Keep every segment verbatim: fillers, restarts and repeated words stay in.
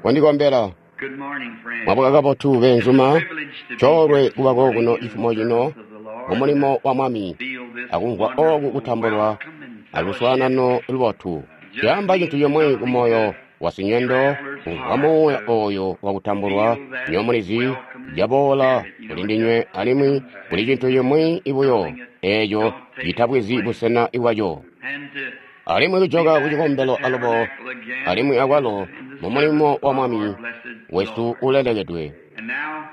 Kondikombela. Good morning, friends. Mwabuka kabotu beenzuma. It's a privilege to be Coolwe here this kuba morning kokuno in the cifumo cino service of the Lord. mumulimo wa Mwami Feel this akumvwa oku wonderful kutambulwa welcome and aluswaanano lubotu. Caamba cintu cimwi kumoyo wa sinyendo kumvwa muuya oyo wakutambulwa nyomulizi caboola kuli ndinywe alimwi kuli cintu cimwi ibuyo eeco citabwizi busena bwaco. And to Alimwi kujoka be ku back at the cikombelo alubo tabernacle again alimwi akwalo in the mu mulimo service wa of our Mwami blessed wesu Lord. ulelekedwe. And now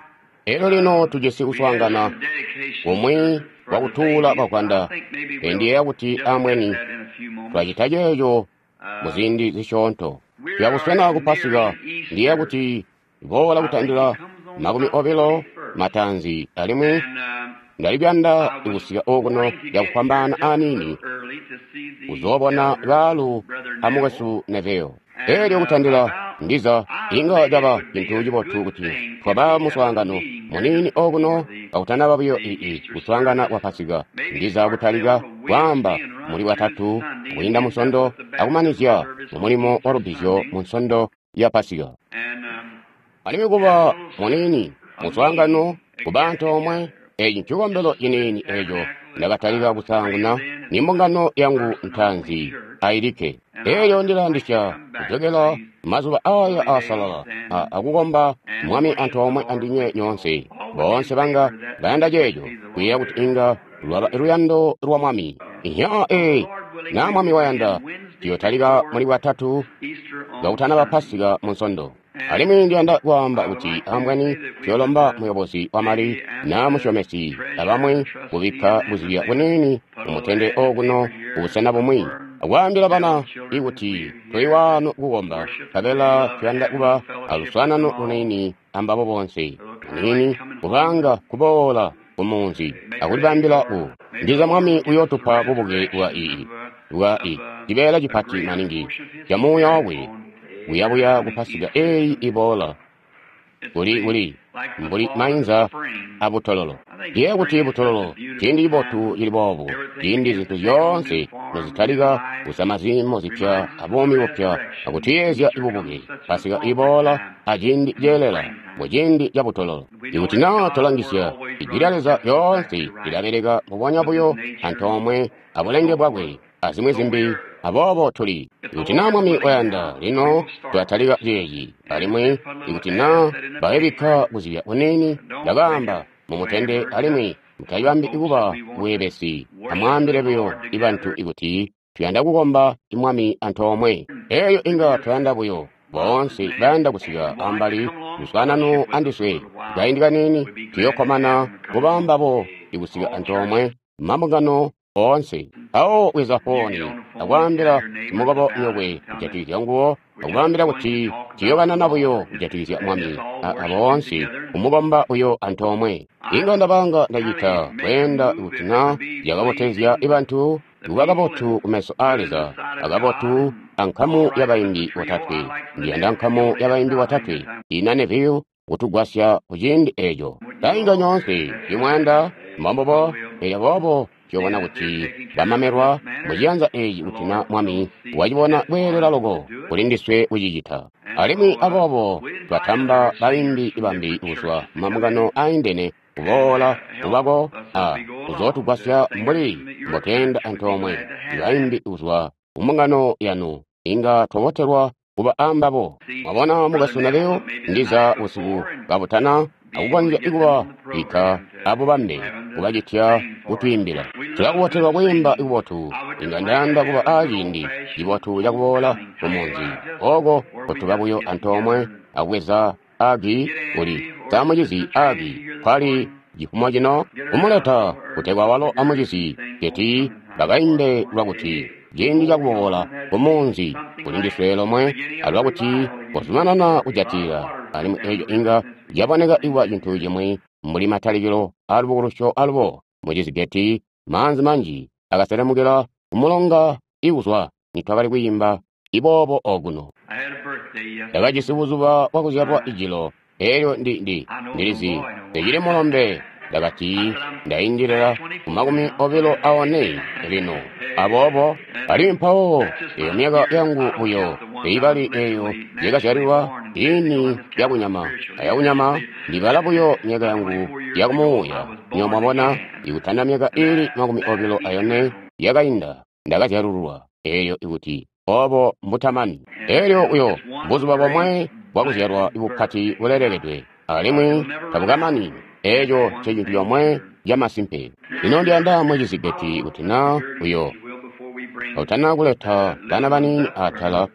Elyo lino tujisi we have kuswaangana some dedication kumwi service for kwa the kutuula babies. I bavwanda. think maybe we'll Ndiyeeya kuti just get ambweni that in a few moments. twacita ceeco Uh, muziindi zisyoonto. we Tuyakuswena are ku Pasika nearing ndiyeeya Easter. kuti boola I think kutandila it comes on makumi about the obilo twenty-first. matanzi alimwi And um, ndalipyanda I was kusika okuno wanting to get here lyakufwambaana just a aniini little early to see the kuzoobona elder, baalu Brother a Neville. mukwesu Neville. And Elyo uh, kutandila about, ndiza I inga maybe it caba would be cintu a cibotu good kuti thing if twaba we had a muswaangano meeting here muniini just okuno before the, kakutanaba buyo the ii Easter kuswaangana service. kwa Pasika. Maybe Ndiza start kutalika there on a kwaamba Wednesday and run muli through watatu Sunday and kuyinda end up musondo with the baptism akumanizya service mu on mulimo wa Easter lubbizyo Sunday. mu nsondo ya Pasika. And um, Alimwi have a kuba little s- muniini a muswaangano meeting, a kuba get antoomwe together. eeci ncikombelo This is the ciniini eeco tabernacle that ndakatalika I was kusaanguna raised in. ni It's my mbungano yangu personal ntaanzi church. ayilikke. And I Elyo would like to ndilayandisya come back to kujokela these mazuba aya holy days aasalala a- and akukomba and Mwami worship the antoomwe Lord andinywe with you all. nyoonse. All would be in Boonse banga favor that bayanda would ceeco be the kuyeeya Lord's kuti inga lwaba luyando lwa Mwami. Ihya will. The ee Lord willing, na we Mwami will wayanda begin Wednesday tuyotalika before muli bwatatu Easter on kakutanaba Sunday. Pasika mu nsondo. And Alimwi ndiyanda kwaamba I would kuti like to ambweni say that we would tuyolomba uh, muyobozi wa mali maybe ask na the musyomesi treasurer, abamwi the trustee, kubikka and them if buzibya they would buniini put a little mumutende ad in the okuno paper here kubusena bumwi. somewhere and Akwaambila tell bana the children that ikuti we're tuli here to waano kukomba worship and we nkabela love tuyanda having kuba fellowship with them aluswaanano all. luniini ambabo bonse. It'll kind of like Aniini coming home. kubanga kuboola kumunzi Maybe akulibambila or ku. maybe Ndiza the Lord Mwami will give us the uyootupa bubuke bwa resurrection ii of, uh, bwa of i uh, cibeela a cipati greater maningi portion of His ca muuya Spirit wakwe on kuyabuya ku coming Pasika Easter eeyi Sunday. iboola It's kuli the kuli like the mbuli fall of mainza spring. abutololo. I think Ndiye kuti spring is such a butololo beautiful ciindi cibotu time. cili boobu Everything ciindi begins zintu to take on new zyoonse form, new nozitalika life. kusama ziimo zipya Reminds us of the abuumi bupya resurrection. akutiyeezya Easter comes ibubuke. such an Pasika appropriate iboola time aciindi in the ceelela springtime. muciindi ca butololo. We know Ikuti that naa God's word twalangisya always ijwi lya runs Leza just exactly lyoonse right lilabeleka mbubonya with His buyo nature and antoomwe abulenge so bwakwe forth. azimwi So zimbi we're, aboobo tuli. if the Ikuti naa Lord is Mwami willing wayanda now, we lino will start tulatalika this. ceeci And alimwi put a little ikuti ad naa set in the bayibikka paper. kuzibya kuniini Don't make ndakaamba it mumutende wayward. alimwi Just tell mutayibambi folks that kuba we want to bweebesi. worship the Amwaambile buyo Lord ibantu together. ikuti tuyanda kukomba Mwami antoomwe. Eeyo We inga just twayanda buyo love boonse and bayanda kusika if you'd like to ambali come along and luswaanano fellowship with us a andiswe little while, kaindi kaniini we'd be glad to have tuyokkomana them come kuba along. mbabo ikusika All antoomwe churches, mambungano oonse. Awo bweza you get fooni on the phone and tell akwaambila your neighbors simukobo about it nyokwe and tell them kujatikizya nguwo we're just akubambila going to kuti talk about the tuyokanana buyo Lord. It's, kujatikizya it's Mwami just all a- worshiping aboonse together. And kumukomba buyo antoomwe. I Inga would ndabanga ndacita kind of make a kweenda move kuti if it naa would be zyakabotezya pleasing ibantu the kuba people kabotu and kumeso aa good in the Leza sight of God akabotu and ankamu all right with the y'abayimbi trio. botatwe. I like for the Ndiyanda Neville nkamu to have y'abayimbi out botatwe anytime. ina Neville kutugwasya kuciindi eeco. Wouldn't you Tainga all? nyoonse imwanda mbombobo So we'll elyo boobo see tuyobona that they're kuti taken care of in bamamelwa this manner. muciyanza eeci The kuti na Lord Mwami will see wacibona fit kweelela for us loko to do it. kuli ndiswe kucicita. And Alimwi so uh, aboobo we invite twatamba other bayimbi singers from bambi different kuzwa churches to come mumambungano in aindene and kuboola uh, help kubako us as a we go along. The kuzootugwasya singers mbuli from your mbotweenda church would be antoomwe. glad to have them. Bayimbi kuzwa kumbungano yanu inga twabotelwa kuba ambabo. See Mwabona Brother mukwesu Neville Neville maybe the ndiza night busiku before and kabutana be able to akukonzya get them kuba on the bikka program to abubambe have them to kubacitya sing for us. kutwiimbila. We love Tulakubotelwa good kwiimba singing. kubotu I would inga just like to ndayanda kuba have a good aaciindi old-fashioned cibotu cakuboola homecoming type, kumunzi just oko where we kutuba just buyo get antoomwe together and akubweza agi get kuli Angie or samucizi Sister agi Transi here this kwali morning, cifumo cino get her kumuleta out or kutegwa walo figure amucizi thing keti homecoming time for us bakaimbe one lwakuti day. ciindi Over cakuboola beyond that, kumunzi something kuli like ndiswe lomwe beginning of alwakuti revival again. kozumanana There'll be a lot of kujatilila water put alimwi down eeco the river inga since we began to caboneka sing ikuba that cintu here. cimwi mbuli matalikilo aalubukulusyo alubo mucizigeti maanzi manji akaselemukila kumulonga ikuzwa nitwakali kwiimba iboobo okuno. I had a birthday yesterday. Ndakajisi buzuba bwakuzyalwa I ijilo elyo ndi ndi I know no ndilizi boy no more. ndicili mulombe Ndakati, ndaindilila ku makumi obilo aone lino. Aboobo, alimwi mpawo, eyo myaka yangu buyo, teibali eyo yakazyalilwa ini yakunyama, ayakunyama ndibala buyo myaka yangu yakumuuya. Nywebo mwabona, ikutanda myaka ili makumi obilo ayone yakainda, ndakazyalululwa, eyo ikuti obo mbutamani. Elyo uyo buzuba bomwe bwakuzyalwa bupati bulelekedwe, alimwi tabukamani. Eco ncecintu comwe camasimpe. Lino ndiyanda mwecizigeti kuti na uyo utana kuleta bana baniini atala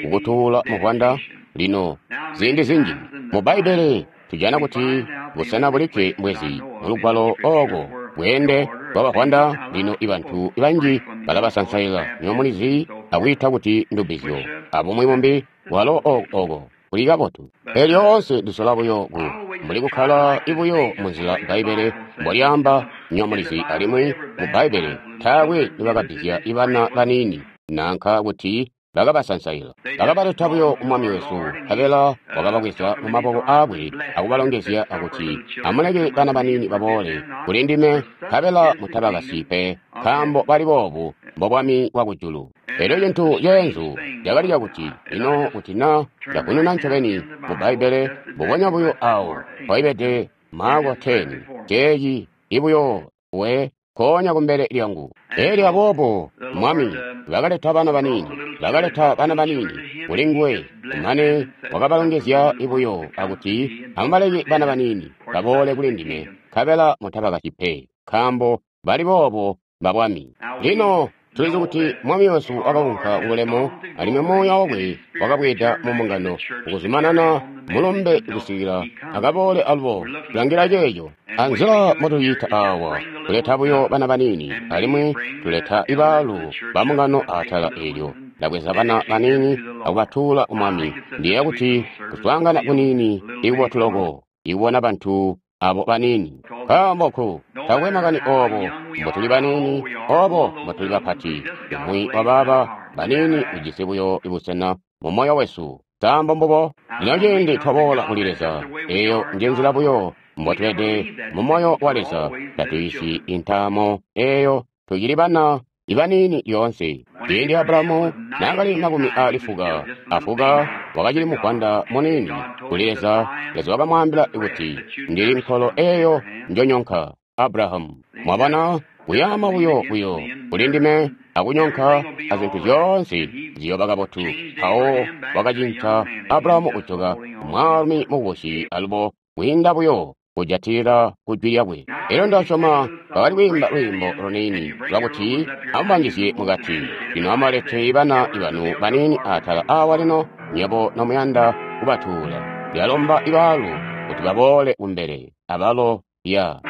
kukutuula muvwanda. Lino ziindi zinji mu Bbaibbele tujana kuti busena bulikke mbwezi mulugwalo ooko bweende bwabavwanda. Lino ibantu banji balabasansaila, nywebo mulizi, akwiita kuti ndubbizyo abumwi bumbi, walo ooko kuli kabotu. Pele lyoonse ndisola buyo ku mbuli kukkala ibuyo munzila Bbaibbele mbolyaamba, nywebo mulizi, alimwi mu Bbaibbele taakwe nibakabbizya ibana baniini nanka kuti bakabasansaila. Bakabaleta buyo ku Mwami wesu, nkabela wakababweza mu maboko aakwe akubalongezya akuti, amuleke bana baniini baboole kuli ndime, nkabela mutabakasyi pe, nkaambo bali boobu mbobwami bwakujulu. Elyo cintu ceenzu cakali cakuti, lino kuti na ndavununa ncobeni mu Bbaibbele mbubonya buyo awo mpaibede Maako ten, ceeci ibuyo we nkoonya kumbele lyangu. Elyo aboobo Mwami bakaleta bana baniini, bakaleta bana baniini kuli nguwe, kumane wakabalongezya ibuyo akuti, amubaleke bana baniini baboole kuli ndime, nkabela mutabakasyi pe, nkaambo bali boobo mbabwami. Lino tulizi kuti Mwami wesu wakaunka kubulemu, alimwi Muuya wakwe wakabweeda mu mbungano ukuzumanana mulumbe kusikila akaboole alubo. Tulangila ceeco. Anzila mbotucita awa, tuleta buyo bana baniini, alimwi tuleta ibaalu ba mbungano atala eelyo. Ndabweza bana baniini akubatuula ku Mwami. Ndiyeeya kuti kuswaangana kuniini ikubotu loko ikubona bantu abo baniini. Nkaambo ku taakwe makani obo mbotuli baniini, obo mbotuli bapati, umwi wabaaba baniini ujisi buyo ibusena mu moyo wesu. Nkaambo mbubo, lino ciindi twaboola kuli Leza, eyo nje nzila buyo mbotubede mu moyo wa Leza. Tatuyisi intaamo eyo, tucili bana ibaniini lyoonse. Ciindi Abrahamu naakali makumi aali fuka afuka, wakacili muvwanda muniini kuli Leza. Leza wakamwaambila kuti, ndili nkolo eyo njonyonka, Abrahamu. Mwabona, kuyaama buyo buyo kuli ndime akunyonka azintu zyoonse ziyooba kabotu. Mpawo wakacinca Abrahamu kujoka mwaalumi mukubusi alubo kwiinda buyo kujatilila ku jwi lyakwe. Elyo ndasyoma bakali kwiimba lwiimbo luniini lwakuti amubanjizye mukati. Lino amubalete bana ibanu baniini atala awa lino, nywebo nomuyanda kubatuula. Ndiyalomba ibaalu kuti baboole kumbele abalo ya.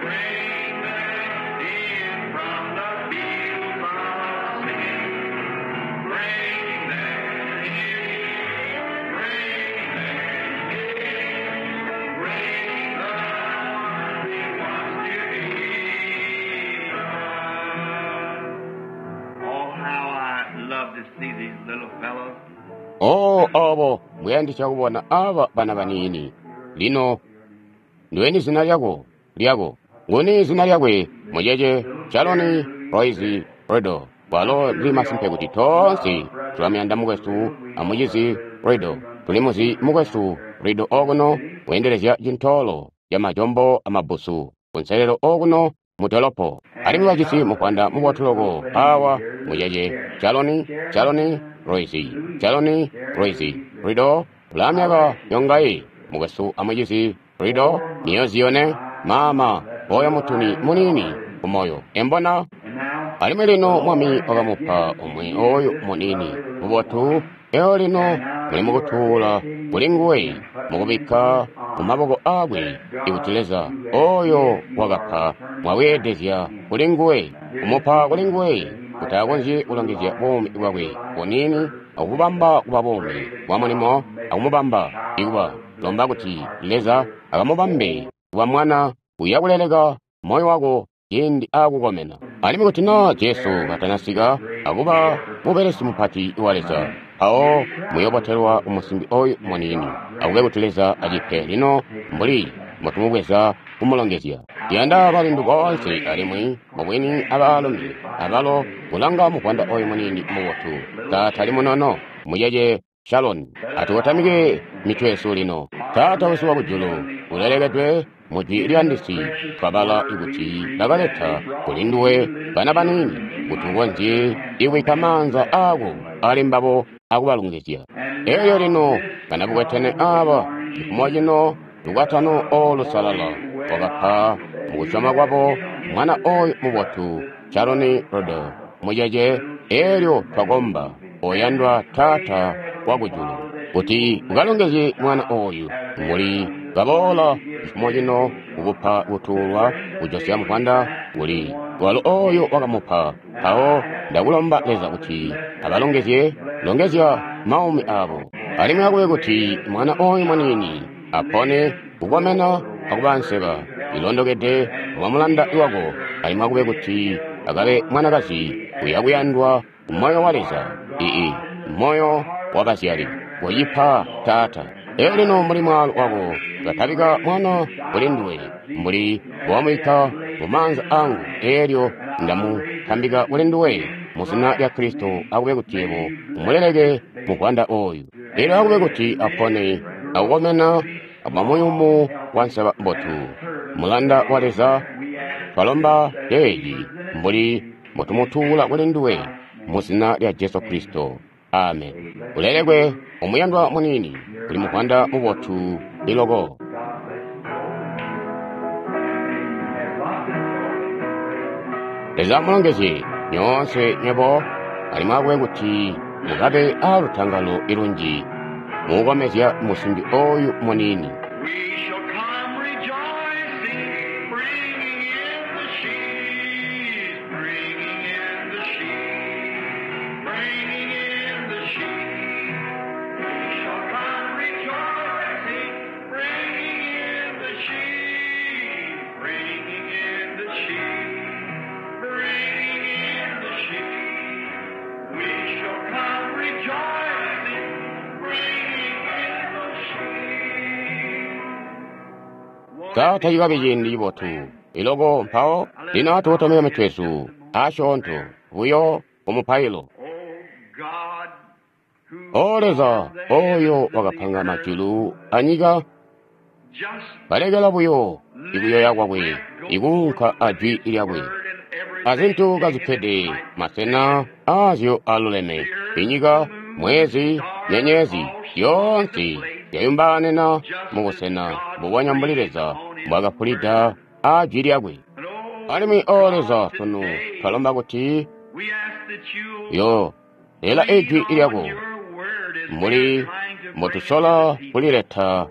Bring them in from the fields of sin. Bring them in, bring them in, bring the worthy ones to Jesus. Oh, how I love to see these little fellows. O obo mbuyandisya kubona aba bana baniini. Lino ndiweni zina lyako lyako nguni zina lyakwe mucece Shaloni Royce Riddle. Walo ndili masimpe kuti toonse tulamuyanda mukwesu amucizi Riddle. Tulimuzi mukwesu Riddle okuno weendelezya cintoolo ca majombo amabbusu kunselelo okuno mu dolopo. Alimwi bajisi muvwanda mubotu loko awa mucece Shaloni Shaloni Royce Shaloni Royce Riddle ulaa myaka yongayi mukwesu amucizi Riddle miyezi yone mama oyo mutuni muniini kumoyo embona. Alimwi lino Mwami wakamupa umwi oyu muniini mubotu. Eyo lino muli mukutuula kuli nguwe mukubikka mu maboko aakwe ikuti Leza oyo wakapa mwabweedezya kuli nguwe, kumupa kuli nguwe kuti akonzye kulongezya buumi bwakwe buniini akububamba kuba buumi bwa mulimo, akumubamba ikuba lomba kuti Leza akamubambe kuba mwana uya kuleleka moyo wako ciindi aakukomena. Alimwi kuti naa Jesu katanasika akuba mubelesi mupati wa Leza, Mpawo muyobotelwa umusimbi oyu muniini. Akube kuti Leza acipe lino mbuli mbotumubweza kumulongezya. Ndiyanda balindu boonse alimwi mubwini abaalumi abalo kulanga muvwanda oyu muniini mubotu. Taatali munono mucece Shaloni. Atukotamike mitwe yesu lino. Taata wesu wakujulu, ulelekedwe mujwi lyandisi twabala kuti bakaleta kuli nduwe bana baniini kuti ukonzye ikubikka maanza aako ali mbabo akubalongezya. Elyo lino banabukwetene aaba cifumo cino lukwatano olu lusalala wakapa mukusyoma kwabo mwana oyu mubotu Shaloni Rodo mucece. Elyo twakomba oyandwa Taata wakujulu kuti ukalongezye mwana oyu mbuli kaboola cifumo cino kukupa kutuulwa kujosya muvwanda kuli walo oyo wakamupa. Mpawo ndakulomba Leza kuti abalongezye, longezya maumi abo, alimwi akube kuti mwana oyu muniini apone kukomena akuba nseba ilondokede mwa mulanda wako, alimwi akube kuti akabe mwanakazi uyakuyandwa kumoyo wa Leza, ii moyo wa bazyali. Koyipa Taata. Elyo lino mbuli mwaalu wako katabika mwana kuli nduwe mbuli wamubikka mu maanza angu, elyo ndamutambika kuli nduwe mu zina lya Kristo. Akube kuti yebo umuleleke muvwanda oyu, elyo akube kuti apone akukomena akuba muyumu wa nseba mbotu, mulanda wa Leza. Twalomba leeli mbuli mbotumutuula kuli nduwe mu zina lya Jesu Kristo. Amen. Ulelekwe omuyandwa muniini, kuli muvwanda mubotu iloko. Leza amulongezye nyoonse nywebo, alimwi akube kuti mukabe aalutangalo ilunji mukukomezya musimbi oyu muniini. We shall come rejoicing, bringing in the sheaves, bringing in the sheaves, bringing in the sheaves. We shall come rejoicing, bringing in the sheaves, bringing in the sheaves, bringing in the sheaves. We shall come rejoicing, bringing in the sheaves. Taata cikabe ciindi cibotu iloko. Mpawo lino atukotamike mitwe yesu asyoonto buyo kumupailo. Oh God, who O Leza, formed the oyo heavens and the wakapanga earth, majulu anyika, just balekela buyo ikuyoya kwakwe let go ikuunka forth ajwi his lyakwe, word and everything azintu taken kazikkede its right masena aazyo aluleme, inyika, mwezi, nyenyezi yoonse yayumbaanena mubusena mbubonya mbuli Leza mbwakapulida ajwi lyakwe. And oh Alimwi o Leza, God, sunu today twalomba kuti we ask that you'll yo lela lean ijwi on lyako your word as we are mbuli trying to bring it to mbotusola the people. kulileta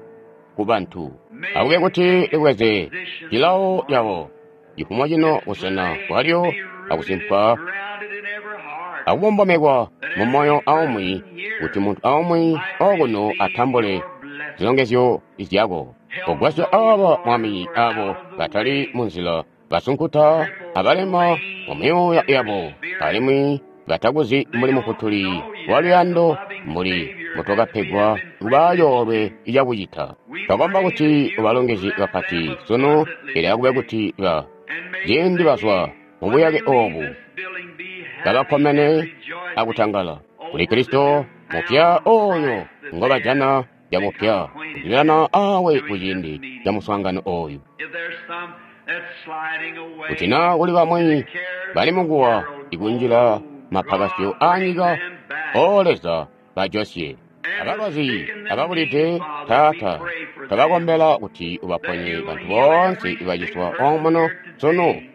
ku bantu. May Akube it kuti take its libweze position this cilawo morning. cabo cifumo cino, This busena place bwalyo, be rooted akusimpa and grounded in every heart, akubombomekwa that mu moyo every aumwi, person here kuti munthu aumwi might okuno receive atambule your blessing. zilongezyo zyako. Help Kugwasya those, aba Lord, Mwami, who are abo out of the batali way, mu nzila, basunkuta, crippled, abalema mu lame myuya in their yabo, spirit. alimwi batakuzi They mbuli don't mufutuli know wa you as the luyando, loving mbuli Savior as we mbutwakapegwa have been kuba privileged coolwe to. cakucita. We Twakomba pray kuti that you'll ubalongezye bless them kapati sunu, ili akube abundantly today. kuti ba And may ciindi bazwa they, mu when buyake they leave obu, this building, be happy and kabakkomene rejoicing akutangala kuli over the Kristo mupya newfound oyo Christ that they have ngobajana become camupya acquainted kuzibirana with awe during this kuciindi ca meeting. muswaangano oyu. If there's some that's sliding Kuti away naa kuli to the bamwi cares bali of the mukuwa world, ikunjila oh mapakasyo God, bring anyika, them back. o Leza, bajosye. And the Abalwazi sick and the ababulide, needy, Father, we Taata, pray for them twabakombela kuti that ubaponye you'll bantu heal boonse every sick ibaciswa person omuno here sunu, today.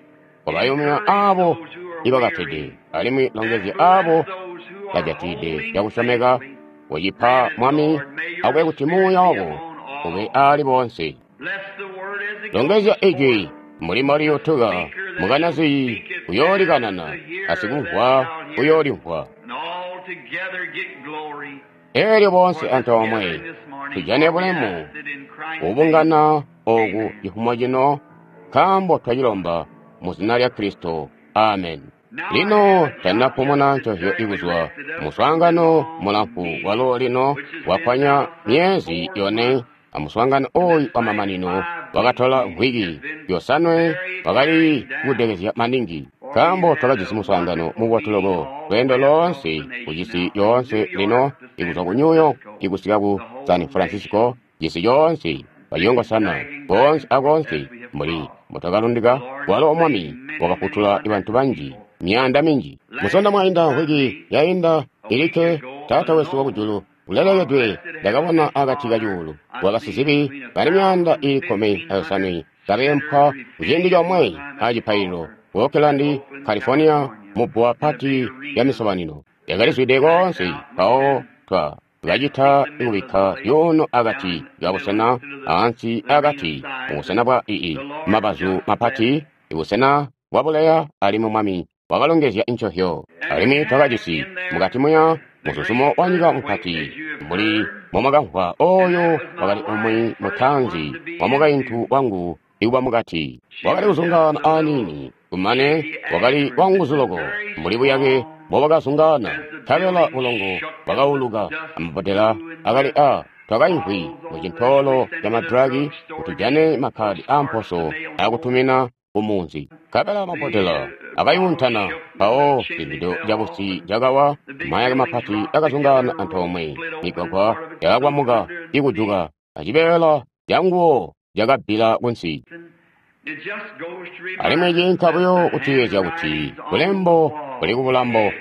kobayumya Encourage abo those who are ibakatede, weary alimwi and longezye bless abo those who are bajatide holding cakusyomeka. safely. Kucipa Grant it, Mwami, Lord. May your akube kuti Spirit muuya be wako upon ube all. ali bonse. Bless the word as it goes Longezya ijwi forth. mbuli The mboliyutuka, speaker that shall mukanazi speak it and uyoolikanana, the hearer that asikumvwa shall hear, uyoolimvwa. and all together get glory Elyo bonse for this antoomwe gathering this morning. tujane For we bulemu ask it in Christ's name. kubungana oku Amen. cifumo cino, nkaambo twacilomba mu zina lya Kristo. Amen. Lino tandinapumuna ncovyo ikuzwa muswaangano mulamfu walo lino wakwanya myeezi yone amuswaangano oyu wamamanino wakatola mvwiki yosanwe wakali kudekezya maningi nkaambo twakajisi muswaangano mubotu loko lweendo loonse kucisi yoonse lino ikuzwa ku New York ikusika ku San Francisco cisi yoonse bayongosana koonse akoonse mbuli mbutwakalundika walo Mwami wakafutula bantu banji myaanda minji. Musonda mwainda mvwiki yainda ilikke Taata wesu wakujulu ulelekedwe ndakabona akati kacuulu wakasizibi bali myaanda iili kkumi ayosanwe kabeempwa kuciindi comwe acipaililo ku Oakland, California mubbuwa pati lya misobanino yakalizwide koonse. Mpawo twa kacita kubikka zyuuno akati kabusena ansi akati mubusena bwa ii mabazu mapati ibusena bwabuleya alimwi Mwami wakalongezya ncovyo. Alimwi twakajisi mukati muya muzuzumo wa nyika mupati mbuli momwakamvwa oyo wakali umwi mutanzi wa mukaintu wangu ikuba mukati wakali kuzungaana aniini kumane wakali wanguzu loko mbuli buyake mbobwakazungaana nkabela bulongo bwakauluka amabbodela akali a twakaimvwi mu cintoolo ca madragi kuti tujane makhadi aamposo akutumina kumunzi. Nkabela mabbodela akayuntana mpawo cibido cabusi cakawa mayake mapati akazungaana antoomwe migwagwa yakakwamuka ikujuka acibeela canguwo cakabbila kunsi. Alimwi ciinka buyo kutuyeezya kuti bulembo buli kubulambo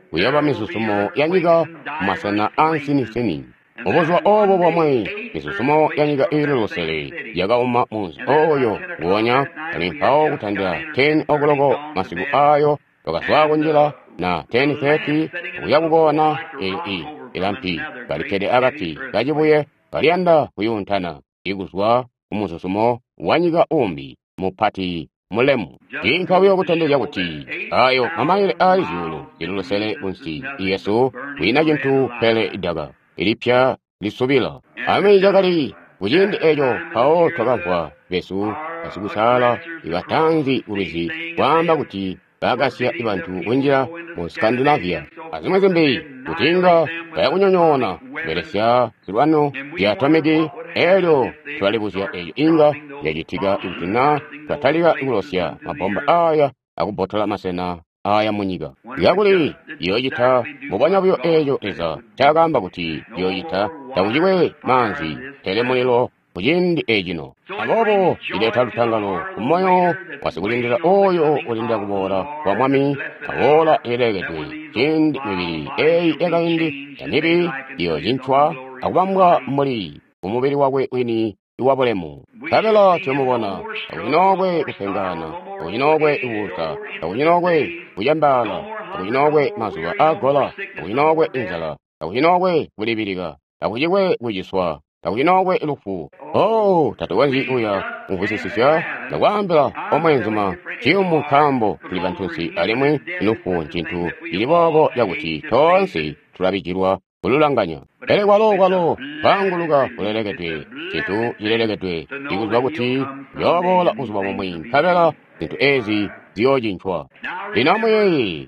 kuyooba mizuzumo ya nyika mumasena aansinisini. Mubuzuba oobo bomwe mizuzumo ya nyika iili lusele yakauma munzi oyo nguonya alimwi mpawo kutandila ten o'clock masiku aayo twakazwa kunjila na ten thirty kuya kukona eyo i ilampi kalikkede akati kacibuye kaliyanda kuyuntana ikuzwa kumuzuzumo wa nyika umbi mupati mulemu. Ciinka buyo kutondezya kuti ayo mamayile aali zyuulu zili lusele kunsi yesu kwiina cintu pele idaka ilipya lisubila. Alimwi cakali kuciindi eco mpawo twakamvwa besu basikusaala ibatanzi kulwizi kwaamba kuti bakasya bantu kunjila mu Scandinavia azimwi zimbi kuti inga bayakunyonyoona kubelesya zilwano zya atomiki. Elyo tulalibuzya eco inga yacitika kuti na twatalika kulosya mabomba aya akubbotola masena aya munyika. Kakuli yoocita mbubonya buyo eeco Leza ncaakaamba kuti yoocita takucikwe maanzi pele mulilo kuciindi ecino. Aboobo cileta lutangalo kumoyo wasikulindila oyo ulindila kuboola kwa Mwami aboola ilelekedwe ciindi mibili eyi yakaindi yamibi iyoocincwa akubambwa mbuli kumubili wakwe wini wabulemu. Nkabela tuyomubona takucinokwe kupengana, takucinokwe kuusa, takucinokwe kucembaala, takucinokwe mazuba aagola, takucinokwe inzala, takucinokwe kulibilika, takucikwe kuciswa, takucinokwe lufu. Oh, tatukonzyi kuya kumvwisisisya ndakwaambila omweenzuma ciyumu nkaambo tuli bantunsi alimwi lufu ncintu cili boobo cakuti toonse tulabijilwa kululanganya. Pele kwalo kwalo kwaanguluka kulelekedwe cintu cilelekedwe ikuzwa kuti uyooboola buzuba bumwi nkabela zintu ezi ziyoocincwa. Lino amuyeeye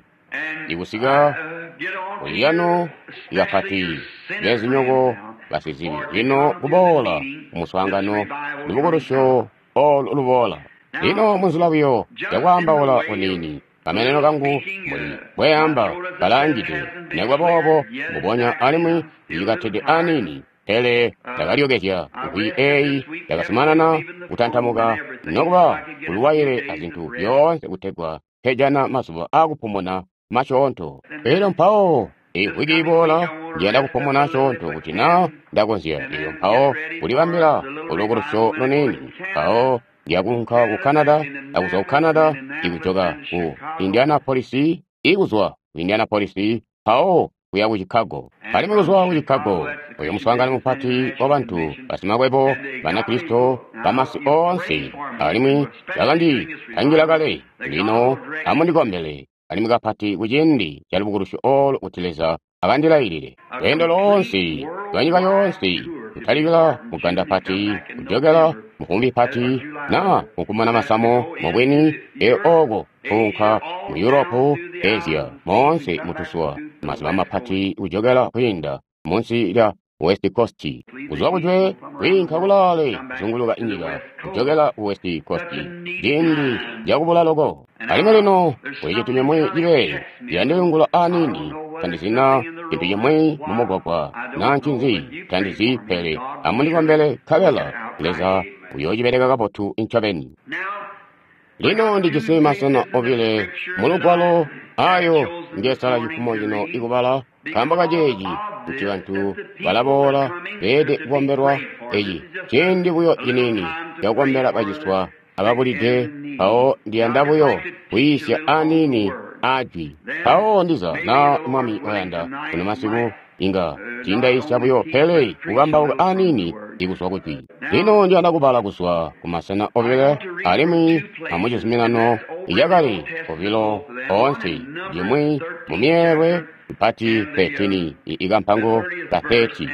ikusika kuliyano ikapati bezinyoko basizibi lino kuboola kumuswaangano lubukulusyo olu luboola. Lino munzila buyo yakwaambaula kuniini kameneno kangu mbuli bweamba kalangide nekuba boobo mbubonya alimwi ndicikatede aniini pele ndakalyokezya mvwi eyi yakazumanana kutantamuka nokuba kuluwaile azintu zyoonse kutegwa nkejana mazuba aakupumuna masyoonto. Elyo mpawo imvwiki iboola ndiyanda kupumuna asyoonto kuti naa ndakonzya. Elyo mpawo kulibambila ulukulusyo luniini mpawo ndiyakuunka ku Canada akuzwa ku Canada ikujoka ku Indianapolis ikuzwa ku Indianapolis mpawo kuya ku Chicago. Alimwi kuzwa ku Chicago oyo muswaangano mupati wa bantu basimakwebo Banakristo bamasi oonse alimwi bakanditangila kale. Lino amundikombele alimwi kapati kuciindi ca lubukulusyo olu kuti Leza akandilailile. Lweendo loonse lwanyika yoonse kutalikila muganda pati kujokela muvumbi pati na mukumana masamo mubwini eyo oko kuunka mu Europe, Asia, moonse mutusuwa, mazuba mapati kujokela kwiinda munsi lya West Coast, kuzwa kujwe kwiinka kulaale kuzunguluka inyika, kujokela ku West Coast, ciindi cakubula loko. Alimwi lino kuli cintu cimwi cibee ciyandilingula aniini, tandizina cintu cimwi mu mugwagwa naa ncinzi, tandizi pele amundikombele nkabela Leza uyoocibeleka kabotu ncobeni. Lino ndijisi masena obile mulugwalo ayo ngesala cifumo cino ikubala nkaambo kaceeci kuti bantu balaboola beede kukombelwa eci ciindi buyo ciniini cakukombela baciswa ababulide mpawo ndiyanda buyo kuyiisya aniini aajwi mpawo ndiza na Mwami wayanda kuno masiku inga tiindayiisya buyo pele kukambauka aniini ikuzwa kujwi. Lino ndiyanda kubala kuzwa ku masena obile alimwi amucizuminano icakale obilo oonse limwi mu myeelwe ipati thirteen ikampango ka thirty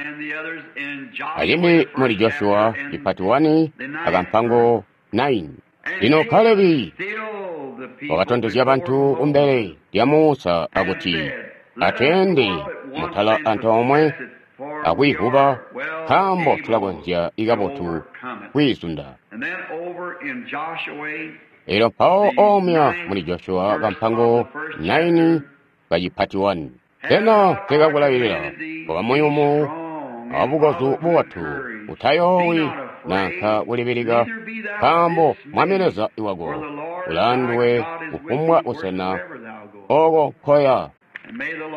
alimwi muli Joshua ipati one akampango nine. Lino Kalebi wakatondezya bantu kumbele lya Musa akuti atweende mutala antoomwe akwiivuba nkaambo tulakonzya ikabotu kwiizunda. Elyo mpawo omya muli Joshua kampango nine kacipati one. Sena nkekakulailila koba muyumu abukozu bubotu, utayoowi nanka kulibilika, nkaambo Mwami Leza wako ulaanduwe kufumbwa busena oko nkoya.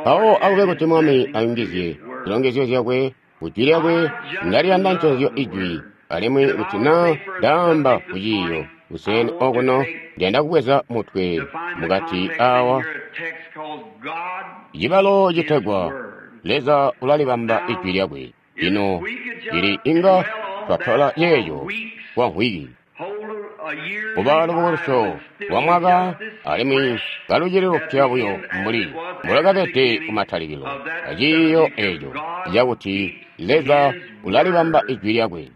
Mpawo akube kuti Mwami ayungizye zilongezyo zyakwe kujwi lyakwe. Ndaliyanda nconzyo ijwi, alimwi kuti naa ndaamba kuciiyo kuseni okuno ndiyanda kubweza mutwe mukati awa cibalo citegwa Leza ulalibamba ijwi lyakwe. Lino lili inga twatola yeeyo kwa mvwiki kuba lubukulusyo lwa mwaka alimwi kalucili lupya buyo mbuli mbulwakabede kumatalikilo aciiyo eeco cakuti Leza ulalibamba ijwi lyakwe.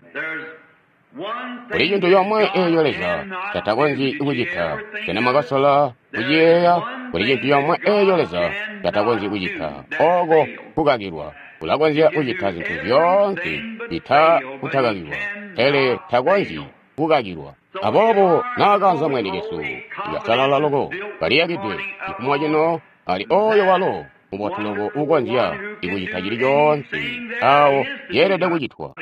Kuli cintu comwe eeco Leza catakonzyi kucita. Sena mwakasola kuciyeeya? Kuli cintu comwe eeco Leza catakonzyi kucita, oko kukakilwa. Ulakonzya kucita zintu zyoonse cita kutakakilwa, pele takonzyi kukakilwa. Aboobo naakaanza mwene kesu ikasalala loko kaliyakidwe cifumo cino ali oyo walo mubotu loko ukonzya ikucita cili coonse awo yeelede kucitwa.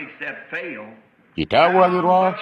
Cita kukakilwa,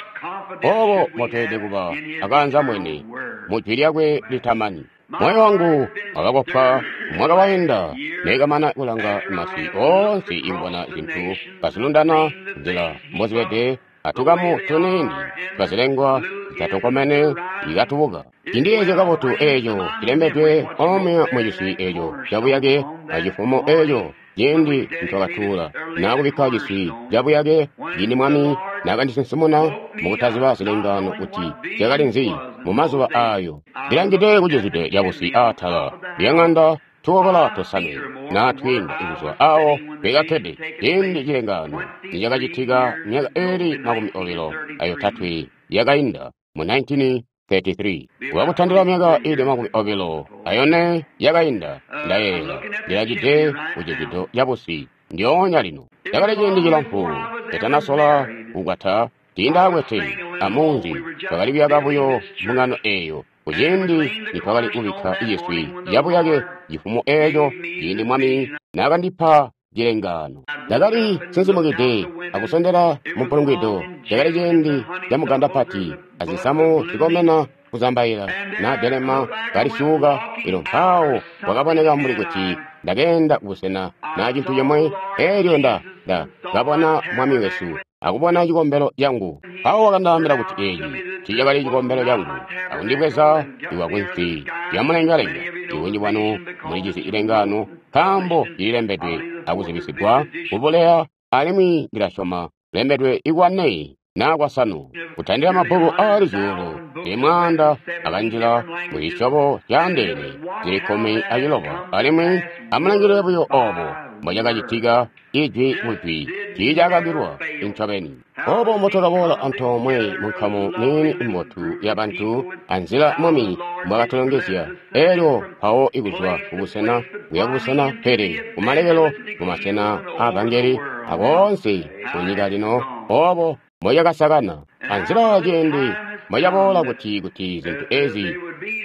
obo mbotweelede kuba akaanza mwene mujwi lyakwe litamani. Moyo wangu wakakopwa mwaka wainda nekamana kulanga masi oonse ikubona zintu kazilundana nzila mbozibede atukamu tuniini twazilengwa zitatonkomene ikatubuka. Cindiyeezya kabotu eeco cilembedwe omwe muciswi eeco cabuyake acifumo eeco ciindi ntwakatuula naakubikka ciswi cabuyake ciindi Mwami naakandisinsimuna mukutaziba zilengano kuti zyakali nzi mu mazuba aayo. Ndilangide kucizwide cabusi aatala lyaŋanda tukokola tosanwe naa twiinda kuzwa awo twekakkede ciindi cilengano nicakacitika myaka eeli makumi obilo ayotatwe yakainda mu nineteen thirty-three. Wakutandila myaka ili makumi obilo ayone yakainda ndayeeya ndilangide kucizwido cabusi ndyoonya lino. Cakali ciindi cilamfu catanasola kukwata tiindaakwete amunzi twakali kuyaka buyo mbungano eeyo kuciindi nitwakali kubikka ciswi cabuyake cifumo eeco ciindi Mwami naakandipa cilengaano. Ndakali sinsimukide akusondela mumpulungwido. Cakali ciindi camuganda pati azisamu zikomena kuzambaila naadelema kalisyuuka. Elyo mpawo kwakaboneka mbuli kuti ndakeenda kubusena naa cintu cimwe, eelyo nda nda kabona Mwami wesu akubona cikombelo cangu. Mpawo wakandaambila kuti eeci tiicakali cikombelo cangu, akundibweza iwa kunsi lyamulengalenga. Ibunji bwanu mulijisi cilengaano nkaambo cililembedwe akuzibisigwa kubuleya, alimwi ndilasyoma lembedwe ikwane naa kwasanu kutandila mabbuku aali zyuulu zili mwaanda akanjila muzisyobo zyaandeene zili kkumi aciloba. Alimwi amulangilile buyo oobo mbocakacitika ijwi kujwi Tiicakakilwa incobeni. Obo mbotwakaboola antoomwe mu nkamu niini imbotu ya bantu anzila Mwami mbwakatulongezya. Elyo mpawo ikuzwa kubusena kuya kubusena, pele kumalekelo mumasena aavangeli akoonse ku nyika lino, obo mboyakasakana anzila ciindi mboyaboola kuti kuti zintu ezi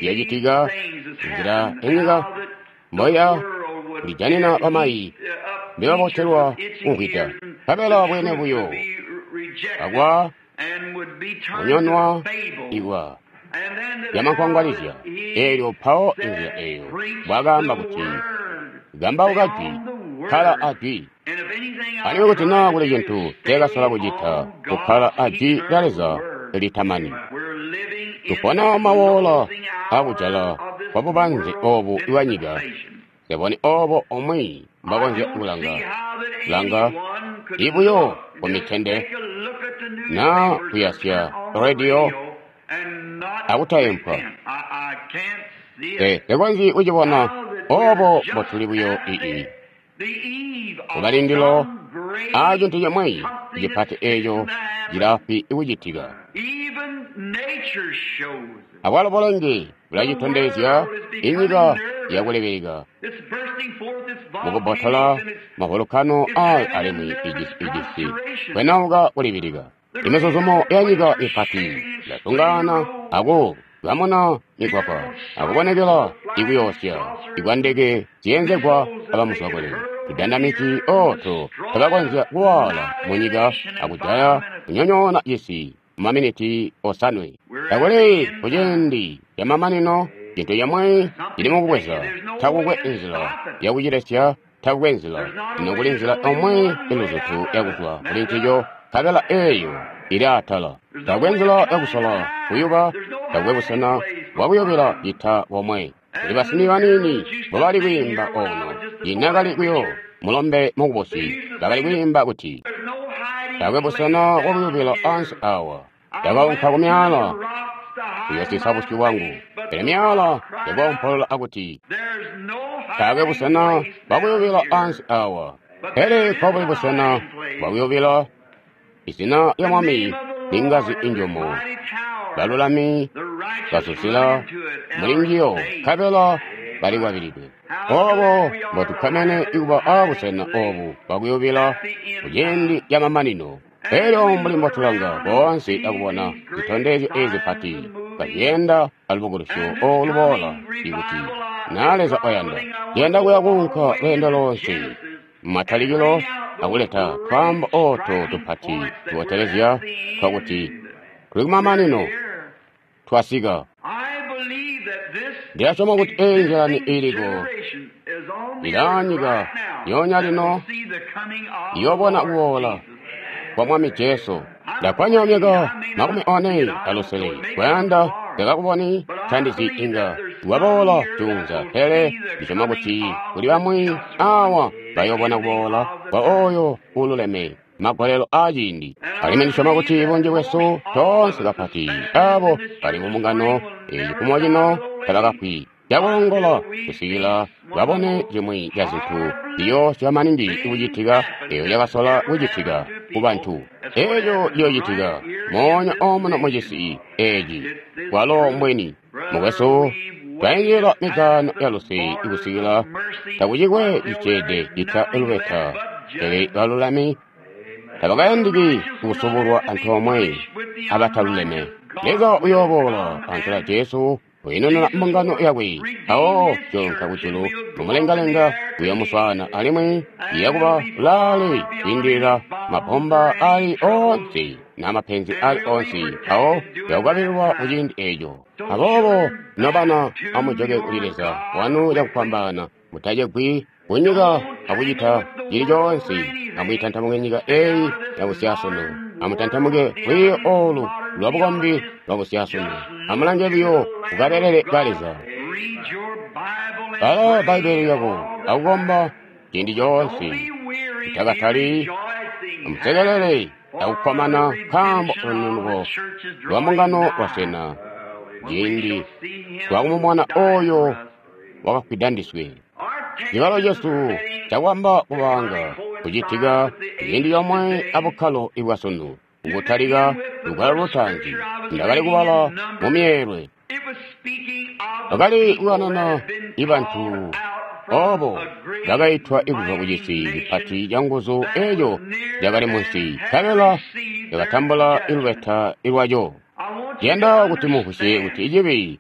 zyacitika, nzila inyika mboya kulijanina bamayi mbibabotelwa kumvwida, nkabela bwene buyo akwa kunyonwa ikwa yamankwangwalizya. Eelyo mpawo inzila eyo bwakaamba kuti kambauka jwi, kkala a jwi. Alimwi kuti naa kuli cintu teekasola kucita, kukkala a jwi lya Leza litamani. Tupona mawoola akujala kwa bubanze obu bwa nyika. Seboni obo omwe mbakonzya kulanga langa ibuyo ku mitende na kuyasya radio akutayempwa. Te tekonzyi kucibona obo mbotuli buyo ii kubalindilo a cintu cimwi cipati eco cilafwi kucitika. Abwalo bulenge bulacitondezya inyika yakulebeleka mukubbotola mavolukano ayo alimwi ijisi ijisi kwenauka kulibilika. Imizuzumo ya nyika mipati ilatungana aku kamuna mikwakwa akubonekela ikuyoosya ikwa ndeke ziyenzegwa abamuzwakule. Tudandamiti oto tabakonzya kuwaala munyika akujaya kunyonyoona cisi mumaminiti osanwe. Takuli kuciindi camamanino, cintu cimwi cili mukubweza. Takukwe nzila yakucilesya, takukwe nzila. Ino kuli nzila omwe iluzutu yakuzwa kuli ncico, nkabela eeyo ili atala. Takukwe nzila yakusola kuyuba, takukwe busena bwakuyubila cita bomwe. Kuli basimi baniini mbobali kwiimba ono, inakali kuyo mulombe mukubusi, bakali kwiimba kuti takwe busena bwakuyubila ansi awa. Ndakaunka ku myaala kuyosisa busyu bwangu, pele myaala yakoompolola akuti taakwe busena bwakuyubila ansi awa. Pele nkobuli busena bwakuyubila, izina lya Mwami ningazi injumu, balulami bazuzila muli njiyo, nkabela balikwabilidwe. Obo mbotukkomene ikuba aabusena obu bwakuyubila kuciindi camamanino. Elyo mbuli mbotulanga boonse akubona zitondezyo ezi zipati kazyenda alubukulusyo oluboola, ikuti naa Leza oyanda, yenda kuya kuunka lweendo lonse mumatalikilo akuleta twaambo oto tupati tubotelezya twakuti tuli kumamanino twasika. Ndilasyoma kuti eyi nzilani iliko ilanyika yonya lino iyobona kuboola kwa Mwami Jesu. Ndakwanya myaka makumi one alusele kuyanda ndakakuboni tandizi inga waboola junza, pele ndisyoma kuti kuli bamwi awa bayobona kuboola kwa oyo ululeme magolelo aaciindi. Alimwi ndisyoma kuti bunji bwesu toonse kapati abo bali mumbungano eyi kumo cino tabakafwi cakulongola kusikila babone cimwi ca zintu ziyoosya maningi kucitika eyo cakasola kucitika ku bantu. Eco ciyoocitika moonya omuno mucisi eci kwalo mbweni. Mukwesu, twainjila migaano ya luse ikusikila takucikwe ciceede cita lubeta, pele balulami tabakayandiki kusubulwa antoomwe abataluleme. Leza uyooboola antela Jesu uinununa mbungano yakwe, awo jonka kujulu mumulengalenga uyomuswaana, alimwi iyakuba laale kwiindilila mabomba ali onse n'amapenzi ali onse, awo yakukabililwa kuciindi eco. Aboobo nobana, amujoke kuli Leza wanu cakufwambaana, mutacegwi kunyika akucita cili coonse. Amwiitantamuke nyika eyi yabusyasunu, amutantamuke lwiiyo olu lwabukombi lwabusyasunu. Amulange buyo kukabelele ka Leza. Bala Bbaibbele lyako akukomba ciindi coonse. Mutakatali, amusekelele akukkomana, nkaambo lununuko lwa mbungano lwaswena ciindi twakumubona oyo wakafwida ndiswe. Cibalo cesu cakwamba kubanga kucitika ciindi comwe abukkalo ibwasunu, kutalika lugwalo lutaanzi. Ndakali kubala mu myeelwe. Bakali kukanana ibantu obo bakaitwa ikuzwa ku cisi cipati ca nguzu eco cakali munsi, nkabela cakatambula ilubeta ilwaco. Ndiyanda kuti mumvwisye kuti cibi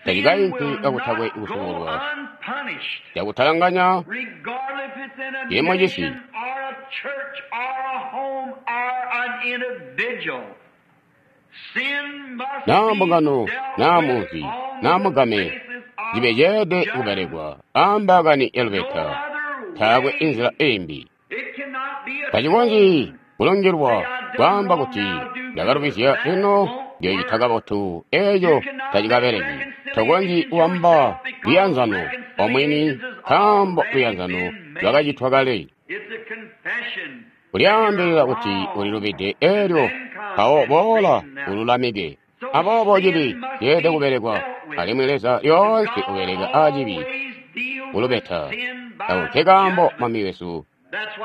tacikainki kakutakwe kusubulwa, cakutalanganya cili mucisi. Naa mbungano, naa munzi, naa mugame, cibe ceede kubelekwa ambaakani yalubeta, taakwe inzila imbi. Tacikonzyi kulungilwa kwaamba kuti ndakalubizya lino ndiyoocita kabotu, eeco tacikabeleki. Tokonzyi kuwamba luyanzano omwini nkaambo luyanzano lwakacitwa kale. Kulyaambilila kuti ulilubide eelyo mpawo boola ululamike. Aboobo cibi ceelede kubelekwa, alimwi Leza lyoonse ubeleka aacibi kulubeta. Ako nkekaambo Mwami wesu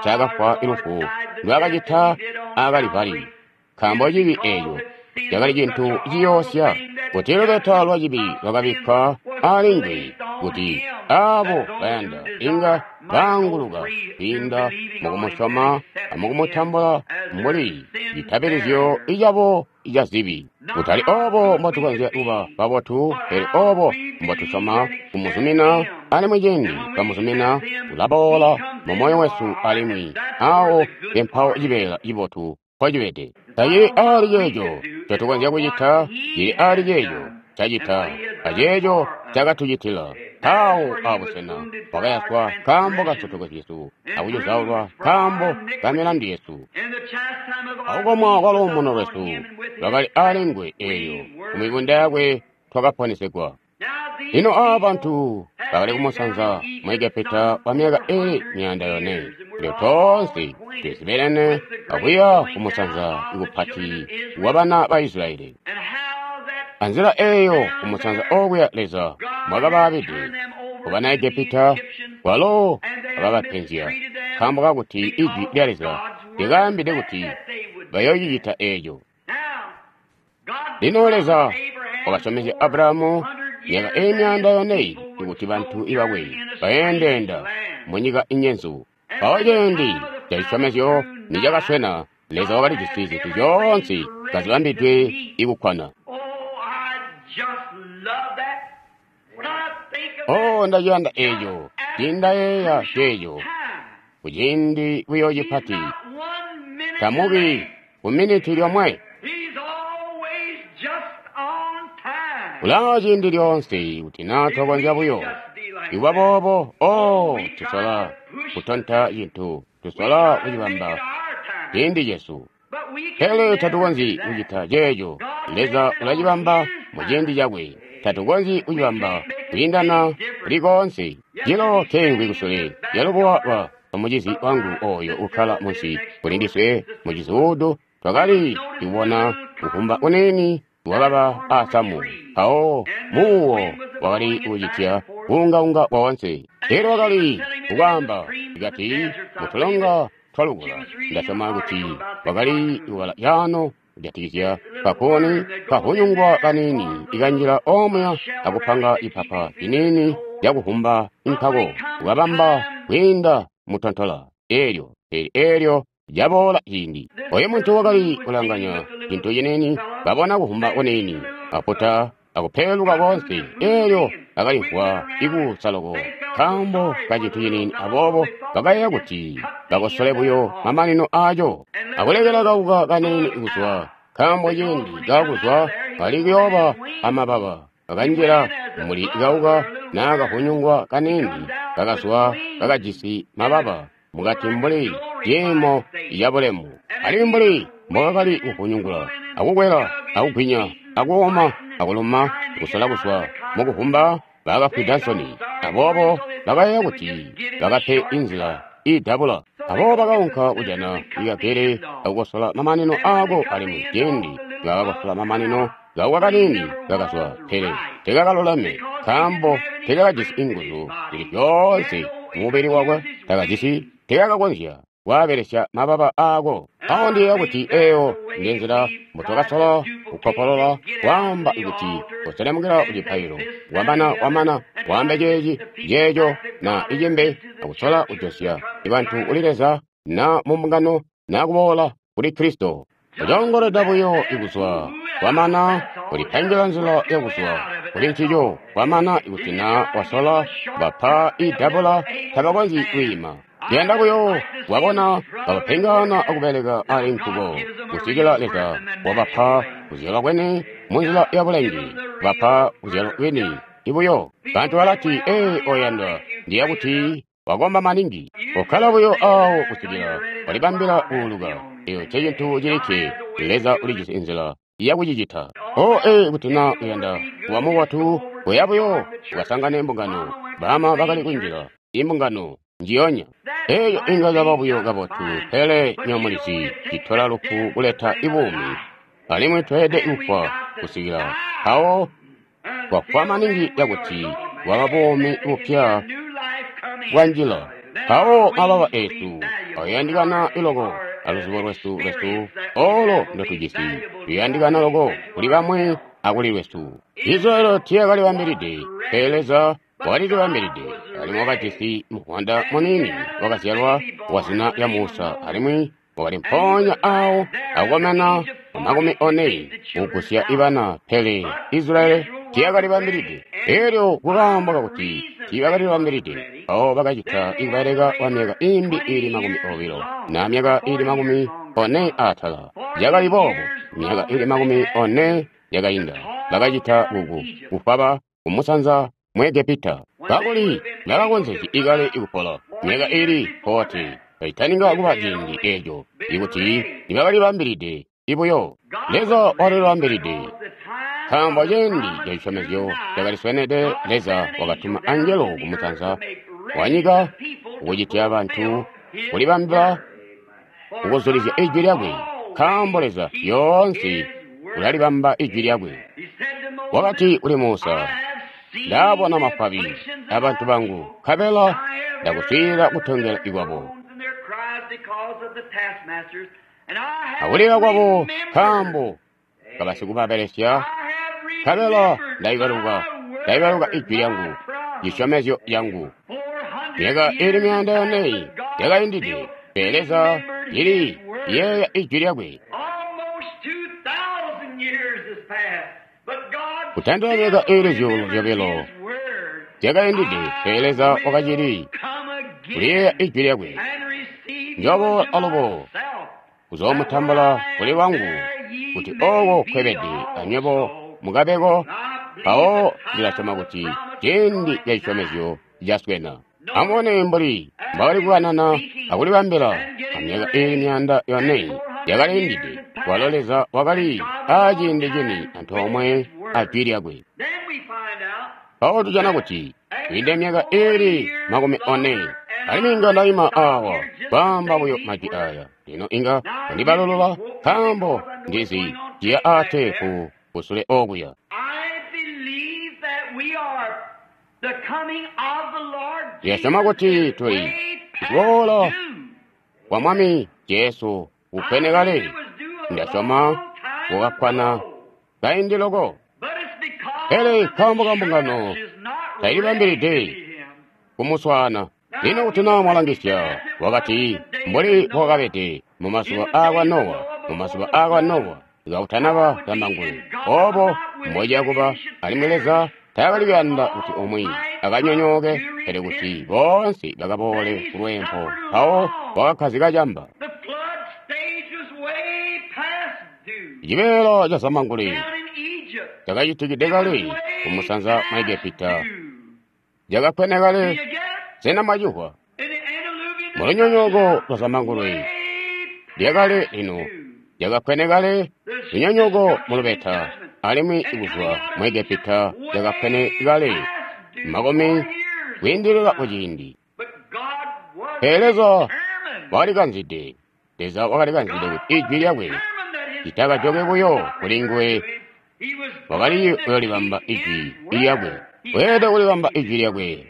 ncaakafwa lufu ndwaakacita aa Kalivari, nkaambo cibi eeco cakali cintu ciyoosya, kuti lubeta lwa cibi lwakabikkwa aali kuti aabo bayanda inga baanguluka kwiinda mukumusyoma amukumutambula mbuli citabilizyo icabo ca zibi. Kutali oobo mbotukonzya kuba babotu, pele oobo mbotusyoma kumuzumina, alimwi ciindi twamuzumina ulaboola mumoyo wesu alimwi aawo empawo cibeela cibotu mpocibede. Tacili aali ceeco ncotukonzya kucita, cili aali ceeco cacita aceeco cakatucitila. Mpawo abusena wakayaswa nkaambo ka nsotoko zyesu, akucuzaulwa nkaambo ka milandu yesu. Akukomwa kwa luumuno lwesu lwakali aali nguwe eelyo kumibunda yakwe twakaponesegwa. Lino aaba bantu bakali kumusanza mu Egepita kwa myaka iili myaanda yone. Elyo toonse twizibelene akuya kumusanza kupati wa bana ba Isilayeli. Anzila eeyo kumusanza okuya Leza mwakabaabide ku bana Egepita, kwalo wakabapenzya nkaambo kakuti ijwi lya Leza lyakaambide kuti bayoocicita eeco. Lino Leza wakasyomezya Abulahamu myaka iili myaanda yone kuti bantu bakwe bayeendeenda munyika inyenzu. Mpawo ciindi cacisyomezyo nicakaswena, Leza wakalijisi zintu zyoonse kazibambidwe ikukkwana. Oh, ndaciyanda eeco, tiindayeeya ceeco kuciindi buyo cipati. Tamubi ku miniti lyomwe. Ulaa ciindi lyoonse kuti naa twakonzya buyo ikuba boobo. Oh, tusola kutonta cintu, tusola kucibamba ciindi cesu, pele tatukonzyi kucita ceeco. Leza ulacibamba muciindi cakwe. Tatukonzyi kucibamba kwiindana kuli koonse. Cilo keengwi kusule lyalubuwa lwa mucizi wangu ooyo ukkala munsi kuli ndiswe mucizi twakali kubona kukumba kuniini wakaba aasamu, mpawo muuwo wakali kucitya kuungaunga woonse. Elyo wakali kukwaamba ikati mutulonga twalukula. Ndasyoma kuti wakali kubala caano kujatikizya kakuni kahunyungwa kaniini ikanjila omuya akupanga ipapa liniini lyakuvumba nkako kukabamba kwiinda mutontola eelyo pele eelyo caboola ciindi. Oyo muntu wakali kulanganya cintu ciniini, kabona kuvumba kuniini, aputa akupeeluka koonse, eelyo akalimvwa ikuusa loko nkaambo ka cintu ciniini. Aboobo bakayeeya kuti bakosole buyo mamanino aaco akulekela kauka kaniini kuzwa, nkaambo ciindi kakuzwa kali kuyooba amababa. Kakanjila muli kauka naakahunyungwa kaniini, kakazwa kakajisi mababa mukati mbuli ciimo cabulemu, alimwi mbuli mbokakali kuhunyungula akukwela akugwinya akuoma akuluma kusola kuzwa mukuvumba, bakafwida nsoni. Aboobo bakayeeya kuti bakape inzila iidabula. Aboobo bakaunka kujana ikagele akukosola mamanino aako, alimwi ciindi bakakosola mamanino kauka kaniini kakazwa, pele tekakaluleme nkaambo tekakajisi inguzu zili zyoonse mumubili wakwe, takajisi tekakakonzya kwaabelesya mababa aako. Awo ndiyeeya kuti eyo ndi nzila mbutwakasola kukkopolola kwaamba kuti kuselemukila ku cipaililo, wamana wamana waambe ceeci, ceeco, na icimbi, akusola kujosya bantu kuli Leza na mu mbungano na kuboola kuli Kristo. Kucoongoleda buyo ikuzwa kwamana kulipangila nzila yakuzwa kuli ncico kwamana ikuti na wasola bapa idabula tabakonzyi kwiima. Ndiyanda buyo wabona kabapengana akubeleka ali nkuko kusikila Leza wabapa kuzyalwa kwene munzila ya bulenge, bapa kuzyalwa kwini ibuyo. Bantu balati, ee, oyandwa, ndiya kuti wakomba maningi. Kokkala buyo awo kusikila walibambila kuuluka. Eyo ncecintu cilikke Leza ulijisi nzila yakucicita. O ee, kuti na uyanda kuba mubotu, kuya buyo ukasangane mbungano. Bama bakali kunjila imbungano njiyonya. Eyo inga yaba buyo kabotu, pele nyomulizi citola lufu kuleta ibuumi, alimwi tweelede kufwa kusikila awo kwafwa maningi yakuti waba buumi bupya bwanjila. Mpawo mababa esu ayandikana iloko aluzubo lwesu lwesu olo ndotujisi luyandikana loko kuli bamwi akuli lwesu. Israeli tiyakalibambilide, pele Leza wakalilibambilide, alimwi wakajisi muvwanda muniini wakazyalwa wa zina lya Musa, alimwi wakali mpoonya awo akukomena makumi one kugusya ibana, pele Israeli tiyakalibambilide. Elyo kukaambo kakuti tiibakalibambilide, mpawo bakacita ikubeleka kwa myaka imbi iili makumi obilo na myaka iili makumi one atala. Yakali boobo, myaka iili makumi one yakainda, bakacita kuku kufwaba kumusanza mu Egepita. Kakuli bakakonzezya ikale ikupola myaka iili forty kaitaninga kuba ciindi eeco, ikuti nibakalibambilide ibuyo. Leza wakalibambilide, nkaambo ciindi ca cisyomezyo cakaliswenede. Leza wakatuma angelo kumusanza wa nyika kukucitya bantu kulibambila kukuzulizya ijwi lyakwe, nkaambo Leza lyoonse ulalibamba ijwi lyakwe. Wakati kuli Musa, ndabona mafabi abantu bangu, nkabela ndakuswiilila kutongela ikwabo akulila kwabo, nkaambo kabasikubabelesya, nkabela ndaibaluka ndaibaluka ijwi lyangu, cisyomezyo lyangu. Myaka iili myaanda yone yakaindide, pele Leza lili yeeya ijwi lyakwe. Kutandila myaka iili zyuulu zyobilo zyakaindide, pele Leza wakacili kuliyeeya ijwi lyakwe. Njoboola alubo kuzoomutambula kuli lwangu, kuti ooko nkwebede anywebo mukabeko. Mpawo ndilasyoma kuti ciindi ca cisyomezyo caswena. Amubone mbuli mbwakali kukanana akulibambila amyaka iili myaanda yone yakaliindide, walo Leza wakali aaciindi cini antoomwe a jwi lyakwe. Mpawo tujana kuti kwiinde myaka iili makumi one, alimwi inga ndaima awa kwaamba buyo majwi aya. Lino inga wandibalulula, nkaambo ndizi ciya aateepu kusule okuya. Ndilasyoma kuti tuli kuboola kwa Mwami Jesu kukwene kale. Ndasyoma kukakkwana kaindi loko, pele nkaambo ka mbungano tailibambilide kumuswaana. Lino kuti naa mwalangisya, wakati mbuli bwakabede mumazuba aakwa Nowa, mumazuba aakwa Nowa kakutanaba zambangulwe, obo mbociya kuba. Alimwi Leza taakali kuyanda kuti umwi akanyonyooke, pele kuti boonse bakaboole kulweempo. Mpawo wakakkazika camba. Cibeela ca zambangulwe cakacitikide kale kumusanza mwa Egepita, cakakkwene kale. Sena mwacihwa? Mulunyonyooko lwa zambangulwe lyakale lino lyakakkwene kale, lunyonyooko mulubeta, alimwi kuzwa mu Egepita lyakakkwene kale makumi kwiindilila kuciindi. Pele Leza wakalikanzide, Leza wakalikanzide kuti ijwi lyakwe litakajoke buyo kuli nguwe. Wakali kuyoolibamba ijwi lyakwe, weelede kulibamba ijwi lyakwe.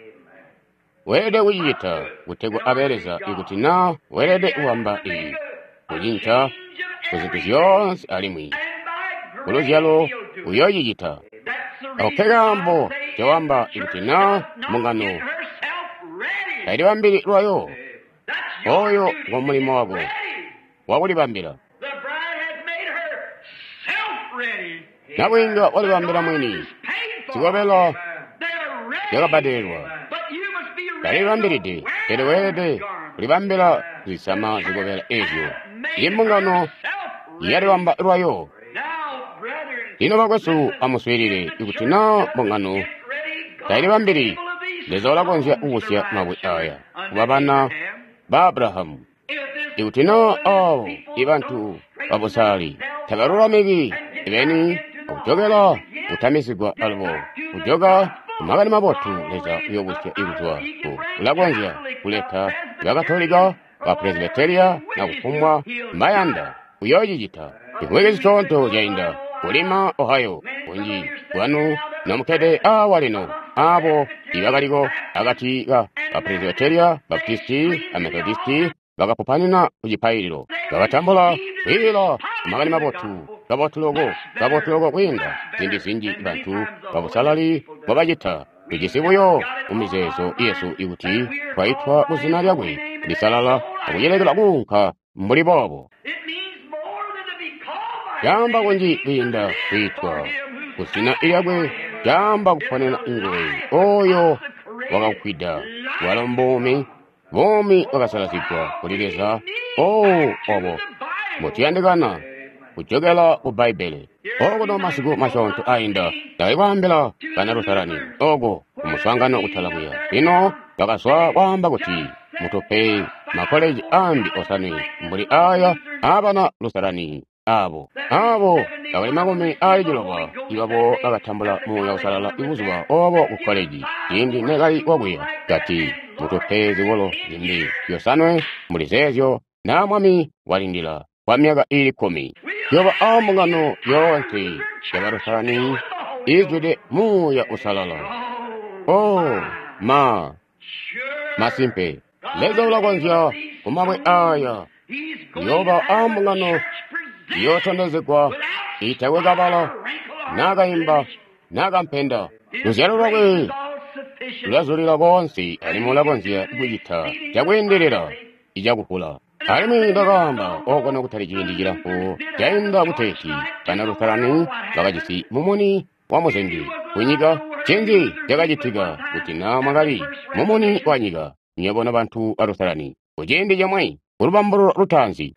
Weelede kucicita kutegwa abe Leza ikuti na weelede kubamba iyi kucinca ku zintu zyoonse alimwi ku luzyalo uyoocicita. Ako ke kaambo cawamba ikuti na mbungano tailibambili lwayo, oyo ngo mulimo wako wakulibambila. Nabwiinga walibambila mwini, zikobela zyakabbadelelwa. Talibambilide, pele weelede kulibambila kuzisama zikobela ezyo. Imbungano yalibamba lwayo. Lino bakwesu amuswiilile, ikuti na mbungano tailibambili, Leza ulakonzya kubusya mabwe aya kuba bana ba Abrahamu. Ikuti na abo ibantu babusali tabalulamiki beni akujokela kutamizigwa alubo kujoka kumakani mabotu, Leza uyobusya ikuzwa ku ulakonzya kuleta bakatolika ba Presbyteria na kufumbwa mbayanda uyoocicita. Chivwiki zisyoonto zyainda kulima Ohio kunji kwanu nomukkede awa lino abo ibakaliko akati ka ba Presbyteria, Baptisti a Methodisti bakapupanina ku cipaililo bakatambula kwiila makani mabotu kabotu loko kabotu loko kwiinda ziindi zinji bantu babusalali mbobacita. Tujisi buyo mumizeezo yesu ikuti twaitwa ku zina lyakwe lisalala akucilekela kuunka mbuli boobo. Caamba kunji kwiinda kwiitwa ku zina lyakwe, caamba kuponena nguwe oyo wakakwida walo mbuumi, buumi bwakasalazigwa kuli Leza. Oh, obo mbotuyandikana kujokela ku Bbaibbele. Okuno masiku masyoonto ainda ndakali kwaambila bana Lutherani oko kumuswaangano kutala kuya. Lino bakazwa kwaamba kuti mutupe makoleji ambi osanwe mbuli aya aabana Lutherani abo abo bakali makumi aali ciloba ibabo bakatambula Muuya Uusalala ibuzuba obo ku koleji ciindi nekali wakuya. Kati mutupe zikolo zimbi zyosanwe mbuli zeezyo na Mwami walindila kwa myaka iili kkumi. Yoba ambungano yoonse ya Balutherani iizwide Muuya Uusalala. Oh ma, masimpe Leza ulakonzya kumabwe aya yoba ambungano iyootondezegwa itakwe kabala naakaimba naakampenda. Luzyalo lwakwe lulazulila koonse alimwi ulakonzya kucita cakwiindilila icakuvula. Alimwi ndakaamba oko nokutali ciindi cilamfu cainda kuteeti bana Lutherani bakajisi mumuni wa muzengi kunyika. Ncinzi cakacitika kuti na mwakali mumuni wa nyika nywebo nobantu ba Lutherani kuciindi comwe kulubambululo lutaanzi?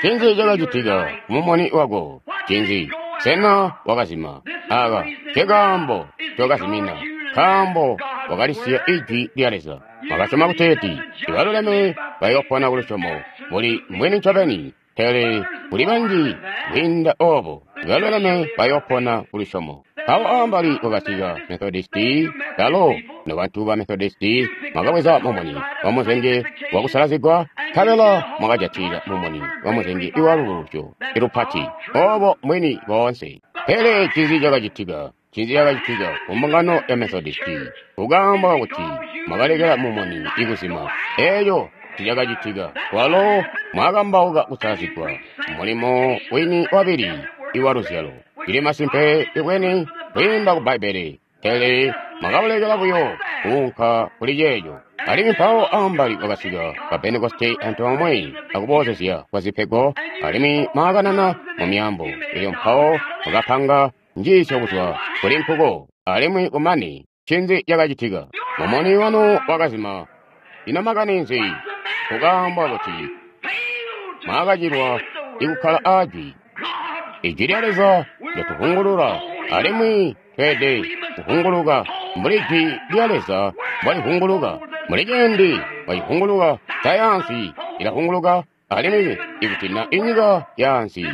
Ncinzi cakacitika kumumuni wako? Ncinzi? Sena wakazima? Aka nkekaambo ncokazimina, nkaambo wakalisiya ijwi lya Leza. Mwakasyoma kuteeti ibaluleme bayoopona kulusyomo muli mbwini ncobeni, pele kuli banji kwiinda obo ibaluleme bayoopona kulusyomo. Mpawo ambali kwakasika Methodisti, kalo nobantu ba Methodisti mwakabweza mumuni wa muzenge wakusalazigwa, nkabela mwakajatila mumuni wa muzenge iwalulujo ilupati obo mbwini boonse. Pele ncinzi cakacitika? Ncinzi cakacitika kumbungano ya Methodisti? Kukaamba kuti mwakalekela mumuni ikuzima. Eeco ticakacitika kwalo mwakambauka kusalazigwa, mulimo wini wabili iwa luzyalo. Cili masimpe ibweni kwiinda ku Bbaibbele, pele mwakabulekela buyo kuunka kuli ceeco. Alimwi mpawo ambali kwakasika ba Pentekoste antoomwe akuboozezya kwa zipego, alimwi mwaakanana mu myaambo. Elyo mpawo mwakapanga njiisyo kuzwa kuli nkuko, alimwi kumane ncinzi cakacitika? Mumuni wanu wakazima. Ino makani nzi? Kukaambwa kuti mwakacilwa ikukkala aajwi. Ijwi lya Leza lyatuhungulula, alimwi tweelede kuhunguluka mbuli jwi lya Leza mbwalihunguluka. Muli ciindi bwalihunguluka, sayaansi ilahunguluka, alimwi ikuti na inyika yaansi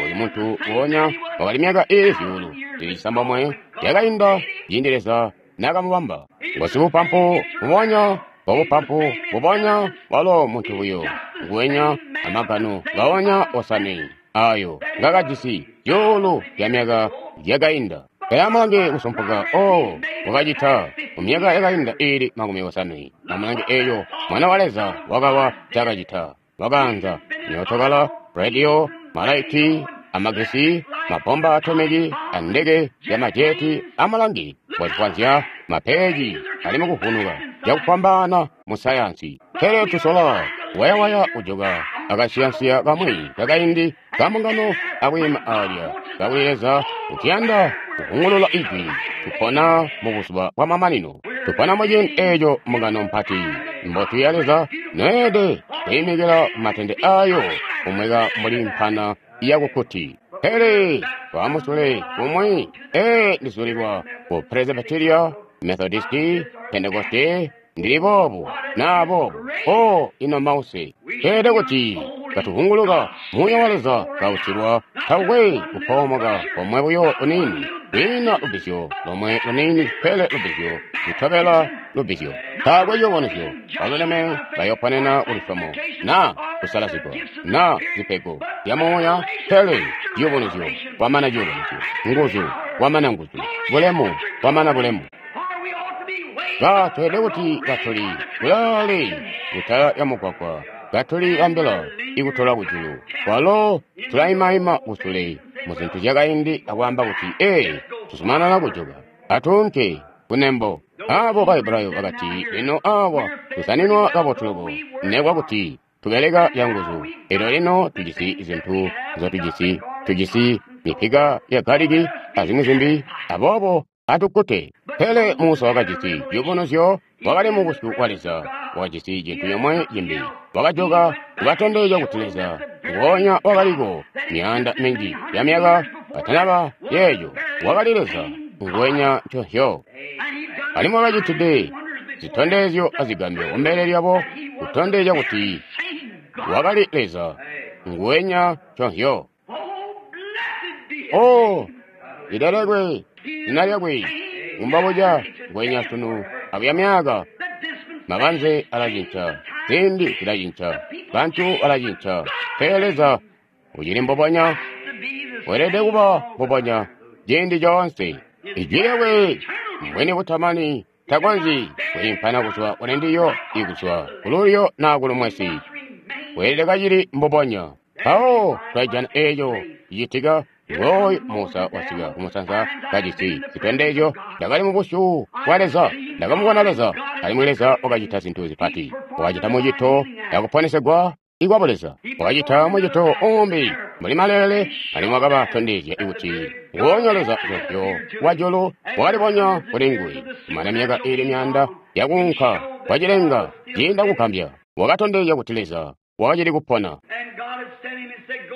oyu muntu wonya wakali myaka iili zyuulu zili cisambomwe yakainda ciindi Leza naakamubamba. Ngosibupampu bubonya bwabupampu bubonya walo muntu buyo nguwenya amagano ngaonya osanwe ayo ngakajisi zyuulu zya myaka yakainda. Pele amulange kusumpuka oh wakacita mu myaka yakainda iili makumi osanwe. Amulange eyo Mwana wa Leza wakawa cakacita. Wakaanza myootokala, radio, malaiti, amagesi, mabomba atomiki, andeke yamajeti. Amulange wazikwanzya mapeji ali mukuvunuka cakufwambaana mu sayansi. Pele tusola wayawaya kujoka akasiyansiya kamwi kakaindi kambungano akwiima alya kakuli Leza utiyanda kuvungulula ijwi. Tupona mu buzuba bwa mamanino. Tupona mu ciindi eeco mbungano mpati mbotu ya Leza noyeede kwiimikila matende ayo kumweka mbuli mpana yakukuti. Pele twamusule kumwi ee ndizulilwa ku Presbyteria, Methodisti, Pentekoste, ndili boobu naa boobu. O ino mause tweelede kuti katuvunguluka muuya wa Leza kautilwa takwe kupoomoka komwe buyo luniini, kwiina lubbizyo lomwe luniini, pele lubbizyo lutobela lubbizyo. Taakwe cibonezyo baluleme bayoponena kulusyomo na kusalazigwa na zipego zya muuya, pele ciyubunuzyo kwamana ciyubunuzyo, nguzu kwamana nguzu, bulemu kwamana bulemu. Ka tweelede kuti katuli kulaale kutala ya mugwagwa, katuli ambila ikutola kujulu. Kwalo tulaimaima kusule mu zintu zyakaindi akwaamba kuti, ee, tuzumanana kujoka, atuunke kunembo. Abo Bahebrayo bakati, lino awa tusaninwa kabotu loko, nekwa kuti tubeleka yanguzu. Elyo lino tujisi zintu nzotujisi, tujisi mipika ya galiki azimwi zimbi, aboobo atukkute. Pele Musa wakajisi ciyubunuzyo, wakali mu busyu bwa Leza, wakajisi cintu comwe cimbi. Wakajoka kubatondezya kuti Leza nguonya wakaliko myaanda minji ya myaka katanaba yeeyo, wakali Leza nguwenya nconzyo. Alimwi wakacitide zitondezyo azigambyo kumbele lyabo kutondezya kuti wakali Leza nguwenya nconzyo. Oh, lilelekwe zina lyakwe mumbabuca ngwenya sunu akuya myaka. Mabanze alacinca, ziindi zilacinca, bantu balacinca, pele Leza ucili mbubonya, weelede kuba mbubonya ciindi coonse. Ijwi lyakwe mbwini butamani, takonzyi kwiimpana kuzwa kuli ndiyo ikuzwa kululyo naa kulumwesi, weelede kacili mbubonya. Mpawo twajana eeco cicitika. Ngooyu Musa wasika kumusanza kajisi zitondezyo. Ndakali mu busyu bwa Leza, ndakamubona Leza, alimwi Leza wakacita zintu zipati. Wakacita mucito yakuponesegwa ikwabo Leza, wakacita mucito umbi mbuli maleele, alimwi wakabatondezya kuti nguonya Leza nconzyo wajulu wakalibonya kuli nguwe. Kumana myaka iili myaanda yakuunka kwacilenga ciinda kugambya, wakatondezya kuti Leza wakacili kupona.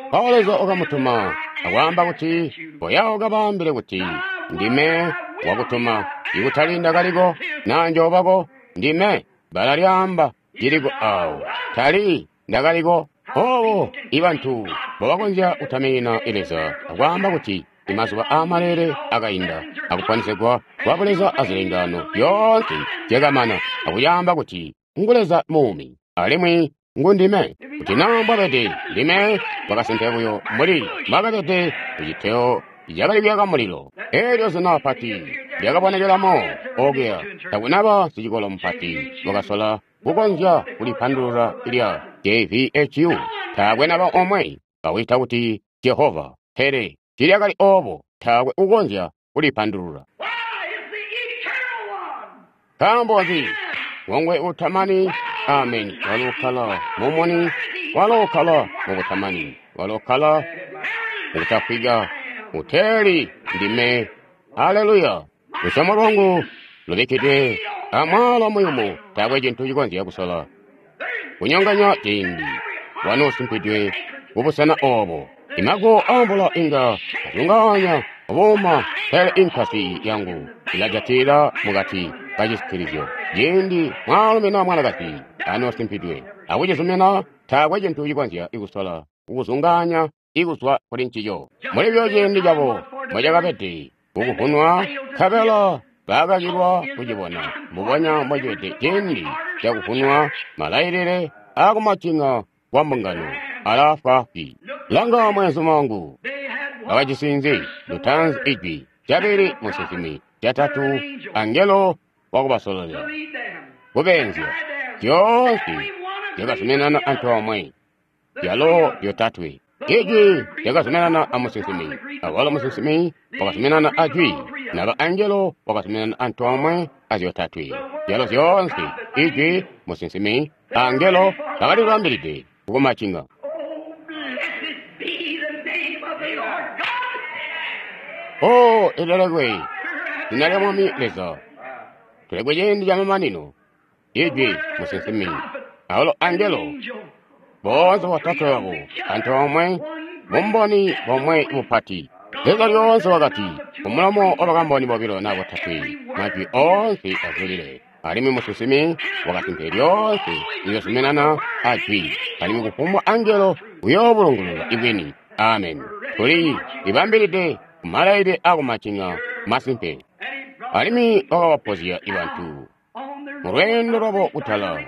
Mpawo Leza wakamutuma akwaamba kuti, koya ukabaambile kuti ndime wakutuma, ikutali ndakaliko naa njoobako, ndime. Bbala lyaamba ciliko awo, tali ndakaliko. Obo ibantu mbobakonzya kutaminina Leza akwaamba kuti imazuba aamaleele akainda, akuponesegwa kwa Buleza azilengano zyoonse zyakamana, akuyaamba kuti ngu Leza muumi alimwi ngu ndime. Kuti naa mbwabede ndime, wakasimpe buyo mbuli mbwakabede kuciteo cakali kuyaka mulilo. Eelyo zina pati lyakabonekelamo okuya, takunaba sicikolo mupati wakasola kukonzya kulipandulula lya J V H U. Taakwe naba omwe bawita kuti Jehova, pele tiilyakali oobo, taakwe ukonzya kulipandulula. Nkaambo nzi? Ngongwe utamani, ameni, walo ukkala mumuni, walo ukkala mubutamani, walo ukkala mukutafwika, uteeli ndime. Haleluya! Lusyomo lwangu lubikkidwe amwaala muyumu, taakwe cintu cikonzya kusola kunyonganya ciindi wanoosumpidwe kubusena oobo. Imago aamvula inga azungaanya obuuma, pele inkasi yangu ilajatilila mukati kacisitilizyo. Ciindi mwaalumi naa mwanakazi anoosimpidwe akucizumina, taakwe cintu cikonzya kusola kukuzungaanya ikuzwa kuli ncico. Muli byo ciindi cabo mbocakabede kukuvunwa, nkabela baakakilwa kucibona, mbubonya mbocibede ciindi cakuvunwa malailile aakumacinga kwa mbungano alaafwaafwi. Langa mweenzuma wangu, bakajisi nzi? Lutaanzi ijwi. Cabili, musinsimi. Catatu, angelo wakubasololela, kubeenzya. Zyoonse zyakazuminana antoomwe, zyalo zyotatwe. Ijwi lyakazuminana a musinsimi, awalo musinsimi wakazuminana a jwi, naba angelo wakazuminana antoomwe azyotatwe. Zyalo zyoonse, ijwi, musinsimi, angelo bakalibambilide kukumacinga. Oh, ilelekwe zina lya Mwami Leza. Tulekwe ciindi ca mamanino. Ijwi, musinsimi, awalo angelo, boonse botatwe babo antoomwe, bumboni bomwe bupati. Leza lyoonse wakati, kumulomo wa bakamboni bobilo na botatwe, majwi oonse azulile. Alimwi musinsimi wakasimpe lyoonse liyozuminana a jwi, alimwi kufumbwa angelo uyoobulungulula ibwini. Amen. Tuli libambilide kumalailile akumacinga masimpe. Alimwi wakabapozya ibantu mulweendo lwabo kutala,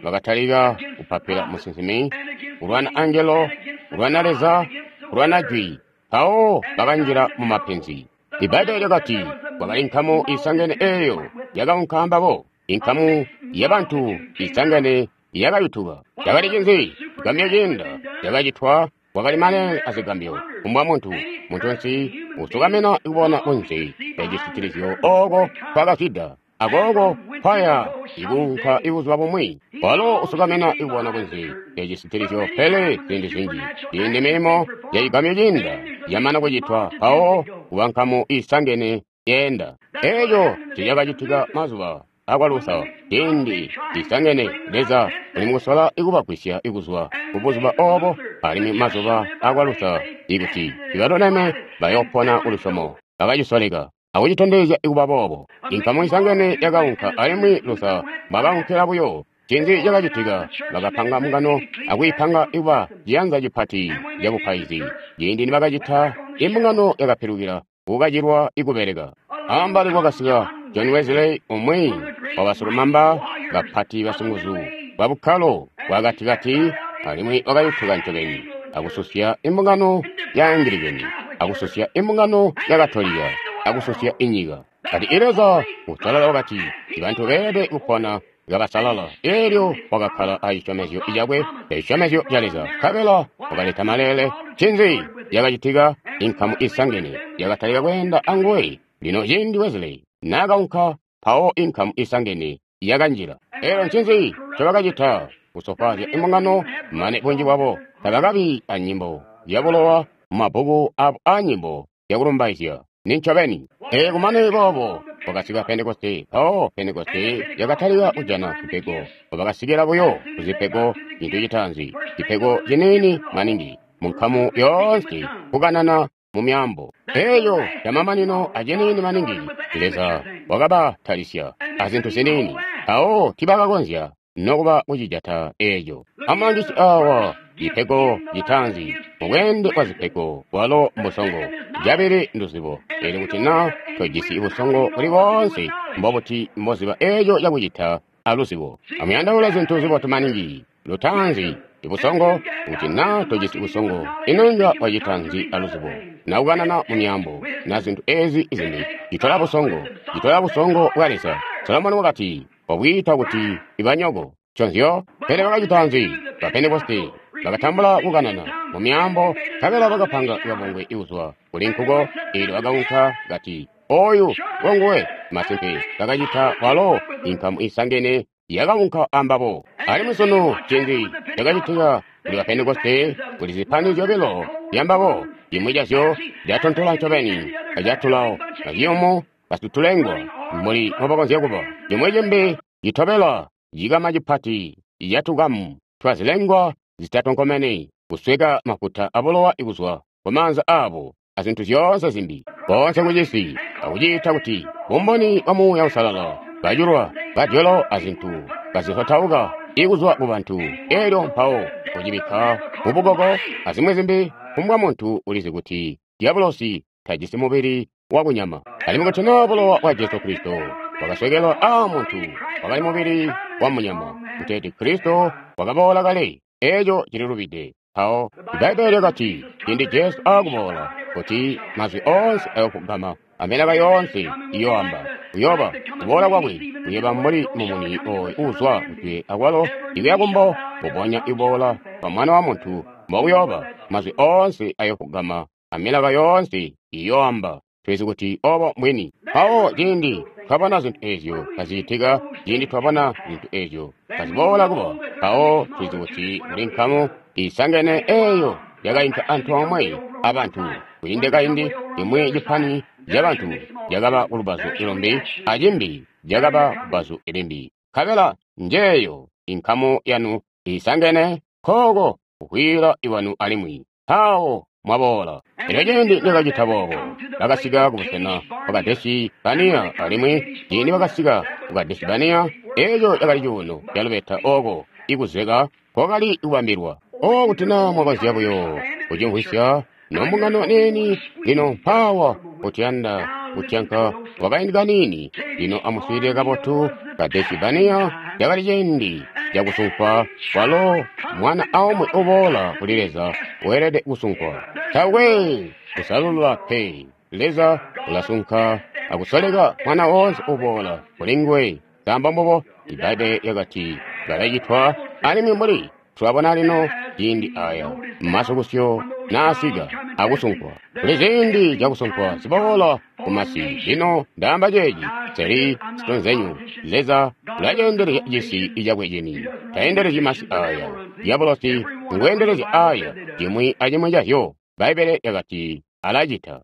bakatalika kupapila musinsimi, kulwana angelo, kulwana Leza, kulwana jwi. Mpawo bakanjila mu mapenzi. Ibbaibbele lyakati kwakali nkamu isangene eeyo yakaunka ambabo, inkamu yabantu isangene yakayutuka. Cakali cinzi? Zigambyo ciinda zyakacitwa, kwakali maleele azigambyo. Kumbwa muntu, muntunsi usukamina kubona kunze lya cisitilizyo ooko kwakazwida, akooko kwaya ikuunka ibuzuba bumwi. Walo usukamina ikubona kunze lya cisitilizyo, pele ziindi zinji ciindi milimo ya cigambyo ciinda yamana kucitwa, mpawo kuba nkamu isangene yeenda. Eeco cicakacitika mazuba akwa Luther, ciindi isangene Leza uli mukusola ikubagwisya ikuzwa kubuzuba oobo, alimwi mazuba akwa Luther ikuti ibaluleme bayoopona kulusyomo. Bakacisoleka akucitondezya ikuba boobo. Inkamu isangene yakaunka, alimwi Luther mbwakaunkila buyo. Ncinzi cakacitika? Bakapanga mbungano akwiipanga ikuba ciyanza cipati cabupaizi. Ciindi nibakacita, imbungano yakapilukila kukacilwa ikubeleka. Ambali kwakasika John Wesley, umwi wabasilumamba bapati basinguzu bwa bukkalo bwakatikati, alimwi wakayutuka ncobeni akususya imbungano ya Angilikeni, akususya imbungano ya Katolika, akususya inyika. Kati Leza usalala wakati bantu beelede kupona kabasalala. Eelyo wakakkala acisyomezyo cakwe, ecisyomezyo ca Leza, nkabela wakaleta maleele. Ncinzi yakacitika? Inkamu isangene yakatalika kweenda anguwe. Lino ciindi Wesley naakaunka, mpawo inkamu isangene yakanjila. Eelyo ncinzi ncobakacita? Kusofwaazya imbungano, mane bunji bwabo tabakabi anyimbo zyabulowa mumabbuku abo aanyimbo zyakulumbaizya. Nincobeni. Ee, kumane boobo kwakasika Pentekoste. Mpawo Pentekoste yakatalika kujana zipego. Bakasikila buyo kuzipego cintu citaanzi, cipego ciniini maningi munkamu yoonse, kukanana mu myaambo. Eeyo yamamanino aciniini maningi, Leza wakabatalisya azintu ziniini, mpawo tibakakonzya nokuba kucijata eeco. Amulangisi awa cipego citaanzi mubweende bwa zipego bwalo mbusongo, cabili nduzibo. Eelyo kuti naa tojisi busongo buli boonse, mbobuti mboziba eeco cakucita aluzibo? Amuyandaule zintu zibotu maningi. Lutaanzi ibusongo, kuti naa tojisi busongo, ino inga wacita nzi aluzibo? Na kukanana mu myaambo, na zintu ezi zimbi, citola busongo, citola busongo bwa Leza. Solomoni wakati, wabwiita kuti ibanyoko. Nconzyo, pele bakacita nzi? Ba Pentekoste bakatambula kukanana mu myaambo, nkabela bakapanga kabungwe ikuzwa kuli nkuko. Eelyo bakaunka kati, oyu ngonguwe. Masimpe bakacita walo, inkamu isangene yakaunka ambabo. Alimwi sunu ncinzi cakacitika kuli ba Pentekoste? Kuli zipani zyobilo zyambabo, cimwi cazyo catontola ncobeni, acatulawo, aciyumu, basitulengwa mbuli mbobakonzya kuba. Cimwi cimbi citobela cikama cipati catukamu twazilengwa zitatonkomene, kusweka mafuta abulowa ikuzwa kumaanza aabo azintu zyoonse zimbi, boonse kucisi akuciita kuti bumboni bwa Muuya Uusalala, bajulwa bajolo azintu kazisotauka ikuzwa kubantu. Eelyo mpawo kucibikka mubukoko azimwi zimbi. Kumbwa muntu ulizi kuti diabolosi tajisi mubili wakunyama, alimwi kuti naa bulowa bwa Jesu Kristo bwakaswekelwa aa muntu wakali mubili wa munyama, kuteeti Kristo wakaboola kale. Eeco cililubide. Mpawo Ibbaibbele lyakati ciindi Jesu aakuboola, kuti mazwi oonse ayokugama Amilaka yoonse iyoamba. Uyooba kuboola kwakwe kuyooba mbuli mumuni oyo uuzwa kujwe akwalo ikuya kumbo, mbubonya iboola kwa Mwana wa Muntu mbokuyooba. Mazwi oonse ayofugama amilaka yoonse iyoamba. Tulizi kuti obo mbwini. Mpawo ciindi twabona zintu ezyo kazicitika, ciindi twabona zintu ezyo kaziboola kuba, mpawo tulizi kuti kuli nkamu isangene eyo yakainka antoomwe abantu. Kwiinde kaindi imwi cipani cabantu cakaba kulubazu ilumbi acimbi cakaba kubazu ilimbi. Nkabela njeeyo inkamu yanu isangene kooko kukwiila iwanu alimwi. Mpawo mwaboola. Elyo ciindi nikacita boobo, bakasika kubusena bwa Kadesi-Bania alimwi ciindi bakasika ku Kadesi-Bania, eco cakali cuuno ca lubeta ooko ikuzeka kwakali kubambilwa. O kuti naa mwakonzya buyo kucimvwisya nombungano niini lino mpaawa kutiyanda kutyanka kwakaindi kaniini. Lino amuswiilile kabotu. Kadesi-Bania cakali ciindi cakusunkwa, kwalo mwana aumwi uboola kuli Leza weelede kusunkwa. Taakwe kusalulula pe. Leza ulasunka akusoleka mwana woonse uboola kuli nguwe. Samba mbubo Ibbaibbele lyakati balacitwa, alimwi mbuli tulabona lino ciindi aya masukusyo naasika akusunkwa. Kuli ziindi zyakusunkwa ziboola kumasi. Lino ndaamba ceeci seli sitonzenyu. Leza ulaceendelezya cisi cakwe cini, taendelezyi masi aya. Diabolosi nguendelezya aya, cimwi acimwi cazyo. Bbaibbele lyakati alacita.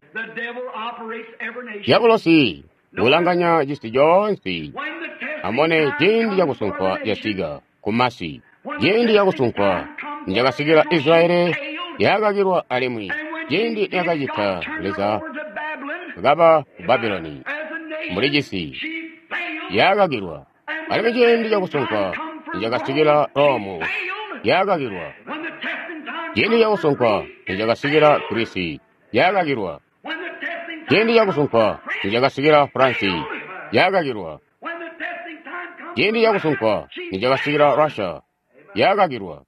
Diabolosi ulanganya cisi coonse. Amone ciindi cakusunkwa casika kumasi. Ciindi cakusunkwa nicakasikila Israeli yakakilwa alimwi ciindi yakacita Leza kaba ku Babuloni mbuli cisi yakakilwa. Alimwi ciindi cakusunkwa nicakasikila Romu yakakilwa. Ciindi cakusunkwa nicakasikila Grisi yakakilwa. Ciindi cakusunkwa nicakasikila Fransi yakakilwa. Ciindi cakusunkwa nicakasikila Russia yakakilwa.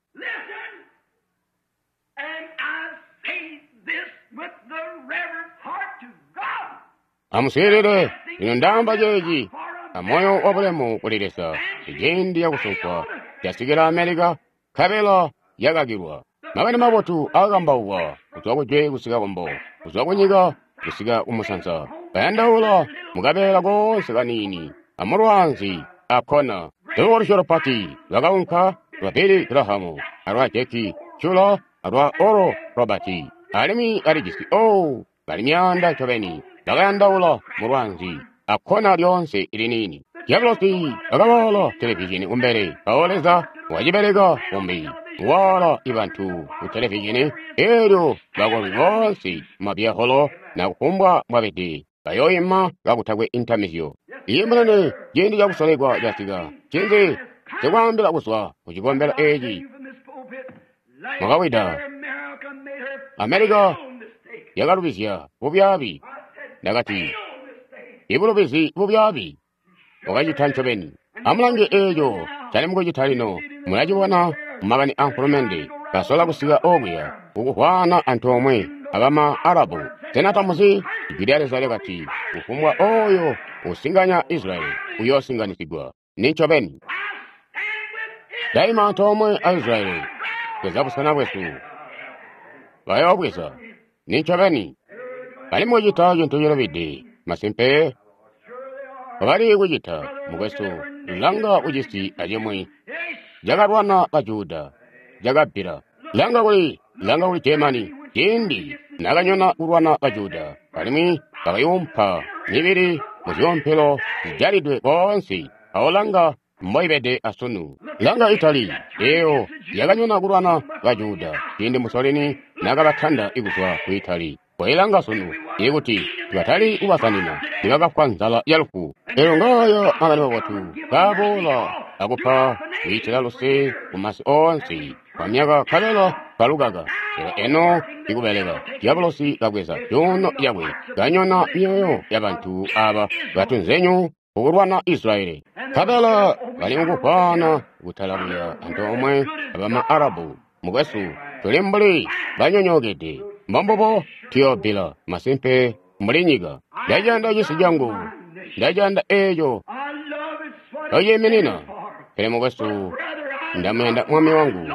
Amuswiilile, lino ndaamba ceeci amoyo wabulemu kuli Leza. Ciindi cakusunkwa casikila Amerika, nkabela yakakilwa. Makani mabotu akambaukwa kuzwa kujwe kusika kumbo, kuzwa kunyika kusika kumusanza. Bayandaula mukabeela koonse kaniini amulwaanzi akona. Lubolusyo lupati lwakaunka lwa Billy Graham alwa Jackie Shuler alwa Oral Roberts, alimwi balijisi oh bali myaanda ncobeni. Bakayandaula mulwaanzi akona lyoonse iliniini. Diabolosi akaboola televizhini kumbele, mpawo Leza wacibeleka kumbi waala ibantu ku televizhini, eelyo bakolwi boonse mumabyaholo na kufumbwa mwabede bayoima kakutakwe intamizyo. Iye munene, ciindi cakusolekwa casika. Ncinzi sikwaambila kuzwa ku cikombelo eeci mwakawida. Amerika yakalubizya bubyaabi. Ndakati, ibulubizi bubyaabi wakacita ncobeni. Amulange eeco cali mukucita lino. Mulacibona mumakani a nkulumende basola kusika okuya kukuhwana antoomwe abama Arabu. Sena tamuzi? Ijwi lya Leza lyakati, kufumbwa oyo usinganya Israeli uyoosinganisigwa. Ni ncobeni. Daima antoomwe a Israeli bweza busena bwesu bayoobweza. Ni ncobeni. Bali mukucita cintu cilubide. Masimpe bali kucita mukwesu. Langa kucisi acimwi cakalwana ba Juda cakabbila. Langa kuli langa kuli Germany ciindi nakanyona kulwana ba Juda, alimwi bakayumpa mibili muzyoompelo zijalidwe koonse. Awo langa mboibede asunu. Langa Italy eyo yakanyona kulwana ba Juda ciindi Mussolini nakabatanda kuzwa ku Italy. Koilanga sunu ikuti tibatali kubasanina nibakafwa nzala ya lufu. Elyo ngaaya makani mabotu kaaboola akupa kwiitila luse kumasi oonse kwa myaka nkabela kalukaka. Lelo eno ikubeleka Diabolosi kabweza cuuno cakwe kanyona myoyo yabantu aba batunzenyu kukulwana Israeli. Nkabela bali mukuhwana kutala kuya antoomwe abama Arabu. Mukwesu tuli mbuli banyonyookede. Mbombubo tuyoobbila masimpe mbuli nyika. Ndaciyanda cisi cangu, ndaciyanda eeco ociiminina. Pele mukwesu, ndamuyanda Mwami wangu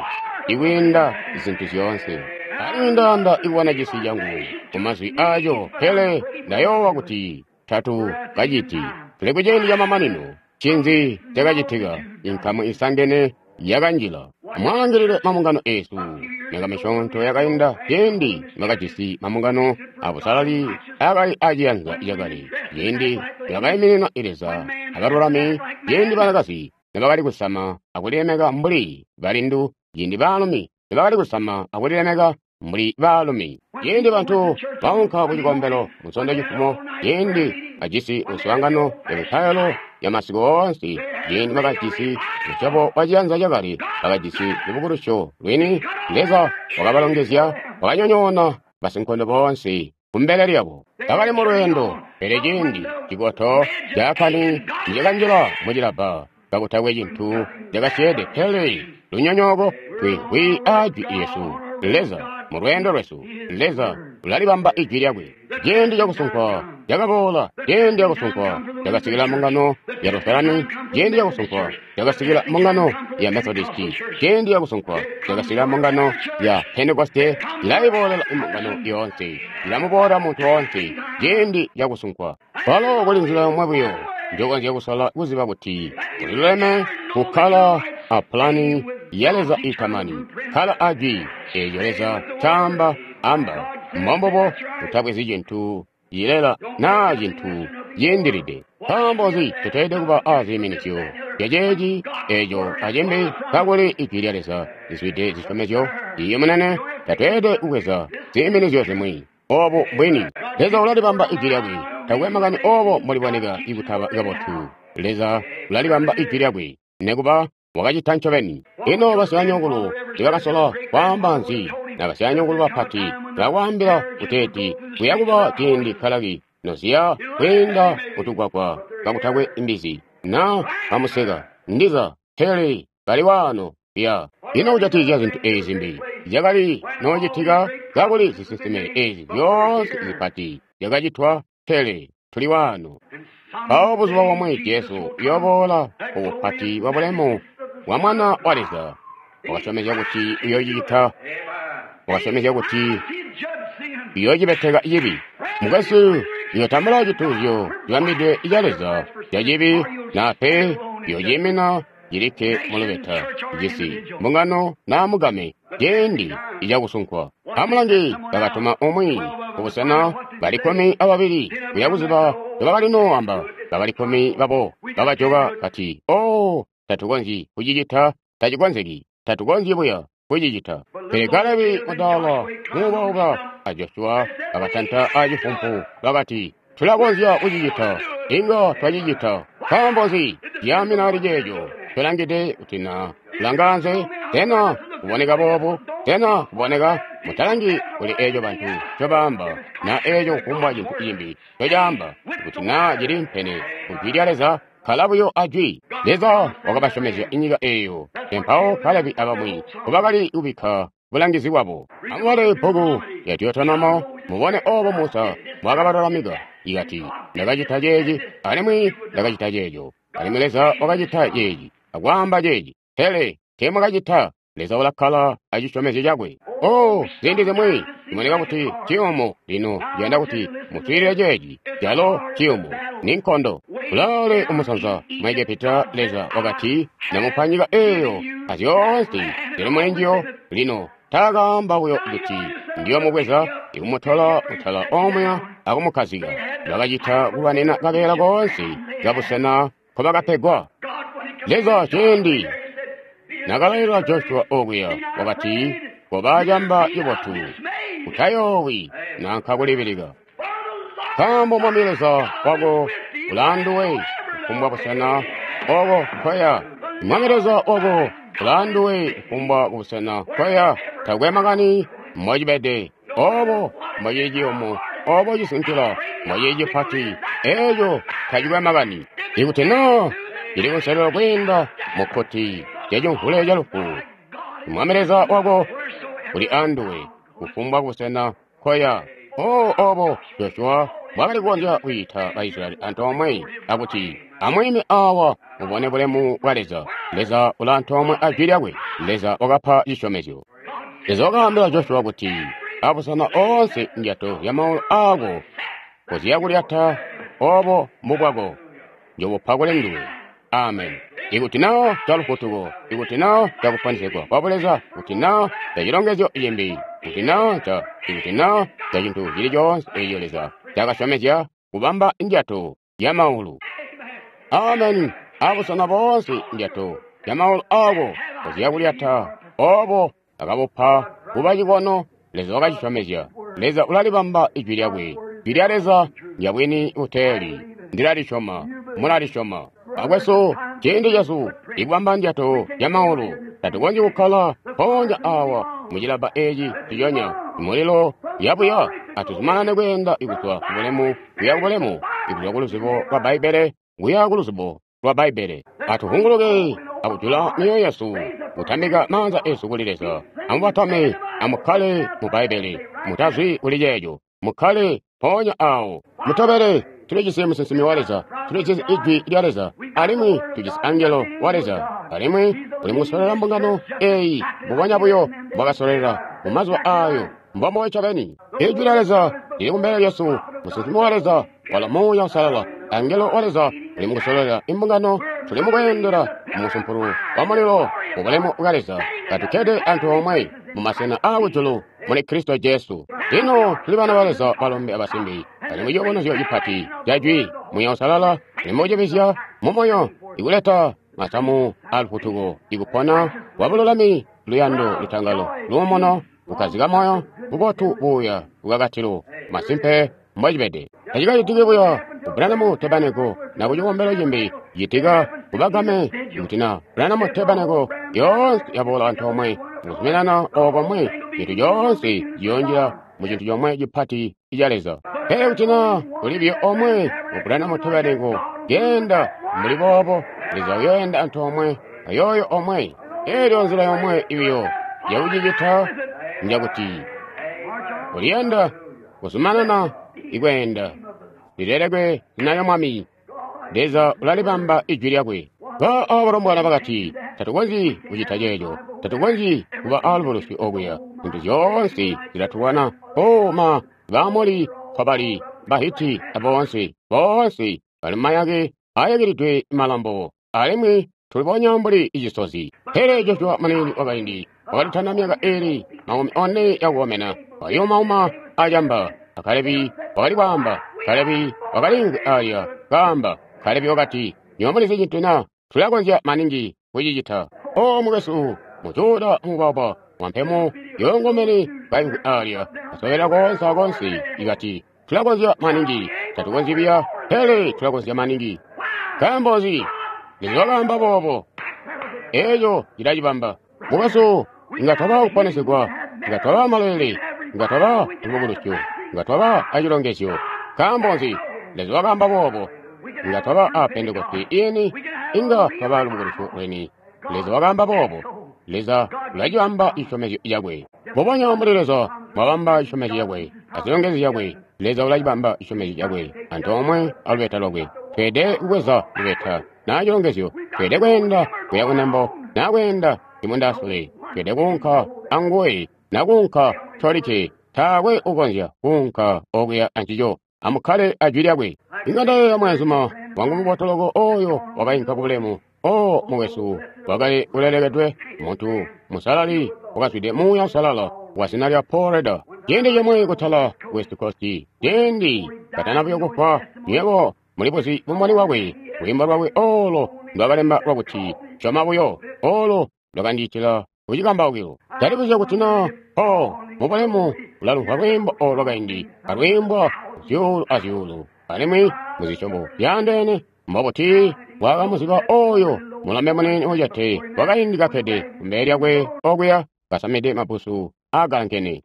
ikwiinda zintu zyoonse. Alimwi ndayanda ikubona cisi cangu kumazwi aaco, pele ndayoowa kuti tatu kaciti. Tuli kuciindi camamanino. Ncinzi cakacitika? Inkamu isangene yakanjila. Amwaalangilile mabungano eesu. Myaka misyoonto yakainda ciindi bakajisi mabungano abusalali akali aciyanza cakale, ciindi bakaiminina Leza abalulami, ciindi banakazi nibakali kusama akulilemeka mbuli balindu, ciindi baalumi nibakali kusama akulilemeka mbuli baalumi, ciindi bantu baunka kucikombelo Munsondo cifumo, ciindi bajisi muswaangano yamipailo yamasiku oonse, ciindi bakajisi musyobo wa ciyanza cakale, bakajisi lubukulusyo lwini. Leza wakabalongezya, wakanyonyoona basinkondo boonse kumbele lyabo. Bakali mu lweendo, pele ciindi cikoto caakani nicakanjila mucilabba, kakutakwe cintu cakasyeede pele lunyonyooko. Twimvwi aa jwi lyesu, Leza mu lweendo lwesu, Leza ulalibamba ijwi lyakwe. Ciindi cakusunkwa cakaboola, ciindi cakusunkwa cakasikila mbungano ya Lutherani, ciindi cakusunkwa cakasikila mbungano ya Methodisti, ciindi cakusunkwa cakasikila mbungano ya Pentekoste. Ilaiboolela imbungano yoonse, ilamuboola muntu woonse. Ciindi cakusunkwa kwalo kuli nzila yomwe buyo njokonzya kusala kuziba kuti uliluleme, kukkala a pulani ya Leza itamani, kkala a jwi eelyo Leza caamba amba. Mbombubo, utabwezi cintu cilela naa cintu ciindilide. Nkaambo nzi tuteelede kuba aziiminizyo zyaceeci eeco acimbi kakuli ijwi lya Leza lizwide zisyomezyo? Iiyi munene, tatweelede kubweza ziiminizyo zimwi. Oobu mbwini. Leza ulalibamba ijwi lyakwe. Takwe makani oobo mboliboneka ikutaba kabotu. Leza ulalibamba ijwi lyakwe, nekuba wakacita ncobeni. Ino basyanyokulu tibakasola kwaamba nzi? Na basyanyokulu bapati bakwaambila kuteeti kuya kuba ciindi kalaki noziya kwiinda kutugwagwa kakutakwe imbizi, na bamuseka ndiza pele kali waano ya. Ino kujatikizya zintu eezi zimbi zyakali noocitika kakuli zisinsime eezi zyoonse zipati zyakacitwa, pele tuli waano. Mpawo buzuba bomwe Jesu uyooboola ku bupati bwa bulemu bwa Mwana wa Leza. Wakasyomezya kuti uyoocicita. Wakasyomezya kuti uyoocibeteka cibi. Mukwesu, uyootambula cituuzyo cibambidwe ca Leza ca cibi, naa pe uyoociimina cilikke mulubeta cisi, mbungano naa mugame, ciindi icakusunkwa. Amulangi, bakatuma umwi kubusena bali kkumi ababili kuya kuziba nobakali noowamba. Bakali kkumi babo bakajoka kati, "Oo, tatukonzyi kucicita, tacikonzeki, tatukonzyi buya kucicita." Pele Kalebi mudaala muubauba a Joshua bakatanta acifumpu bakati, "Tulakonzya kucicita, inga twacicita." Nkaambo nzi? Ciyaamina ali ceeco tulangide kuti na kulanganze, sena kuboneka boobu, sena kuboneka. Mutalangi kuli eeco bantu ncobaamba, na eeco kufumbwa cintu cimbi ncocaamba, kuti naa cili mpene ku jwi lya Leza, kkala buyo a jwi. Leza wakabasyomezya inyika eeyo, mpawo Kalebi abamwi nkobakali kubikka bulangizi bwabo. Amubale bbuku lya Deuteronomo mubone oobo Musa mbwaakabalulamika. Ikati, "Ndakacita ceeci, alimwi ndakacita ceeco, alimwi Leza wakacita ceeci, akwaamba ceeci, pele teemwakacita." Leza ulakkala acisyomezyo cakwe. Oh, ziindi zimwi ciboneka kuti ciyumu. Lino ndiyanda kuti muswiilile ceeci. Calo ciyumu ni nkondo. Kulaale kumusanza mu Egepita, Leza wakati, "Ndamupa nyika eeyo azyoonse zili mulinjiyo." Lino taakaamba buyo kuti ndiyoomubweza ikumutola mutala omuya akumukkazika. Bakacita kulwanina kabeela koonse kabusena nkobakapegwa. Leza ciindi nakalailila Joshua okuya, wakati, "Koba camba cibotu, utayoowi nanka kulibilika, nkaambo Mwami Leza wako ulaanduwe kufumbwa busena oko nkoya. Mwami Leza wako ulaanduwe kufumbwa busena nkoya." Takwe makani mbocibede, oobo mbocili ciyumu, oobo cisinkila mbocili cipati, eeco tacikwe makani. Ikuti naa cili kunselelo kwiinda mukkuti lyacimvule calufu, Mwami Leza wako uli anduwe kufumbwa busena nkoya. Oh, obo Joshua mbwakali kukonzya kwiita ba Israyeli antoomwe akuti, amwiime awa mubone bulemu bwa Leza. Leza ula antoomwe a Jwi lyakwe. Leza wakapa cisyomezyo. Leza wakaambila Joshua kuti, abusena oonse ndyato zya maulu aako koziya kulyata obo mbubwako, njobupa kuli nduwe. Amen. Ikuti na calufutuko, ikuti na cakuponesegwa kwa Buleza, kuti na ca cilongezyo cimbi, kuti na ca, ikuti na ca cintu cili coonse eco Leza cakasyomezya kubamba ndyato ya maulu. Amen. Abusena boonse ndyato ya maulu aako koziya kulyata obo akabupa kuba cikono. Leza wakacisyomezya. Leza ulalibamba ijwi lyakwe. Jwi lya Leza ndyabwini buteeli. Ndilalisyoma. Mulalisyoma. Akwesu, ciindi cesu ikubamba ndyato ya maulu. Tatukonzyi kukkala mpoonya awa mucilabba eci ciconya mulilo yabuya. Atuzumanane kweenda ikuzwa ku bulemu kuya ku bulemu, ikuzwa ku luzibo lwa Bbaibbele kuya ku luzibo lwa Bbaibbele. Atuhunguluke akujula myoyo yesu, kutambika maanza esu kuli Leza. Amubatame, amukkale mu Bbaibbele, mutazwi kuli ceeco, mukkale mpoonya awo. Mutobele. Tulijisi musinsimi wa Leza, tulijisi ijwi lya Leza, alimwi tujisi angelo wa Leza, alimwi uli mukusolela mbungano eyi mbubonya buyo mbwakasolela mu mazuba ayo. Mbombo ncobeni. Ijwi lya Leza lili kumbele lyesu, musinsimi wa Leza wala Muuya Uusalala, angelo wa Leza uli mukusolela imbungano. Tuli mukweendela mu musumpulu wa mulilo mu bulemu bwa Leza, katukkede antoomwe mu masena aakujulu muli Kristo Jesu. Lino tuli bana ba Leza balombe abasimbi, alimwi ciyubunuzyo cipati ca Jwi Muuya Uusalala uli mukucibizya mu moyo, ikuleta masamu alufutuko, ikupona kwa bululami, luyando, lutangalo, luumuno, kukkazika moyo, bubotu, buuya, lukakatilo. Masimpe mbocibede. Tacikacitiki buya ku Branham Tabernacle na ku cikombelo cimbi, citika kubagame. Ikuti na Branham Tabernacle yoonse yaboola antoomwe mukuzuminana okomwe, cintu coonse ciyoonjila mu cintu comwe cipati ca Leza. Pele kuti na kuli biyo omwe mu Branham Tabernacle genda mbuli boobo, Leza uyoenda antoomwe ayooyo omwe. Elyo nzila yomwe ibiyo yakucicita njakuti uliyenda kuzumanana ikweenda. Lilelekwe zina lya Mwami. Leza ulalibamba ijwi lyakwe. Ba abalombwana bakati, tatukonzyi kucita ceeco, tatukonzyi kuba alubuluswi okuya, zintu zyoonse zilatulwana. O ma Baamoli, Kobali, Bahiti aboonse, boonse bali mumayake ayakilidwe malambo, alimwi tulibonya mbuli icisozi. Pele Joshua muniini wakaindi wakalitanda myaka ili makumi one yakukomena, wayumauma acamba. Kalebi wakali kwaamba, Kalebi wakaliimvwi alya kaamba. Kalebi wakati, nywebo mulizi cintu na? Tulakonzya maningi kucicita. O mukwesu, mujuda mubaba wampemo yongomene kaimvwi alya asobela koonse akoonse, ikati tulakonzya maningi. Tatukonzyi biya, pele tulakonzya maningi. Nkaambo nzi? Leza wakaamba boobo. Eeco cilacibamba. Mukwesu, inga twaba kuponesegwa, inga twaba malele, inga twaba lubukulusyo, inga twaba acilongezyo. Nkaambo nzi? Leza wakaamba boobo. Inga twaba a Pentekoste ini, inga twaba lubukulusyo lweni. Leza wakaamba boobo. Leza ulacibamba cisyomezyo cakwe. Mbubonya mbuli Leza mwabamba cisyomezyo cakwe azilongezyo zyakwe, Leza ulacibamba cisyomezyo cakwe antoomwe alubeta lwakwe. Tweelede kubweza lubeta na cilongezyo, tweelede kweenda kuya kunembo na kweenda imundasule, tweelede kuunka anguwe na kuunka tolikke. Taakwe ukonzya kuunka okuya ancico. Amukkale ajwi lyakwe. Inga ndayeeya mweenzuma wangu mubotoloko oyo wakainka kubulemu. O mukwesu, wakali ulelekedwe, muntu musalali wakazwide Muuya Uusalala wa zina lya Paul Rader. Ciindi cimwi kutala West Coast, ciindi katana buyo kufwa, nywebo mulibuzi bumboni bwakwe, lwiimbo lwakwe olo ndwakalemba lwakuti syoma buyo, olo lwakandiitila kucikambaukilo. Ndalibuzya kuti na Paul mubulemu ulalumvwa lwiimbo olo lwakaindi alwiimbwa zyuulu azyuulu, alimwi muzisyobo zyaandeene. Mbobuti bwakamuziba oyo mulombe muniini ucete wakaindi kakkede kumbele lyakwe okuya kasamide mabbusu aagankene,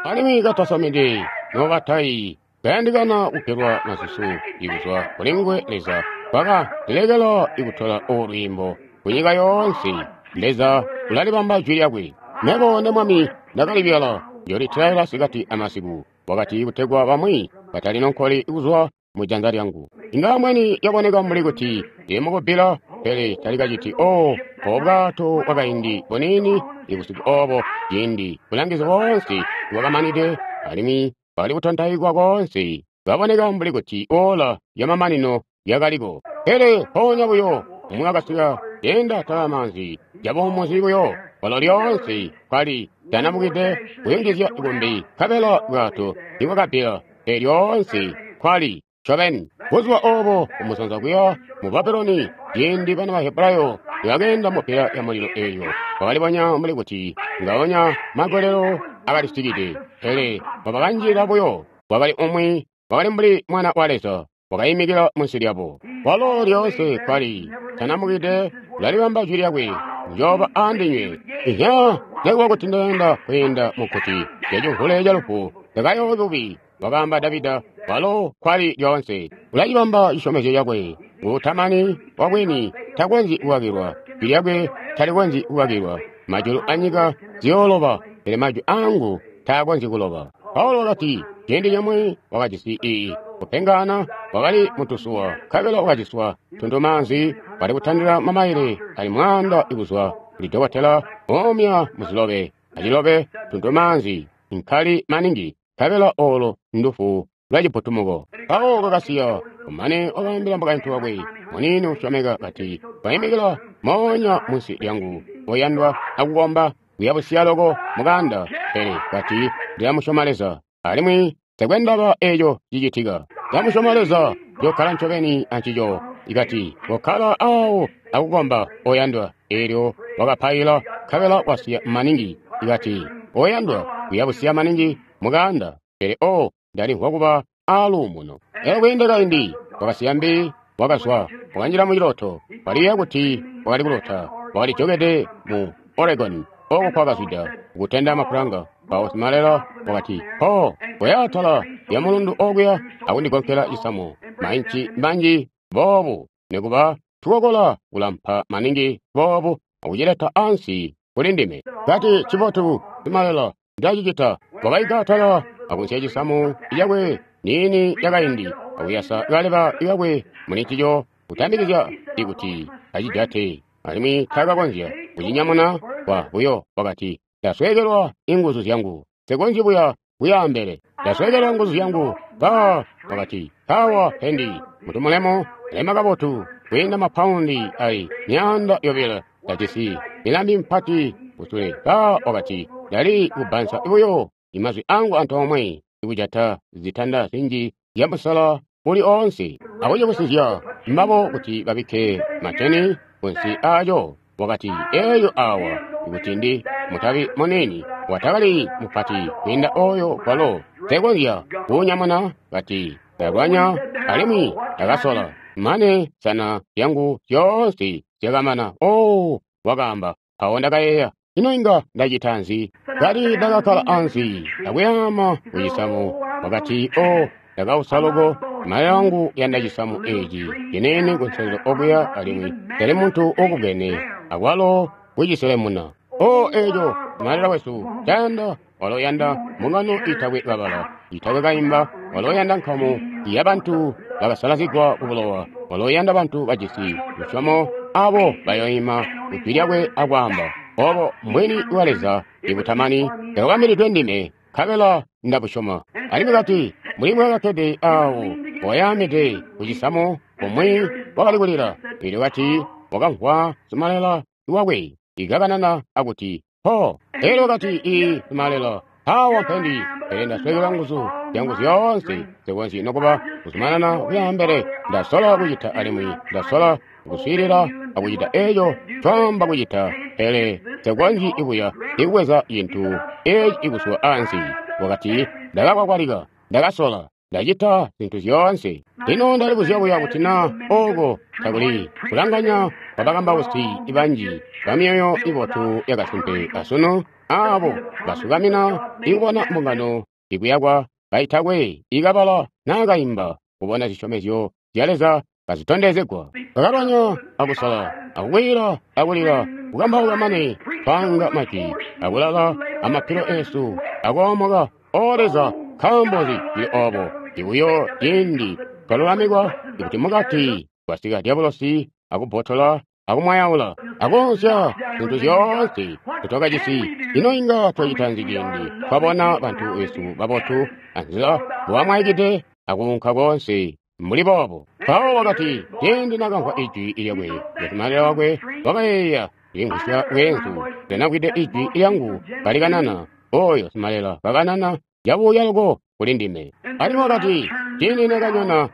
alimwi katasamide nobatayi, kayandikana kugelwa masusu ikuzwa kuli nguwe. Leza wakandilekela ikutola olu lwiimbo kunyika yoonse. Leza ulalibamba jwi lyakwe. Mebo ne Mwami ndakalibyala, njoolitilaila sikati amasiku. Wakati kutegwa bamwi Batali nonkoli kuzwa mu janza lyangu. Inga ambweni yaboneka mbuli kuti ndili mukubbila, pele tali kaciti. Oh, obwato bwakaindi buniini ibusiku obo, ciindi bulangizi boonse bwakamanide alimwi bwakali kutontaikwa koonse, kaboneka mbuli kuti ola yamamanino yakaliko. Pele mpoonya buyo umwi wakasika yenda atala amaanzi, cabuumuzi buyo, kwalo lyoonse kwali tanamukide kuyungizya kumbi, nkabela bwato nibwakabbila, pele lyoonse kwali ncobeni. Buzuba obo kumusanza kuya mu Babuloni, ciindi bana ba Hebrayo nibakeenda mupila ya mulilo eyo, kwakalibonya mbuli kuti ngaonya magolelo akalisikide, pele mbobakanjilila buyo kwakali umwi wakali mbuli mwana wa Leza wakayimikila munsi lyabo. Walo lyoonse kwali tanamukide ulalibamba jwi lyakwe, njooba andinywe. Ihya, nekuba kuti ndeenda kwiinda mukkuti lyacimvule ca lufu, ndakayoowa bubi, wakaamba Davida. Walo kwali lyoonse ulacibamba cisyomezyo cakwe, nguutamani wabwini takonzyi kukakilwa, jwi lyakwe talikonzyi kukakilwa. Majulu anyika ziyooloba, pele majwi angu taakonzyi kuloba. Paulo wakati ciindi cimwi wakajisi ii kupengana, wakali mutusuwa, nkabela wakaciswa tuntumaanzi, wali kutandila mamaile ali mwaanda kuzwa kuli dokotela oomya muzilobe acilobe tuntumaanzi nkali maningi, nkabela olo ndufu lwa ciputumuko. Mpawo kakasiya, kumane wakaambila mukaintu wakwe muniini usyomeka kati, "Waimikila moonya munsi lyangu, oyandwa, akukomba kuyabusiya loko mukanda, pele kati ndilamusyoma Leza, alimwi nsekwe ndaba eco cicitika. Ndamusyoma Leza, njokkala ncobeni ancico." Ikati, "Kokkala awo akukomba, oyandwa." Eelyo wakapaila, nkabela wasiya maningi. Ikati, "Oyandwa, kuyabusiya maningi mukanda, pele o ndalimvwa kuba aaluumuno." Elyo kwiinde kaindi wakasiya mbi, wakazwa, wakanjila muciloto. Waliyeeya kuti wakali kulota, wakali jokede mu Oregon oko kwakazwida kutenda mapulanga. Mpawo simalela wakati, "Ho, koya atala lya mulundu okuya akundigonkela cisamu mainci manji boobu, nikuba tukokola kulampa maningi boobu, akucileta ansi kuli ndime." Kati, "Cibotu, simalela, ndacicita." Wakaika atala akunsiya cisamu cakwe niini yakaindi, akuyasa kaleba kakwe muli ncico, kutambikizya ikuti acijate, alimwi taakakonzya kucinyamuna kwa buyo. Wakati, "Ndasweekelwa inguzu zyangu, nsikonzyi buya kuyaambele, ndasweekelwa nguzu zyangu." Ba wakati, "Awa pendi mutu mulemu lema kabotu kwiinda mapaundi ali myaanda yobilo, ndajisi milambi mpati kusule." Ba wakati, "Ndali kubbansa buyo imazwi angu antoomwe ikujata zitanda zinji zya musala uli oonse, akucibusizya mbabo kuti babikke mateni kunsi aaco." Wakati, "Eeyo awa ikuti ndi mutabi muniini watakali mupati kwiinda oyo, kwalo nsekonzya kuunyamuna." Kati, "Ndalwanya alimwi ndakasola mane sana zyangu zyoonse zyakamana." "Oh," wakaamba, "mpawo ndakayeeya, ino inga ndacita nzi?" Kati, "Ndakakkala ansi akuyaama kucisamu." Wakati, "Oh, ndakausa loko, mali angu yanda cisamu eci ciniini kunselelo okuya, alimwi ndali muntu ukubwene akwalo kuciselemuna. Oh, eco simalela wesu cayanda, walo yanda mbungano itakwe kabala, itakwe kaimba, walo yanda nkamu yabantu bakasalazigwa kubulowa, walo yanda bantu bajisi lusyomo abo bayoima kujwi lyakwe akwaamba, obo mbwini bwa Leza ibutamani ndakakwambilidwe ndime, nkabela ndabusyoma." Alimwi kati, mbuli mbwakakkede awo wayaamide kucisamu, umwi wakali kulila. Elyo kati wakamvwa simalela wakwe ikakanana akuti, "Ho." Elyo kati, "Ii simalela, awa mpendi, pele ndasweekelwa nguzu zyangu zyoonse, nsikonzyi nokuba kuzumanana kuyaambele. Ndasola kucita alimwi ndasola kuswiilila akucita eco ncwaamba kucita, pele nsikonzyi kuya ikubweza cintu eci ikuzwa ansi." Wakati, "Ndakakwakwalika, ndakasola, ndacita zintu zyoonse. Lino ndalibuzya buya kuti na oko takuli kulanganya kwabakambausi banji bamyoyo ibotu yakasimpe asunu, abo basukamina ikubona mbungano ikuyakwa kaitakwe ikabala naa kaimba, kubona zisyomezyo zya Leza kazitondezegwa. Bakalwanya akusala akukwiila akulila, kukambauka mane twanga majwi, akulala amapilo esu akoomoka. O Leza, nkaambo nzi cili obo? Ibuyo ciindi twalulamikwa ikuti mukati kwasika dyabulosi akubbotola akumwayaula akoonsya zintu zyoonse zetwakajisi. Ino inga twacita nzi ciindi twabona bantu besu babotu anzila mbobamwaikide akuunka koonse mbuli boobo? Paulo wakati ciindi nakamvwa ijwi lyakwe lyakumalila wakwe wakayeeya limvwisya bweenzu lyanamvwide ijwi lyangu kalikanana oyo simalela kakanana cabuuya loko kuli ndime. Alimwi wakati ciindi nekanyona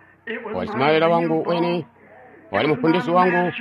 wali simalela wangu weni, wali mufundisi wangu,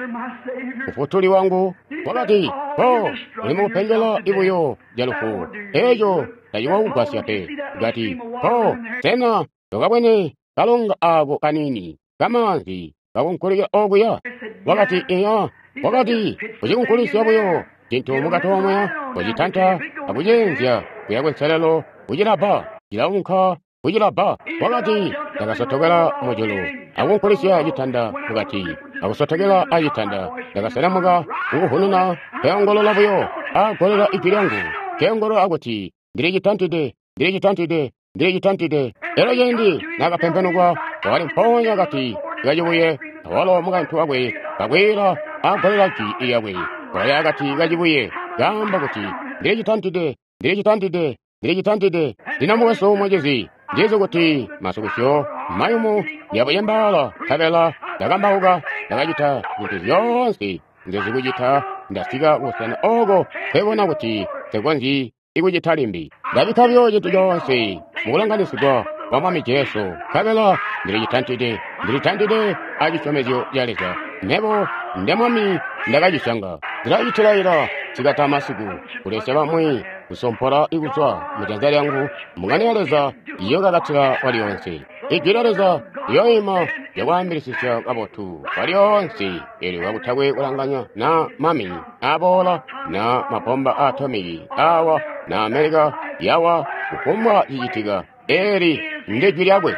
mufutuli wangu. Wakati po uli mukupengela ibuyo lya lufu, eeco tacikokugwasya pe. Kati po sena tokabwene kalonga ako kanini kamaanzi kakunkulikila okuya? Wakati iya. Wakati ucikunkulisya buyo cintu mukati omwe, ucitanta akuceenzya kuya kunselelo kucilabba, cilaunka kucilabba. Wakati ndakasotokela mujulu akunkulisya citanda mukati, akusotokela acitanda, ndakaselemuka kukuhununa, keongolola buyo agolela ijwi lyangu, keongolola akuti ndilicitantide, ndilicitantide, ndilicitantide. Elyo ciindi nakapempenukwa wakali mpoonya akati kacibuye, awalo mukaintu wakwe kakwiila agolela jwi lyakwe, wakali akati kacibuye kaamba kuti ndilicitantide, ndilicitantide, ndilicitantide. Lino mukwesu mucizi, ndizi kuti masukusyo mayumu yabuyembaala, nkabela ndakambauka, ndakacita zintu zyoonse nzezikucita, ndasika kubusena oko nkebona kuti nsekonzyi ikucita limbi. Ndabikka buyo cintu coonse mukulanganisigwa kwa Mwami Jesu, nkabela ndilicitantide, ndilitantide acisyomezyo ca Leza. Mebo nde Mwami ndakacisyanga. Ndilacitilaila sikata masiku kulesya bamwi kusompola ikuzwa mujanza lyangu. Mbungano ya Leza iyokakatila kwalyoonse. Ijwi lya Leza liyoima lyakwaambilisisya kabotu kwalyoonse, eelyo kakutakwe kulanganya na mami aboola na mabomba aatomiki awa na Amerika yawa, kufumbwa cicitika, eeli ndijwi lyakwe.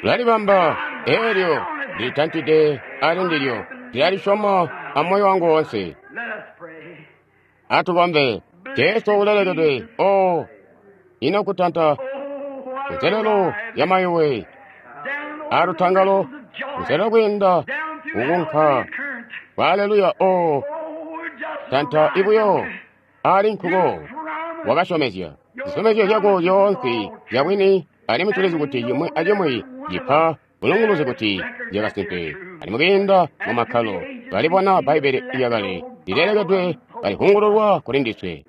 Tulalibamba eelyo ndilitantide ali ndilyo, ndilalisyoma amoyo wangu woonse. Atukombe. Jesu ulelekedwe. O ino kutanta kunselelo ya mayuwe alutangalo, kunselelo kwiinda kukunka kwa aleluya. O tanta ibuyo ali nkuko wakasyomezya zisyomezyo zyako zyoonse zyabwini, alimwi tulizi kuti cimwi acimwi cipa bulunguluzi kuti zyakasimpe. Alimwi kwiinda mu makkalo twalibona Bbaibbele lyakale lilelekedwe kalihungululwa kuli ndiswe.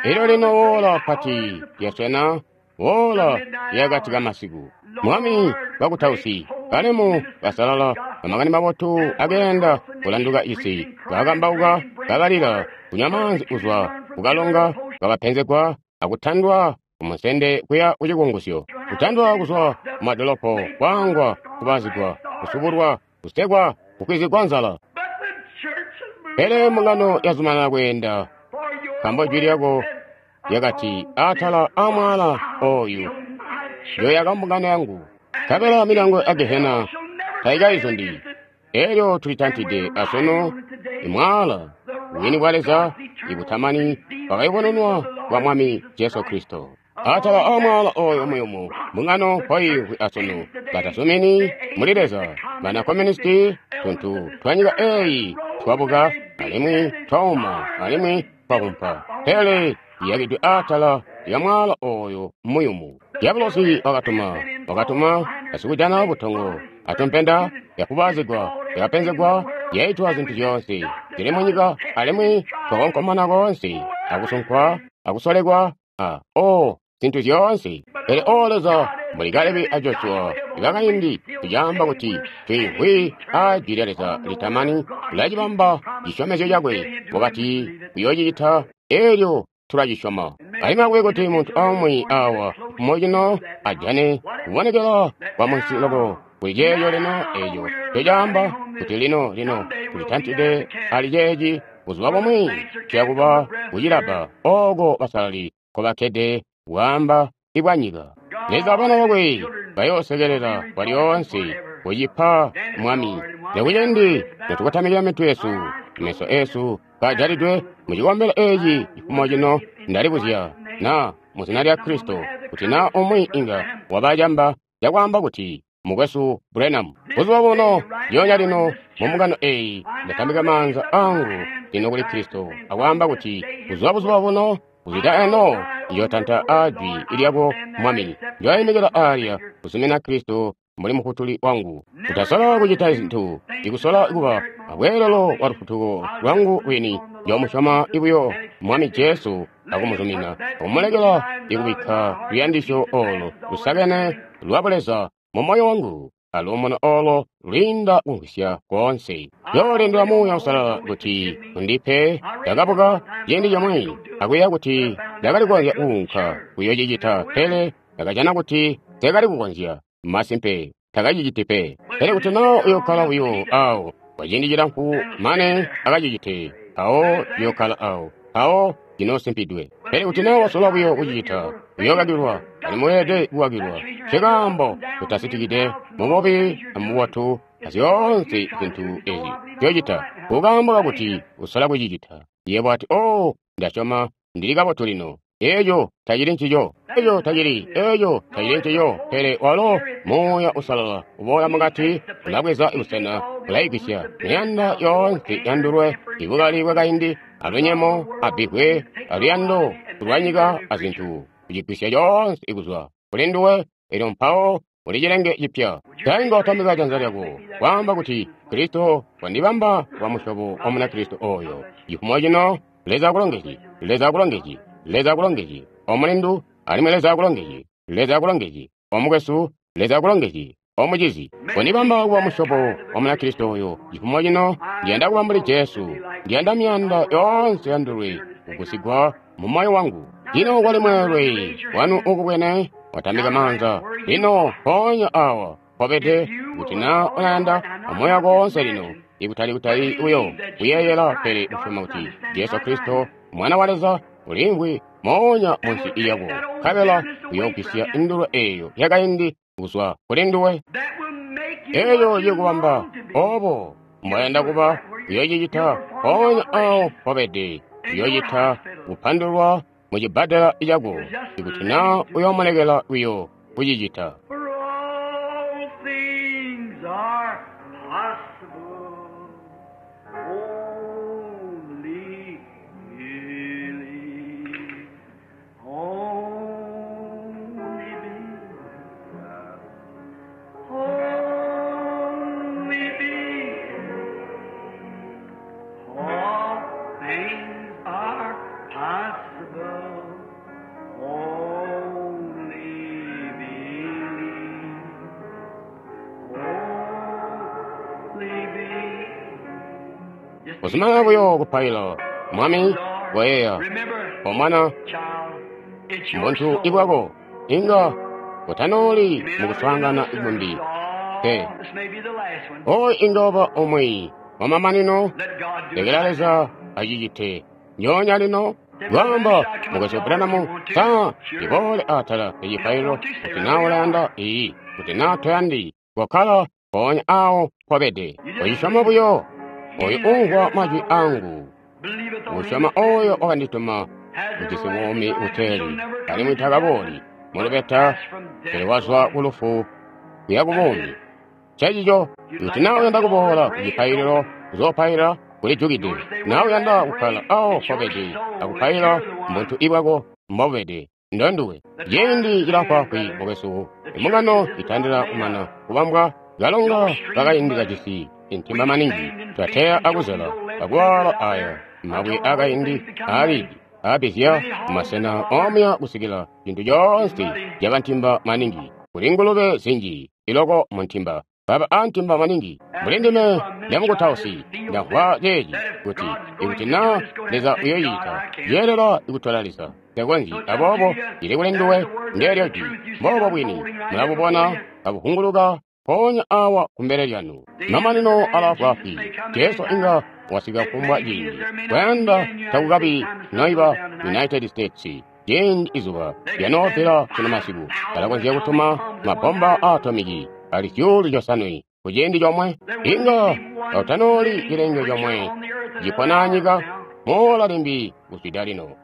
Elyo lino woola pati lyaswena, woola lyakati kamasiku. Mwami bakutausi balemu basalala bamakani mabotu akeenda kulanduka isi, bakambauka, kabalila, kunywa maanzi kuzwa kukalonga, kabapenzegwa akutandwa kumusende kuya kucikungusyo, kutandwa kuzwa kumadolopo, kwaangwa, kubazigwa, kusubulwa, kusekwa, kukwizigwa nzala. Pele mbungano yazumanana kweenda, nkaambo jwi lyako lyakati atala amwaala oyu yoyaka mbungano yangu, nkabela milyango ya Gehena taikaizundi. Elyo tulitantide asunu imwaala bwini bwa Leza ibutamani bwakayubununwa bwa Mwami Jesu Kristo. Atala amwaala oyo muyumu mbungano mpoiimvwi asunu, batasumini muli Leza, bana komunisti, tuntu twa nyika eeyi twabuka alimwi twauma alimwi twakumpa, pele iyakidwe atala lya mwaala oyo muyumu. Diabolosi wakatuma wakatuma basikujana butongo atumpenda, yakubazigwa, yakapenzegwa, yaitwa zintu zyoonse zili munyika, alimwi twakonkomana koonse akusunkwa akusolekwa a o zintu zyoonse. Pele o Leza, mbuli Kalebi a Joshua ibakaindi, tucaamba kuti twiimvwi a jwi lya Leza litamani, ulacibamba cisyomezyo cakwe wakati uyoocicita, eelyo tulacisyoma. Alimwi akube kuti muntu aumwi awa mocino ajane kubonekela kwa munsi loko kuli ceeco lino eeco ncocaamba kuti lino lino tulitantide ali ceeci buzuba bumwi tuyakuba kucilabba ooko basalali nkobakkede bwaamba ibwanyika. Leza abana bakwe bayoosekelela kwalyoonse kucipa Mwami. Lekucendi notukotamikila mitwe yesu, meso esu kajalidwe mucikombelo eeci cifumo cino, ndalibuzya na muzina lya Kristo kuti na umwi inga wabacamba cakwaamba kuti Mukwesu Branham. Buzuba buno, lyoonya lino, mu mbungano eyi, ndatambika maanza angu lino kuli Kristo, akwaamba kuti, kuzwa buzuba buno, kuzwida eno, njootanta a jwi lyako, Mwami. Njoyimikila alya, kuzumina Kristo mbuli Mufutuli wangu. Kutasola kucita zintu, ikusola kuba abweelelo wa lufutuko lwangu lwini, njoomusyoma buyo Mwami Jesu akumuzumina, akumulekela ikubikka luyandisyo olo lusakene lwa Buleza mu moyo wangu, aluumuno olo lwiinda kumvwisya koonse. Njoolindila Muuya Uusalala kuti undipe. Ndakabuka ciindi cimwi akuyeeya kuti ndakali kukonzya kuunka kuyoocicita, pele ndakajana kuti nseekali kukonzya. Masimpe takaciciti pe. Pele kuti naa uyookkala buyo awo kwa ciindi cilamfu mane akacicite, mpawo ciyookkala awo, mpawo cinoosimpidwe. Pele kuti naa wasola buyo kucicita, uyookakilwa, alimwi weelede kukakilwa. Nkekaambo tutasitikide mububi amububotu azyoonse zintu ezi nzyocita, kukaambo kakuti usola kucicita. Yebo ati, "Oh, ndasyoma ndili kabotu lino." Eeco tacili ncico. Eeco tacili, eeco tacili ncico. Pele walo Muuya Uusalala uboola mukati, ulabweza busena, ulaigwisya miyanda yoonse yandulwe, ibukali bwakaindi, alunyemo, abbivwe, aluyando lwanyika azintu, kucigwisya coonse kuzwa kuli nduwe, elyo mpawo uli cilenge cipya. Tainga watambika janza lyako, kwaamba kuti, Kristo wandibamba wa musyobo wa Munakristo oyo. Cifumo cino, Leza akulongezye, Leza akulongezye, Leza akulongezye, omulindu, alimwi Leza akulongezye, Leza akulongezye, omukwesu, Leza akulongezye, omucizi. Wandibamba kuba musyobo wa Munakristo oyo. Cifumo cino, ndiyanda kuba mbuli Jesu. Ndiyanda miyanda yoonse yandulwe kugusigwa mu moyo wangu. Lino kwali mweelwe wanu ukubwene watambika maanza. Lino mpoonya awa mpobede, kuti naa ulayanda amoyo wako woonse lino, ikutali kutali buyo kuyeeyela, pele usyoma kuti Jesu Kristo Mwana wa Leza uliimvwi moonya munsi lyako, nkabela uyoogwisya indulwe eeyo yakaindi kuzwa kuli nduwe. Eeyo cikubamba obo mbwayanda kuba, uyoocicita mpoonya awo mpobede. Uyoocita kupandulwa mu cibbadela cako, ikuti naa uyoomulekela buyo kucicita. For all things are possible. Only believe. Only believe. Only believe. All things are possible. Only believe. Only believe. Just Kuzumanana buyo kupaila, Mwami, koyeeya, remember, omwana, child, it's your muntu soul. ibwako, inga utanoli You may mu not kuswaangana remember the ikumbi. service. Oh, Pe. this may be the last one. Oyo inga waba omwe wamamanino, Let God do lekela it. Leza acicite. Njoonya lino, lwamba mukwesu Branham, sa ndiboole atala ecipaililo, kuti naa ulayanda iyi, kuti naa toyandi, kokkala mpoonya awo mpobede. Ucisyoma buyo, oyo umvwa majwi angu, Believeth on him usyoma that sent oyo me. wakandituma, Has ujisi everlasting buumi life and buteeli, shall never come alimwi into takabooli death, mu but lubeta, pass from death pele to wazwa life. ku lufu kuya ku That's buumi. it. Ncencico, You'd kuti like naa to come uyanda to the altar kuboola and ku pray, it's cipaililo open. kuzoopaila kulijukide. You want to stay where Naa you're at uyanda and kukkala pray, awo it's your mpobede soul that akupaila, you're the muntu one. ibwako mbobede, ndonduwe. The Ciindi time is at hand, cilafwaafwi brother. mukwesu, The church imbungano is just about itandila made kumana up. kubambwa, kalonga No streams kakaindi muddy. kajisi intimba We've maningi, stained and twateya fished and thrown akuzela, these old lead akuwala fingers out aya there mabwe until the whole akaindi thing's become muddy. aalidi aapizya Many hogs in the masena water omuya kusikila cintu is coonse muddy. caba ntimba maningi. Kuli ngulube zinji iloko mu ntimba, baba a ntimba maningi. Mbuli As ndime me from minister, I ndamukutausi just feel ndamvwa that ceeci that if kuti God's going ikuti to do naa it, it's going to Leza have to take God. uyoyita I can't. yeelela ikutola Leza tekonzyi. So it's up to Aboobo you. cili kuli There's nduwe, the word, there's ndeelyo the jwi. truth. You see it Mboobo bwini unfolding right here before mulabubona you. kabuhunguluka mpoonya awa kumbele lyanu. The end is Mamanino at hand. Jesus alaafwaafwi. may come at any Jesu time. inga wasika It kufumbwa may be that ciindi. there may not even be Kwayanda any United States takukabi time the sun goes noiba down tonight. United States. Ciindi izuba They could send lyanoopela kuno five masiku, thousand balakonzya atomic kutuma bombs at one mabomba time. a atomiki ali zyuulu zyosanwe ku ciindi comwe. There wouldn't Inga be one tautanoli living cilenge creature comwe on the earth another cipona hour from anyika now. moola limbi kuzwida lino.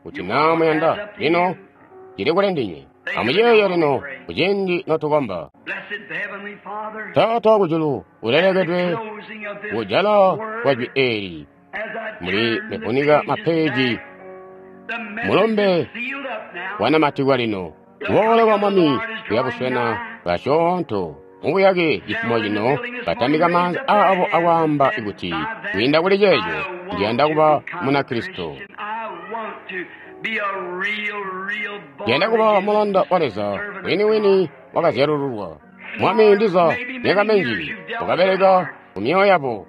Kuti You naa want that's muyanda up to lino you. cili kuli ndinywe. Amuyeeye lino kuciindi notukomba. Taata wakujulu, ulelekedwe kujala kwa jwi eli muli mifunika mapeji mulumbe wanamatikwa lino. Kuboola kwa Mwami kuyabuswena kasyoonto mubuyake cifumo cino batamika maanza aabo akwaamba kuti kwiinda kuli ceeco ndiyanda kuba Munakristo, ndiyanda kuba mulanda wa Leza wini-wini wakazyalululwa. Mwami, ndiza myaka minji wakabeleka ku myoyo yabo,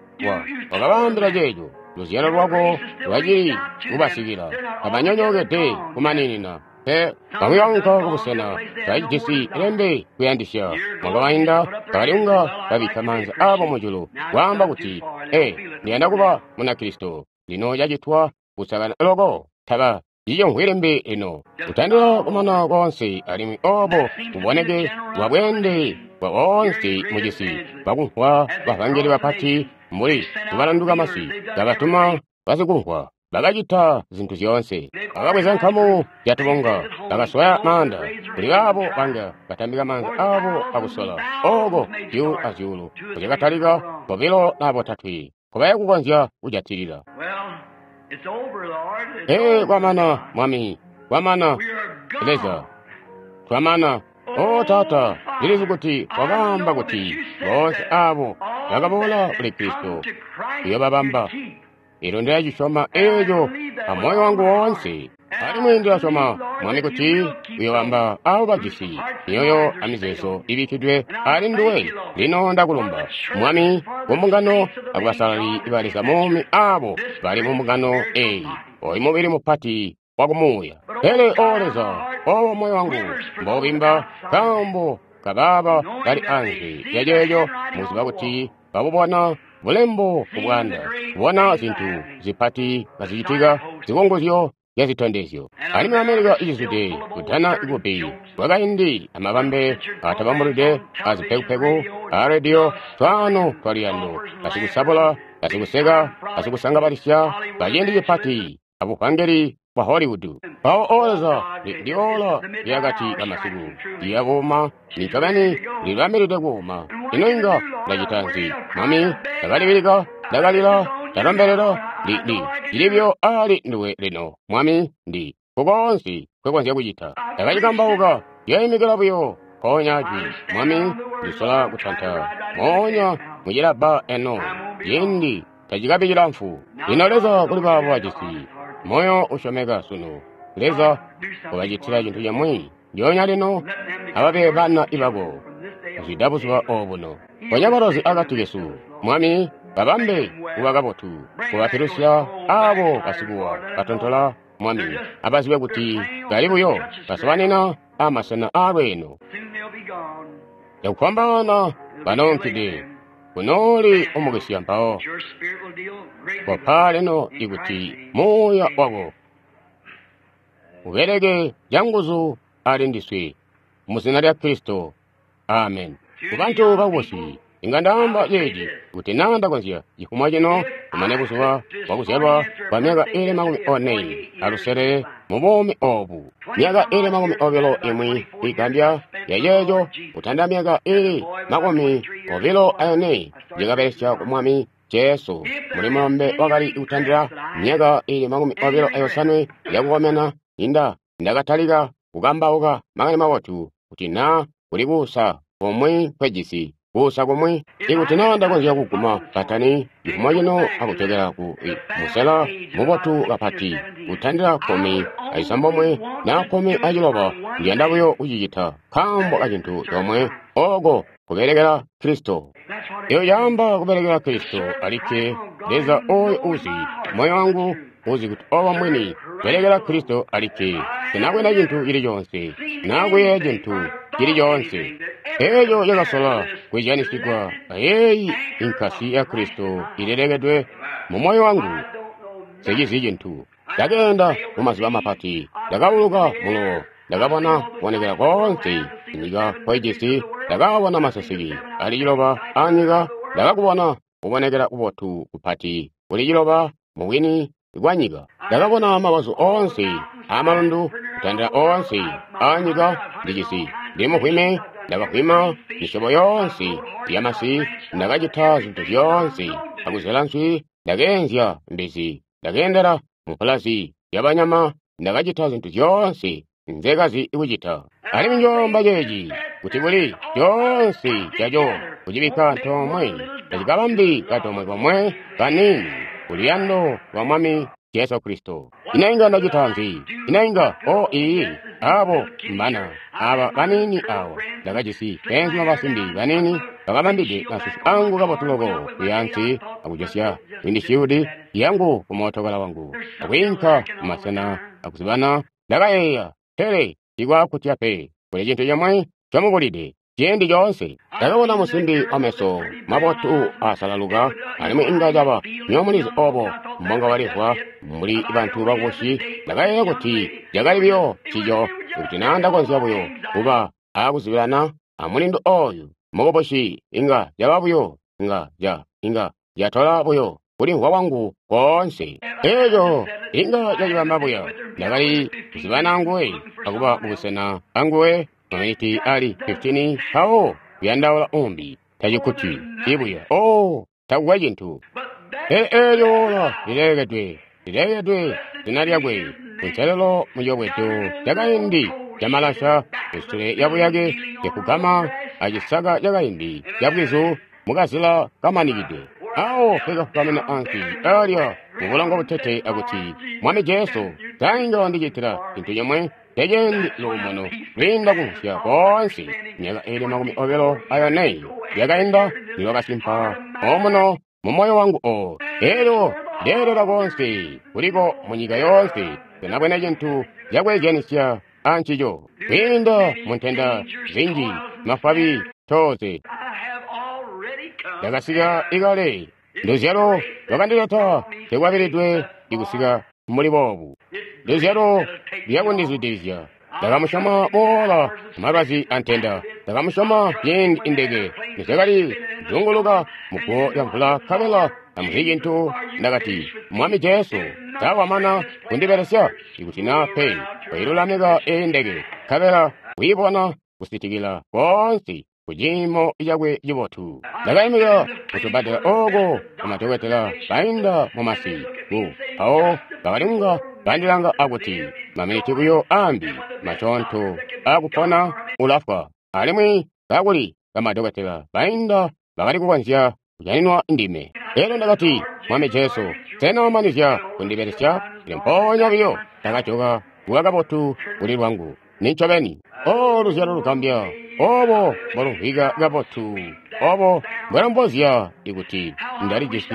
wakabaambila ceeco luzyalo lwako lwacili kubasikila, tabanyonyookede kumaninina. Pe bamwi baunka kubusena tacijisi lembe kuyandisya. Mwakabainda bakalinga babikka maanza aabo mujulu kwaamba kuti, e ndiyanda kuba Munakristo. Lino cacitwa kusakana loko, taba cicimvwi limbi lino. Kutandila kumana koonse alimwi obo buboneke bwa bweende bwa boonse mucisi bakumvwa bavangeli bapati mbuli kubalanduka masi kabatuma basikumvwa. Bakacita zintu zyoonse, bakabweza nkamu zyatubunga, bakaswaya maanda kuli baabo banga batambika maanza aabo akusola oko zyuulu azyuulu kuzyakatalika bobilo na botatwe kubaya kukonzya kujatilila. Ee, kwamana Mwami, kwamana Leza, twamana. O Taata, ndilizi kuti wakaamba kuti boonse aabo bakaboola kuli Kristo uyoobabamba. Elyo ndilacisyoma eeco amoyo wangu woonse, alimwi ndilasyoma Mwami kuti uyoobamba aabo bajisi myoyo amizeezo ibikkidwe ali nduwe. Lino ndakulumba Mwami kumbungano akubasalali ba Leza muumi aabo bali mumbungano eeyi, oyu mubili mupati wakumuuya. Pele O Leza, owo moyo wangu mboubimba nkaambo kabaaba bali anze lyaceeco, muziba kuti babubona bulembo kubwanda, kubona zintu zipati kazicitika, zikunguzyo zyazitondezyo. Alimwi Amerika icizwide kudana ikubi kwakaindi amabambe atabambulide azipekupeku a rediyo, twaano twaluyando, basikusabula, basikuseka, basikusangabalisya baciindi cipati abuvangeli bwa Hollywood. Mpawo O Leza, ndi ola lyakati kamasiku liyakuuma, nincobeni lilibambilide kuuma. Ino inga ndacita nzi Mwami? Ndakalibilika, ndakalila, ndalombelela, ndi ndi ndilibyo ali nduwe lino Mwami, ndi kukoonse nkwekonzya kucita. Ndakacikambauka, lyaimikila buyo mpoonya jwi Mwami, ndisola kutanta moonya mucilabba eno, ciindi tacikabi cilamfu. Lino Leza, kuli baabo bajisi moyo usyomeka sunu, Leza ubacitila cintu cimwi ndyoonya lino, ababe bana ibako kuzwida buzuba obuno. Ponya balozi akati kesu Mwami, babambe kuba kabotu, kubapilusya aabo basikuwa batontola Mwami, abazibe kuti bali buyo basobanina amasena aalweeno. Cakufwambaana banoonkide kunooli umukisya mpawo kopa lino ikuti muuya wako ubeleke canguzu ali ndiswe muzina lya Kristo. Amen. Kubantu bakubusi inga ndaamba ceeci kuti naa ndakonzya cifumo cino kumane buzuba bwakuzyalwa kwa myaka ili makumi one alusele mu buumi oobu, myaka ili makumi obilo imwi igambya yaceeco kutanda myaka ili makumi obilo ayone ndikabelesya ku Mwami Jesu muli mulombe wakali kutandila myaka ili makumi obilo ayosanwe yakukomena inda ndakatalika kukambauka makani mabotu kuti naa kuli kuusa kumwi nkwejisi kuusa kumwi ikuti naa ndakonzya kuguma batani cifumo cino akujokera ku musela mubotu kapati kutandila kkumi acisambomwe naa kkumi aciloba, ndiyanda buyo kucicita nkaambo kacintu comwe, oko kubelekela Kristo. Eyo yaamba kubelekela Kristo alikke. Leza oyo uzi moyo wangu uzi kuti obo mwini kubelekela Kristo alikke, sinakwena cintu cili conse nakuyeeya cintu cili conse eeco cakasola kwizyanisigwa ayeeyi inkasi ya Kristo ilelekedwe mu moyo wangu. Sicizi cintu. Ndakeenda mumazuba mapati, ndakauluka mulowo, ndakabona kubonekela koonse inyika nkoijisi, ndakabona maseseke ali ciloba anyika, ndakakubona kubonekela kubotu kupati kuli ciloba mubwini bwanyika. Ndakabona mabazu oonse aamalundu, Kutandila oonse aa nyika ndijisi. Ndili muvwime, ndakavwima misyobo yoonse yamasi, ndakacita zintu zyoonse, akuzela nswi, ndakeenzya mbizi, ndakeendela mupulazi yabanyama, ndakacita zintu zyoonse nzekazi kucita. Alimwi njoomba ceeci kuti kuli coonse caco kucibikka antoomwe tacikabambi katomwe komwe kaniini kuluyando lwa Mwami Jesu Kristo. Ino inga ndacita nzi? Ino inga o iyi abo mbana aba baniini awa ndakajisi beenzuma basimbi baniini bakabambide masusu angu kabotu loko kuyansi akujosya windishiudi yangu ku mootokala wangu akwiinka kumasena akuzibana. Ndakayeeya, pele tikwakutya pe, kuli cintu comwe comubulide ciindi coonse. Ndakabona musimbi wameso mabotu asalaluka, alimwi inga caba nyomulizi obo mbonga walivwa mbuli bantu bakubusi. Ndakayeeya kuti cakali buyo ncico, kuti naa ndakonzya buyo kuba akuzibilana amulindu oyu mukubusi, inga caba buyo, inga ca inga catola buyo kulimvwa kwangu koonse. Eeco inga cacibamba buya. Ndakali kuzibana anguwe akuba mubusena anguwe maminiti ali fifteen mpawo kuyandaula umbi tacikkuti ibuya. Oh, takukwe cintu. Pele eelyo ola lilekedwe, lilekedwe zina lyakwe kunselelo mucobwedo cakaindi camalasha kusule yabuyake yakugama acisaka cakaindi cabwizu mukazila kamanikide. Awo pekafukamina ansi alya mubulongo butete akuti, Mwami Jesu, sainga wandicitila cintu comwe tecendi luumuno lwiinda kumvwisya koonse. Myaka ili makumi obilo ayone yakainda nilwakasimpa omuno mu moyo wangu o. Eelyo ndeelela koonse kuliko munyika yoonse, senabwene cintu cakweezyanisya ancico. Kwiinda mu ntenda zinji, mafwabi, tooze, ndakasika ikale. Luzyalo lwakandileta tekwabilidwe ikusika muli boobu. Luzyalo lyakundizwidilizya. Ndakamusyoma boola malwazi antenda. Ndakamusyoma ciindi indeke nizyakali zunguluka muguwo lya mvula nkabela tamuzi cintu. Ndakati, Mwami Jesu, tawamana kundibelesya ikuti naa pe wailulamika eyi ndeke nkabela wiibona kusitikila koonse kuciimo cakwe cibotu. Ndakaimikila kutubbadela ooko kumadokotela bainda mumasi ku mpawo bakalinga bandilanga akuti, maminiti buyo ambi masyoonto akupona ulafwa. Alimwi kakuli bamadokotela bainda bakali kukonzya kujaninwa ndime. Elyo ndakati, Mwami Jesu, sena wamanizya kundibelesya? Pele mpoonya buyo ndakajoka kuba kabotu kuli lwangu. Nincobeni. O luzyalo lugambya, obo mbwalumvwika kabotu, obo mbwalombozya ikuti ndalijisi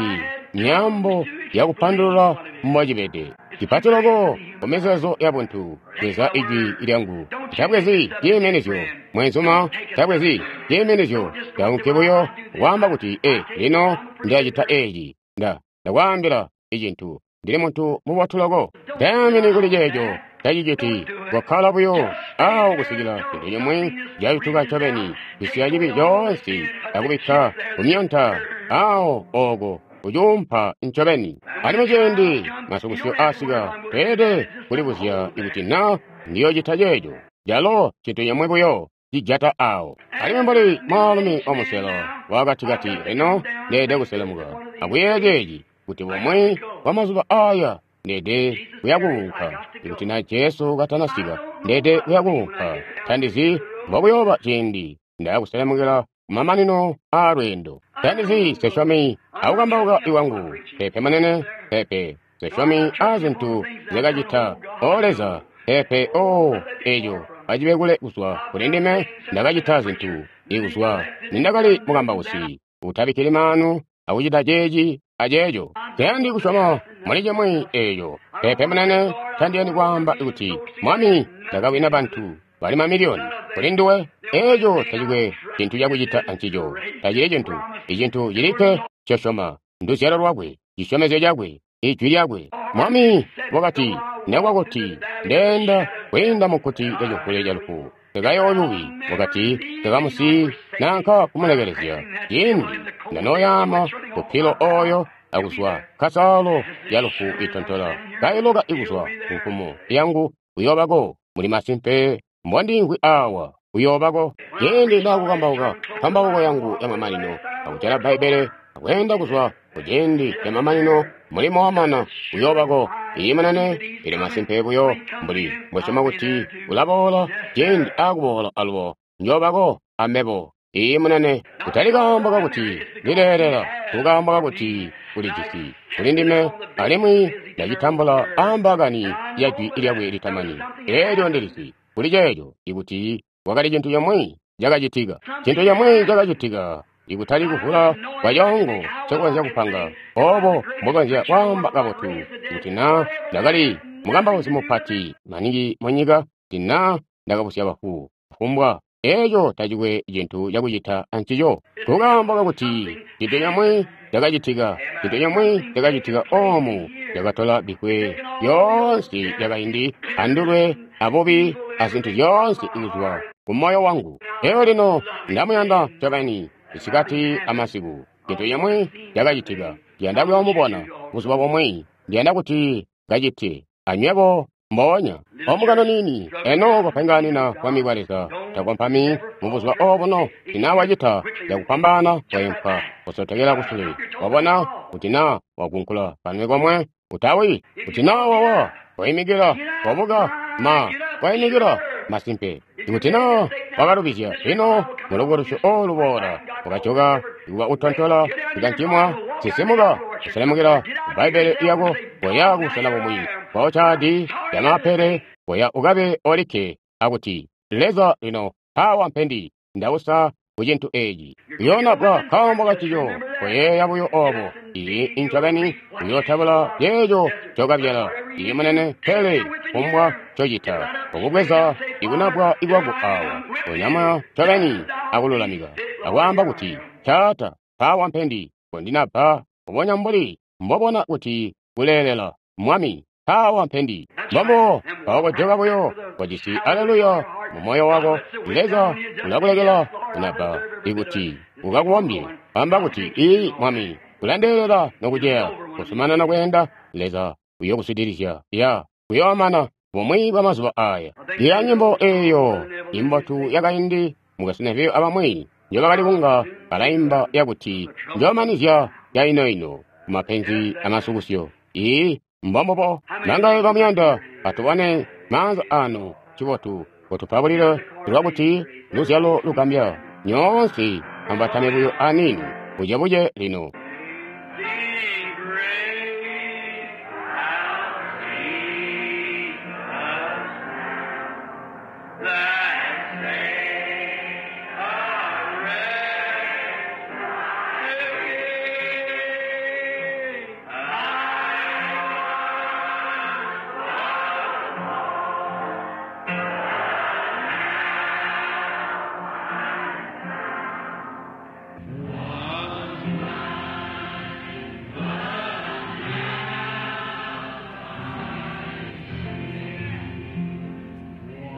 myaambo yakupandulula mbwacibede. Cipati loko kumizeezo yabuntu, bweza ijwi lyangu. Tabwezi ciiminizyo, mwenzuma, tabwezi ciiminizyo. Ndaunke buyo kwaamba kuti, e, lino ndilacita eeci. Nda ndakwaambila icintu. Ndili muntu mubotu loko. Tayamini kuli ceeco. Taciciti. Kokkala buyo awo kusikila cintu cimwi cayutuka ncobeni, kusiya cibi coonse akubikka kumyonta awo oko kucuumpa ncobeni. Alimwi ciindi masukusyo asika, tweelede kulibuzya ikuti naa ndiyoocita ceeco. Calo cintu cimwi buyo cijata awo. Alimwi mbuli mwaalumi wamuselo wakatikati, lino ndeelede kuselemuka akuyeeya ceeci, kuti bumwi bwa mazuba aya ndeelede kuyakuunka. Ikuti na Jesu katanasika, ndeelede kuyakuunka. Tandizi mbokuyooba ciindi ndakuselemukila kumamanino aa lweendo. Tandizi sesyomi akukambauka iwangu, pepe munene, pepe sesyomi a zintu nzyakacita. O Leza, pepe o eco acibe kule kuzwa kuli ndime. Ndakacita zintu ikuzwa nindakali mukambausi, utabikkili maanu akucita ceeci aceeco. Tayandi kusyoma muli cimwi eeco. Pepe munene, tandiyandi kwaamba kuti, Mwami, ndakawina bantu bali mamiliyoni kuli nduwe. Eeco tacikwe cintu cakucita ancico. Tacili cintu. Icintu cilikke ncosyoma nduzyalo lwakwe, cisyomezyo cakwe, ijwi lyakwe. Mwami wakati, nekwa kuti ndeenda kwiinda mukkuti lyacimvule ca lufu, tekayooyuwi. Wakati, tekamusiyi nanka kumulekelezya. Ciindi ndanooyaama kupilo oyo akuzwa kasaalo ya lufu itontola, kailoka ikuzwa ku nkumo yangu, uyoobako Muli masimpe mbondiimvwi awa uyoobako. Ciindi ndaakukambauka nkambauko yangu yamamanino, akujala Bbaibbele akweenda kuzwa kuciindi camamanino, mulimo wamana, uyoobako. Iyi munene, ili masimpe buyo mbuli mbwesyoma kuti ulaboola ciindi aakuboola alubo, njoobako amebo. Iyi munene, kutali kaambo kakuti ndileelela, kukaambo kakuti ulijisi kuli ndime, alimwi ndacitambula aambaakani ya jwi lyakwe litamani. Eelyo ndilizi kuli ceeco ikuti kwakali cintu cimwi cakacitika, cintu cimwi cakacitika, ikutali kuvula kwa coongo ncokonzya kupanga, obo mbokonzya kwaamba kabotu, kuti naa ndakali mukambausi mupati maningi munyika, kuti naa ndakabusya bafu, kufumbwa eeco tacikwe cintu cakucita ancico. Kukaambo kakuti cintu cimwi cakacitika, cintu cimwi cakacitika oomu cakatola bikwe yoonse yakaindi andulwe abubi azintu zyoonse kuzwa ku moyo wangu. Eyo lino ndamuyanda ncobeni isikati amasiku. Cintu cimwi cakacitika, ndiyanda kuyoomubona buzuba bumwi, ndiyanda kuti kacite anywebo mboonya. Omukano nini, eno kopenganina bwami bwa Leza, takompami mubuzuba obuno, tina wacita cakupambana kwayempwa kusotekela kusule. Wabona kuti naa wakunkula kanwe komwe, utawi, kuti naa wawa, koimikila, wabuka, ma, koimikila, masimpe. Ikuti naa wakalubizya, lino mulubukulusyo olu luboola, wakajoka, ikuba utontola, ikancimwa, sisimuka, kuselemukila Bbaibbele lyako, koya kubusena bumwi, kwaocaadi yamapele, koya ukabe olikke, akuti, Leza lino, awa mpendi, ndausa ku cintu eeci. Uyoonabwa kaambo kancico, koyeeya buyo obo. Iyi incobeni uyootabula ceeco ncokabyala. Iyi munene, pele kumbwa ncocita, ukubweza ikunabwa ikwako awa, onyama ncobeni akululamika, akwaamba kuti, Taata, awa mpendi, kondinabba, kubonya mbuli mbobona kuti kuleelela, Mwami, awa mpendi. Mbombo mpawo buyo kojisi aleluya mu moyo wako. Leza ulakulekela kunabba ikuti ukakubombye, amba kuti, Iyi Mwami, kulandeelela nokuceya, kusumanana kweenda, Leza uyokuswidilizya ya kuyoomana bumwi bwa mazuba aya. Iya nyimbo eeyo imbotu yakaindi mukasineviyo abamwi njobakali kunga balaimba yakuti njoomanizya yainoino kumapenzi amasukusyo. Iyi mbombobo nangaye bamuyanda, atubone maanza anu cibotu kutupabulile lwakuti luzyalo lugambya. Nyoonse ambatame buyo anini bucebuce lino.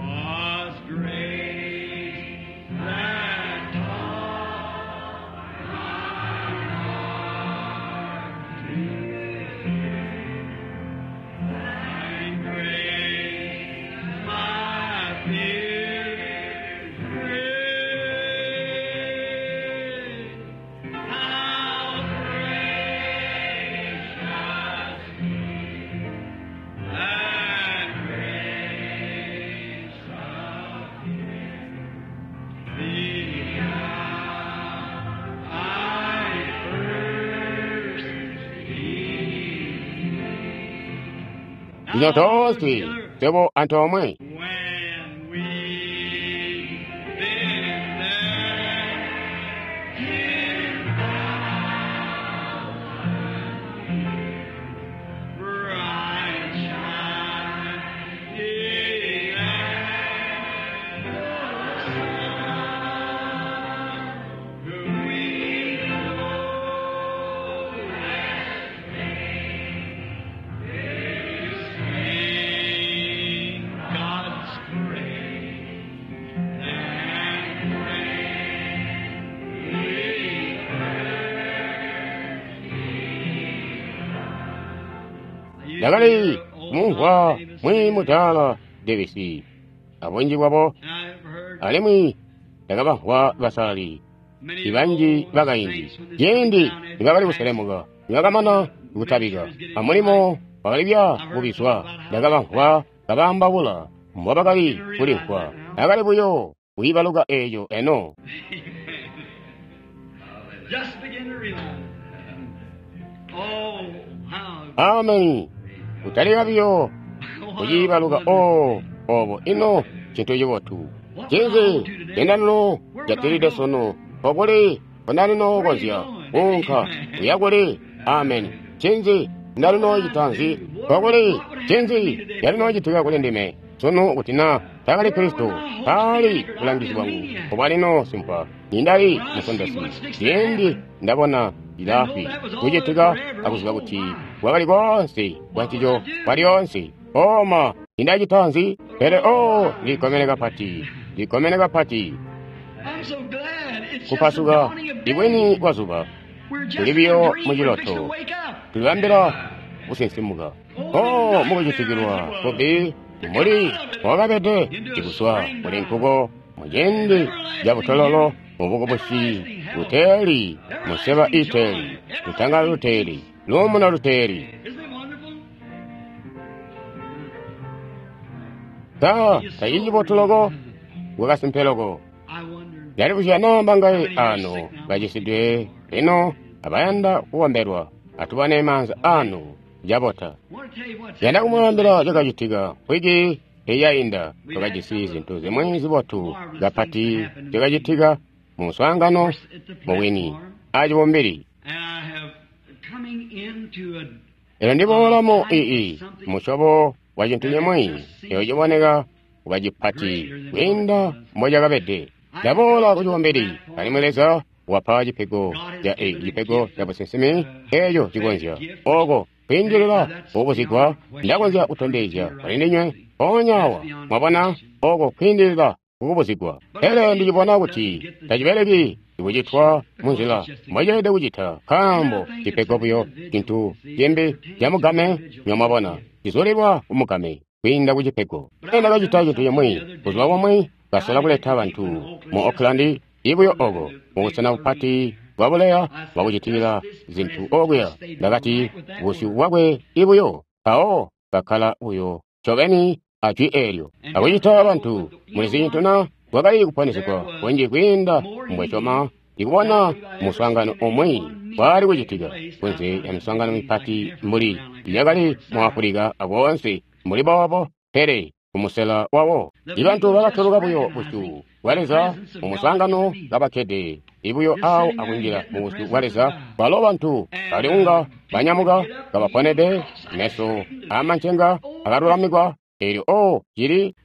Was grace that taught my heart to and grace my fears rid. How precious that grace of Him, the hour I first believed. Lino toonse twebo antoomwe. When we've been there ten thousand years, bright shining as the sun, we know less to sing God's praise than when we first Ndakali kumumvwa mwi mudaala Davis Abunji bwabo, alimwi ndakabamvwa basalali ibanji bakaindi ciindi nibakali kuselemuka, nibakamana kutabika amulimo wakali bya kubizwa, ndakabamvwa kabaambaula mbobakali kulimvwa. Akali buyo kuibaluka eeco eno. Ameni. Kutalika biyo kuciibaluka oo obo ino cintu cibotu. Cinzi cendalino jatilide sunu okuli kundalino konzya kuunka kuya kuli. Ameni. Cinzi ndalino citanzi okuli cinzi calino citika kuli ndime sunu kuti na takali Kristo taali bulangizi bwangu obwalino simpwa nindali musondesi ciindi ndabona ilafi kucitika akuziba kuti kwakali konse kwancico kwalyoonse oma nindacitanzi pele o ndikomene kapati ndikomene kapati kupasuka ibwini kwa zuba tuli biyo muciloto tulibambila kusinsimuka o mukucitikilwa kubi muli wakabede cikuswa muli nkuko muciindi ca butololo mubukubusi buteeli museba iteeli lutangalo luteeli luumuno luteeli. Ta tacili cibotu loko kwakasimpe loko. Ndalibuzya namba ngai ano bacisidwe lino abayanda kukombelwa atubone maanza anu cabota. Yanda kumwaambila cakacitika wiki eyainda twakajisi zintu zimwi zibotu kapati cakacitika mu muswaangano mubwini acibumbili. Elo ndiboola mu ii musyobo wa cintu cimwi eyo ciboneka kuba cipati kwiinda mbocakabede. Ndaboola ku cibumbili alimwi Leza wapa cipego ca cipego ca businsimi eeco cikonzya oko kwiindilila kubuzigwa ndakonzya kutondezya kuli ndinywe mpoonya awa mwabona oko kwiindilila kukubuzigwa. Pele ndicibona kuti tacibeleki kucitwa munzila mboceelede kucita nkaambo cipego buyo cintu cimbi camugame nyomwabona cizulilwa kumugame kwiinda kucipego. Pele ndakacita cintu cimwi buzuba bumwi kasola kuleta bantu mu Oakland ibuyo oko mubusena bupati bwabuleya bwakucitikila zintu okuya. Ndakati busyu bwakwe ibuyo mpawo bakkala buyo ncobeni ajwi eelyo akucita bantu mulizi cintu na bwakali kuponesegwa kunji kwiinda mbwesyoma ndikubona muswaangano umwi bwali kucitika kunze ya miswaangano mipati mbuli yakali mu Afulika akoonse mbuli boobo pele kumusela wawo ibantu bakatoloka buyo busyu bwa Leza mu muswaangano kabakkede ibuyo awo akunjila mu busyu bwa Leza balo bantu baliunga banyamuka kabaponede meso amancenga akalulamikwa eelyo o cili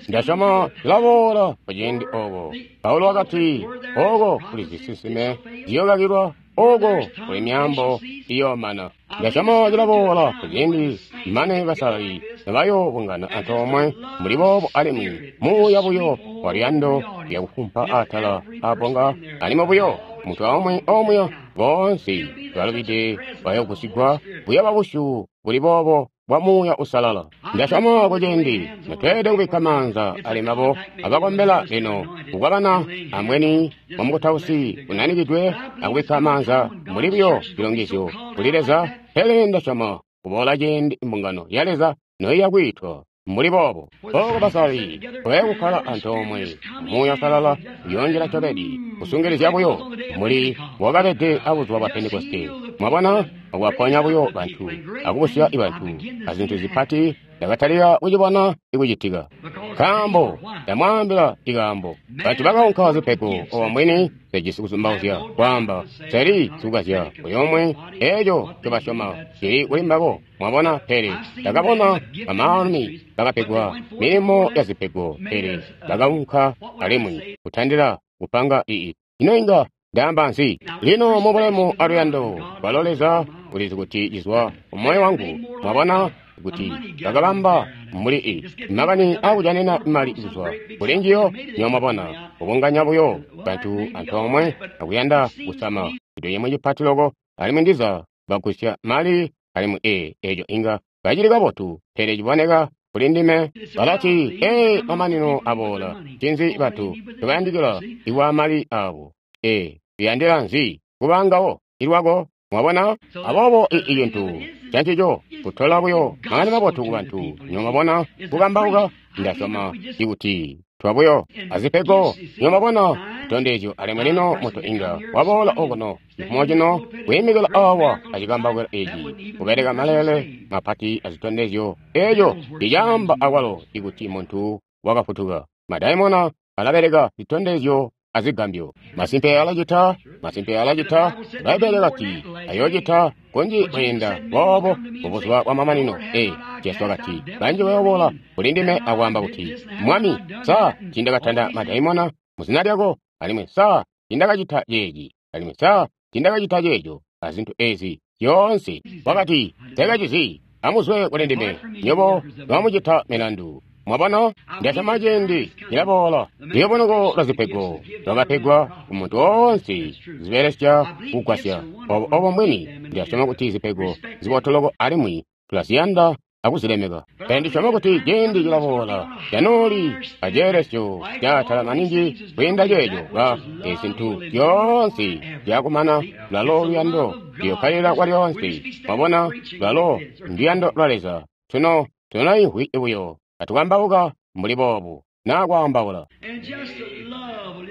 ndasyoma cilaboola kuciindi oko. Paulo wakati oko kuli zisinsime ziyokakilwa oko kuli myaambo iyoomana. Ndasyoma cilaboola kuciindi mane basalali nabayoobungana antoomwe muli boobo alimwi muuya buyo waluyando lyakufumpa atala aabonga alimwi buyo muntu aumwi omuya boonse balubide bayogusigwa buyoba busyu buli boobo bwa muuya usalala. Ndasyoma kuciindi natweelede kubikka maanza ali mbabo abakombela lino kukwabana ambweni wamukutausi unanikidwe akubikka maanza muli buyo cilongezyo kuli Leza. Pele ndasyoma kuboola ciindi mbungano ya Leza noiya kwiitwa mbuli boobo oko basalali baye kukkala antoomwe muuya usalala uyoonjila ncobeni kusungilizya buyo mbuli wakabede abuzuba bwa Pentekoste. Mwabona akubaponya buyo bantu akubusya bantu azintu zipati ndakatalika kucibona ikucitika nkaambo ndamwaambila ikaambo bantu bakaunka zipego obamwini sejisi kuzumbauzya kwaamba seli sikukazya buli eeco ncobasyoma cili kuli mbabo. Mwabona pele ndakabona bamaalumi bakapegwa milimo ya zipego pele bakaunka alimwi kutandila kupanga ii ino inga ndaamba nzi lino mubulemu aluyando bwalo Leza ulizi kuti cizwa mumoyo wangu. Mwabona kuti bakabamba mbuli i makani akujanina mali kuzwa kuli njiyo nyomwabona kubunganya buyo bantu antoomwe akuyanda kusama cintu cimwi cipati loko alimwi ndiza bagusya mali alimwi e eeco inga kacili kabotu pele ciboneka kuli kuli ndime. Balati, ee, mamanino aboola. Ncinzi bantu ncobayandikila ikwa mali abo? Ee, uyandila nzi kubangawo ilwako? Mwabona? Aboobo i cintu cancico kutola buyo makani mabotu ku bantu. Nywebo mwabona, kukambauka, ndasyoma ikuti twabuyo azipego. Nywebo mwabona, zitondezyo, alimwi lino muntu inga waboola okuno cifumo cino kwiimikila awa acikambaukilo eci, kubeleka maleele mapati azitondezyo. Eco icaamba akwalo ikuti muntu wakafutuka. Madaimona alabeleka zitondezyo azigambyo. Masimpe alacita, masimpe alacita. Bbaibbele lati ayoocita kunji kwiinda boobo mubuzuba bwa mamanino. Ee, Jesu wakati, banji bayoboola kuli ndime akwaamba kuti, Mwami, sa tiindakatanda madaimona muzina lyako? Alimwi sa tiindakacita ceeci? Alimwi sa tiindakacita ceeco? Azintu ezi zyoonse. Wakati, Nsekacizyi, amuzwe kuli ndime, nywebo bamucita milandu. Mwabona, ndasyoma ciindi cilaboola. Luyobonoko lwa zipego lwakapegwa ku muntu woonse zibelesya kugwasya. Obo obo mbwini. Ndasyoma kuti zipego zibotoloko alimwi tulaziyanda akuzilemeka. Pele ndisyoma kuti ciindi cilaboola canooli aceelesyo caatala maningi kwiinda ceeco ka ezintu zyoonse zyakumana. Lwalo luyando luyokkalila kwalyoonse. Mwabona, lwalo nduyando lwa Leza. Tuno tunoimvwi buyo katukambauka mbuli boobu naa kwaambaula.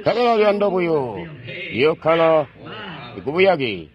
Nkabela luyando buyo luyokkala kubuyake.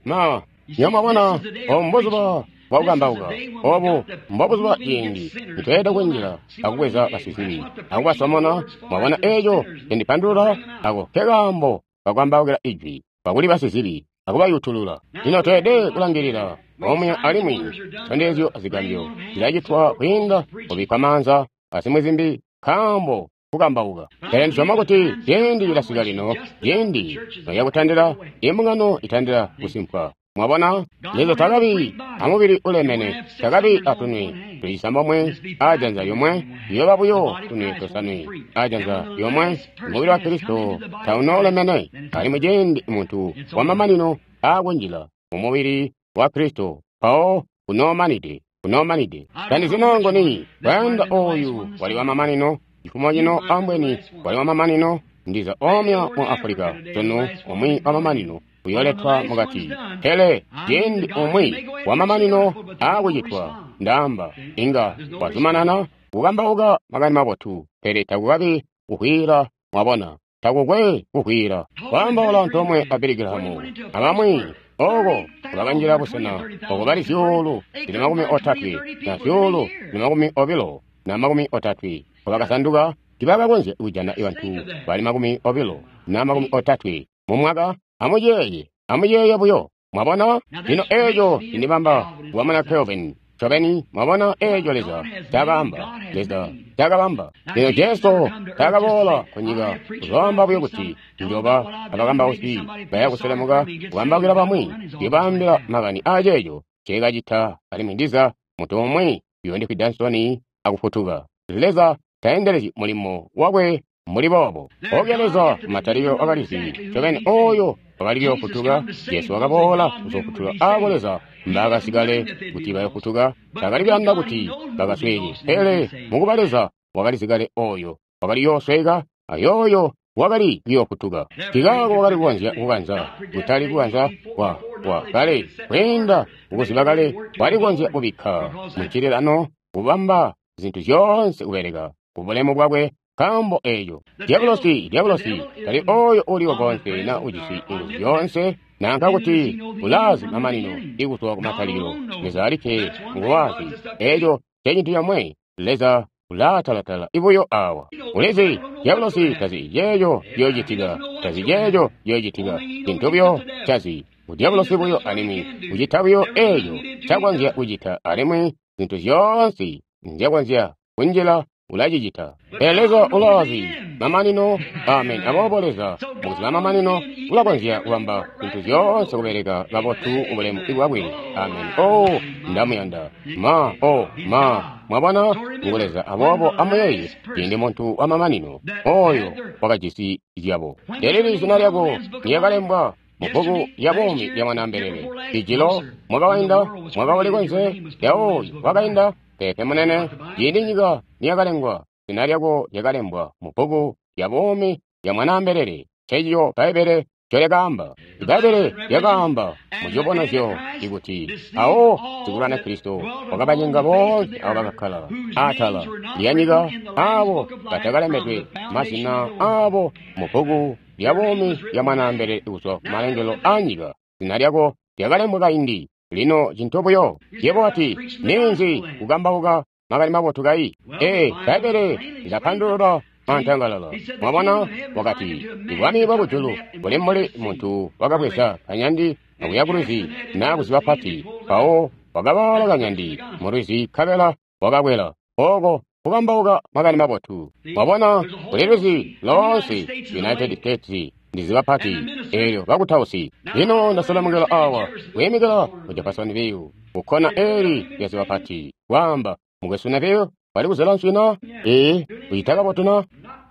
Ma, nywebo mwabona, obu mbuzuba bwakukambauka. Obu mbobuzuba ciindi nitweelede kunjila akubweza basizibi akubasomona. Mwabona eeco cindipandulula? Ako nkekaambo kakwambaukila ijwi kakuli basizibi akubayutulula. Lino tweelede kulangilila omuya, alimwi zitondezyo azigambyo zilacitwa kwiinda kubikkwa maanza azimwi zimbi nkaambo kukambauka. Pele ndisyoma kuti ciindi cilasika lino, ciindi noyakutandila imbungano itandila kusimpwa. Mwabona, Leza takabi amubili ulemene, takabi atunwe tulisambomwe ajanza lyomwe, liyooba buyo tunwe tosanwe ajanza lyomwe. Mubili wa Kristo taunoolemene, alimwi ciindi muntu wamamanino aakunjila mumubili wa Kristo mpawo unoomanide, unoomanide. Tandizino ngoni kwayanda oyu wali wamamanino cifumo cino, ambweni wali wamamanino ndiza omya mu Afulika sunu, umwi wamamanino uyoletwa mukati. Pele ciindi umwi wamamanino aakucitwa, ndaamba inga wazumanana kukambauka makani mabotu, pele takukabi kuhwila. Mwabona, takukwe kuhwila. Kwaambaula antoomwe a Billy Graham abamwi oko bakanjila busena oko bali zyuulu zili makumi otatwe na zyuulu zili makumi obilo na makumi otatwe obakasanduka, tibakakonzya kujana bantu bali makumi obilo na makumi otatwe mu mwaka. Amuyeeye, amuyeeye buyo. Mwabona, lino eeco cindibamba kuba Calvin ncobeni. Mwabona eeco Leza cakaamba, Leza cakabamba. Lino Jesu takaboola kunyika kuzoamba buyo kuti njoba abakambausi baya kuselemuka kukambaukila bamwi, kuyobaambila makani aceeco nceekacita, alimwi ndiza muntu umwi uyoondifwida nsoni akufutuka. Leza taendelezyi mulimo wakwe mbuli boobo. Obuya Leza kumatalikilo wakalizi ncobeni oyo wakali kuyofutuka. Jesu wakaboola kuzoofutula aabo Leza mbaakasikale kuti bayofutuka. Taakali kuyanda kuti bakasweeke, pele mukuba Leza wakalizikale oyo wakali kuyoosweeka ayooyo wakali kuyofutuka. Nkikaako wakali kukonzya kukanza, kutali kukanza kwa kwa kale, kwiinda kukuziba kale, wali kukonzya kubikka muncililano, kubamba zintu zyoonse kubeleka kubulemu bwakwe. Nkaambo eeco dyabulosi, dyabulosi tali oyo uliwo konse na ujisi nguzu zyoonse, nanka kuti ulaazi mamanino ikuzwa kumatalikilo. Leza alikke nguwazi. Eeco ncecintu comwe. Leza ulaatalatala ibuyo awa. Ulizi dyabulosi tazi ceeco ciyoocitika, tazi ceeco ciyoocitika. Cintu buyo cazi udyabulosi buyo, alimwi ucita buyo eeco ncakonzya kucita, alimwi zintu zyoonse nzyakonzya kunjila ulacicita. Pele Leza ulaazi mamanino. Amen. Aboobo Leza mukuziba mamanino ulakonzya kubamba zintu zyoonse kubeleka kabotu ubulemu bwakwe. Amen. Oh, ndamuyanda. Ma, oh, ma. Mwabona, ngu Leza. Aboobo amuyeeye ciindi muntu wamamanino oyo wakajisi zyabo. Lelili zina lyako lyakalembwa mubbuku lya buumi lya Mwanaambelele. Ijilo mwaka wainda, mwaka uli konse, lyawoyu wakainda, Peepe munene, ciindi nyika niyakalengwa, zina lyako lyakalembwa mu bbuku lya buumi lya Mwanaambelele. Ncencico Bbaibbele ncolyakaamba. Bbaibbele lyakaamba mu ciyubunuzyo ikuti awo sikulwana Kristo wakabacenga boonse abo bakakkala atala lya nyika, abo batakalembedwe mazina abo mu bbuku lya buumi lya Mwanaambelele kuzwa ku malengelo a nyika. Zina lyako lyakalembwa kaindi. Lino cintu buyo, yebo wati, ninzi kukambauka makani mabotu kai? Ee, Bbaibbele lilapandulula antangalala. Mwabona, wakati, ibwami bwa kujulu buli mbuli muntu wakabweza kanyandi akuya kulwizi naa kuziba pati, mpawo wakabaala kanyandi mulwizi nkabela wakakwela. Oko kukambauka makani mabotu. Mwabona, kuli lwizi loonse, United States ndi ziba pati, eelyo bakutausi. Lino ndaselemukila awa, kuyimikila ku Jeffersonville, kukkona eli lya ziba pati, kwaamba, Mukwesu Neville, wali kuzela nswi na? Ee, uyita kabotu na?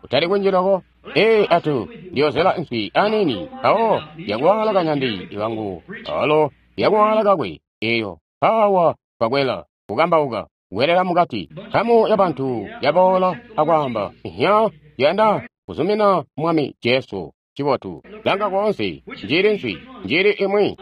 Utali kunjilako? Ee, atu, ndiyozela nswi anini, mpawo yakuwala kanyandi iwangu, alo yakuwala kakwe, eyo, mpawa twakwela, kukambauka, kwelela mukati. Nkamu ya bantu yaboola akwaamba, ihya, yanda kuzumina Mwami Jesu. Cibotu. Langa koonse, njili nswi, njili imwi.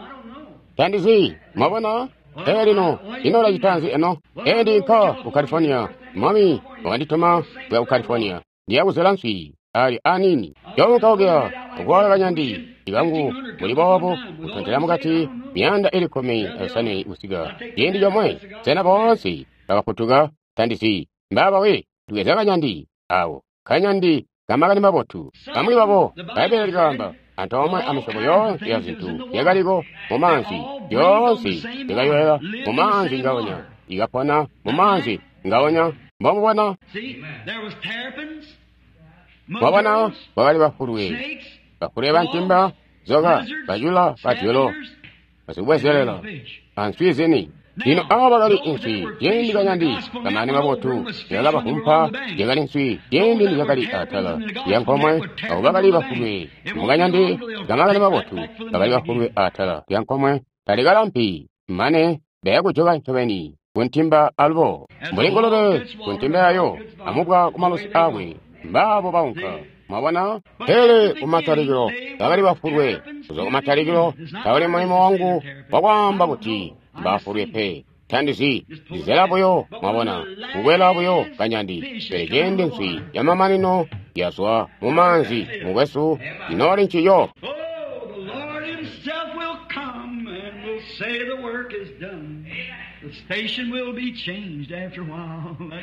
Tandizi, mwabona? Ee lino, ino lacita nzi eno? Ee ndinka ku California, Mwami wakandituma kuya ku California. Ndiya kuzela nswi, ali anini. Njoonka okuya, okuwala kanyandi, ikangu muli boobo, kutontela mukati, miyanda ili kkumi ayosanwe kusika. Ciindi comwe, sena boonse bakafutuka? Tandizi, mbaaba we, tubweza kanyandi, awo, kanyandi kamakani mabotu. Bamwi babo, Bbaibbele likaamba, antoomwe amisyobo yoonse ya zintu yakaliko mu maanzi, yoonse yakayoyela mu maanzi ngaonya, ikapona mu maanzi ngaonya. Mbomubona? Mwabona, bakali bafulwe, bafulwe bantimba, zoka, bacula, badyolo, basikubwezelela, answi zini. Lino abo bakali nswi ciindi kanyandi kamakani mabotu yakabafumpa, yakali nswi ciindi nizyakali atala lya nkomwe. Abo bakali bafulwe mukanyandi kamakani mabotu bakali bafulwe atala lya nkomwe, talikalampi mane bayakujoka ncobeni kuntimba alubo, mbuli ngulube kuntimba yayo amubwa kumalusi akwe. Mbaabo baunka. Mwabona? Pele kumatalikilo bakali bafulwe. Kuzwa kumatalikilo tawuli mulimo wangu wakwaamba kuti mbafulwe pe. Tandizi, ndizela buyo, mwabona, kukwela buyo kanyandi. Pele ciindi nswi yamamanino yazwa mu maanzi, mukwesu, inooli nciyo.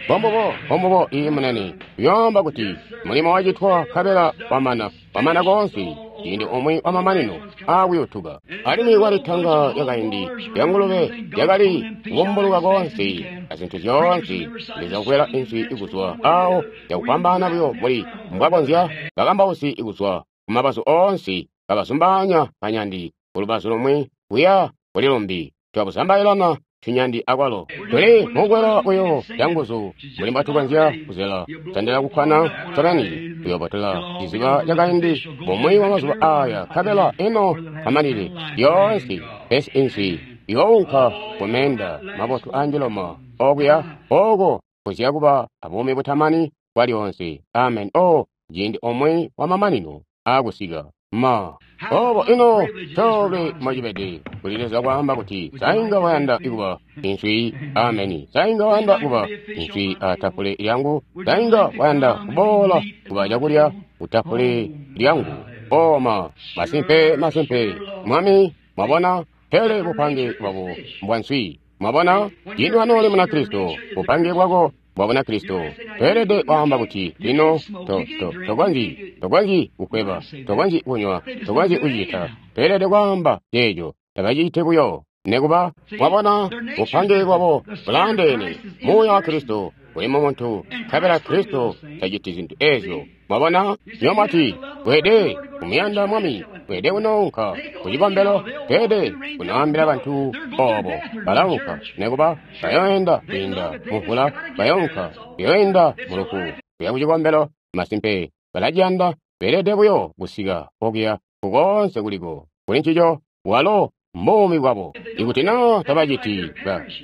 Bombubo, bombubo, iyi munene, uyoomba kuti mulimo wacitwa nkabela wamana, wamana koonse, ciindi umwi wamamanino aakuyutuka. Alimwi kwali tanga yakaindi ya ngulube yakali kubumbuluka koonse azintu zyoonse, Leza kukwela inswi ikuzwa awo yakufwambaana buyo mbuli mbwakonzya, bakambausi ikuzwa kumabazu oonse kabazumbaanya kanyandi kulubazu lumwi kuya kuli lumbi. Twabuzambailana tunyandi akwalo. Tuli mukwela buyo canguzu mbuli mbwatukonzya kuzela, tandila kukkwana ncobeni, tuyoobotela ciziba cakaindi bumwi bwa mazuba aya, nkabela ino amanile lyoonse pesi inswi iyounka kumeenda mabotu anjiloma okuya oko kuzya kuba abuumi butamani bwa lyoonse. Amen. O ciindi omwe wa mamanino aakusika. Ma obo ino coolwe mwacibede kuli Leza kwaamba kuti sainga wayanda kuba inswi. Ameni. Sainga wayanda kuba inswi atafule lyangu. Sainga wayanda kuboola kuba cakulya kutafule lyangu. Oma masimpe, masimpe Mwami. Mwabona, pele bupange bwabo mbwa nswi. Mwabona, ciindi wanooli Munakristo, bupange bwako bwa Bunakristo, toelede kwaamba kuti lino to, to, tokonzyi, tokonzyi kukweba, tokonzyi kunywa, tokonzyi kucita. Toelede kwaamba ceeco, tabaciti buyo. Nekuba, mwabona, bupange bwabo bulaandeene. Muuya wa Kristo uli mu muntu, nkabela Kristo taciti zintu ezyo. Mwabona, nyo mwati, weede kumuyanda Mwami, weede kunounka ku cikombelo, teede kunoambila bantu obo. Balaunka, nekuba bayoenda kwiinda muvula, bayounka, bayoenda mu lufu, kuya ku cikombelo. Masimpe, balaciyanda, beelede buyo kusika okuya kukoonse kuliko. Kuli ncico, walo mbuumi bwabo. Ikuti naa tabaciti,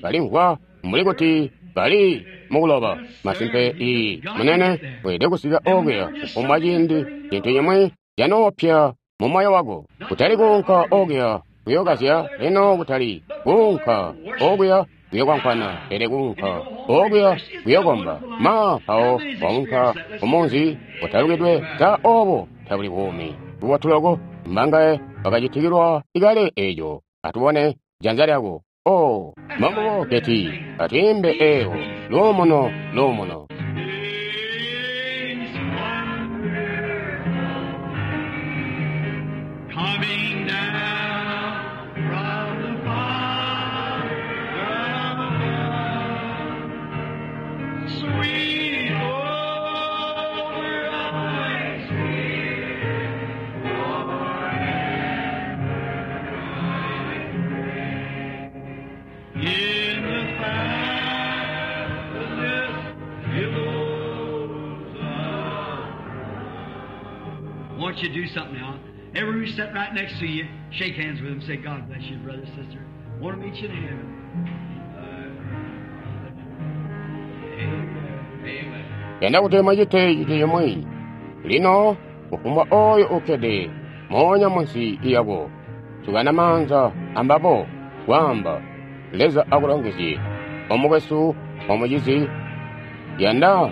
balimvwa mbuli kuti Bali mukuloba. Masimpe ii munene weelede kusika okuya kufumbwa ciindi cintu cimwi canoopya mu moyo wako. Kutali kuunka okuya kuyokazya lino, kutali kuunka okuya kuyokwankwana, pele kuunka okuya kuyokomba. Ma mpawo waunka kumunzi utalukidwe ta obo tabuli buumi bubotu loko. Mbangaye bakacitikilwa ikale eco? Atubone janza lyako. Oh, mambo keti atwimbe ewo luumuno luumuno. Things wonderful coming down from the Father above. Sweet over my spirit in the fastness billows of. I want you to do something now. Everyone who's sitting right next to you, shake hands with them. Say, God bless you, brother, sister. Want to meet you in heaven. Amen. Yanda kuti mwacite cintu chimwe lino kufumbwa oyo ukkede moonya munsi iyako sukana maanza ambabo kwaamba Leza akulongezye omukwesu omucizi yanda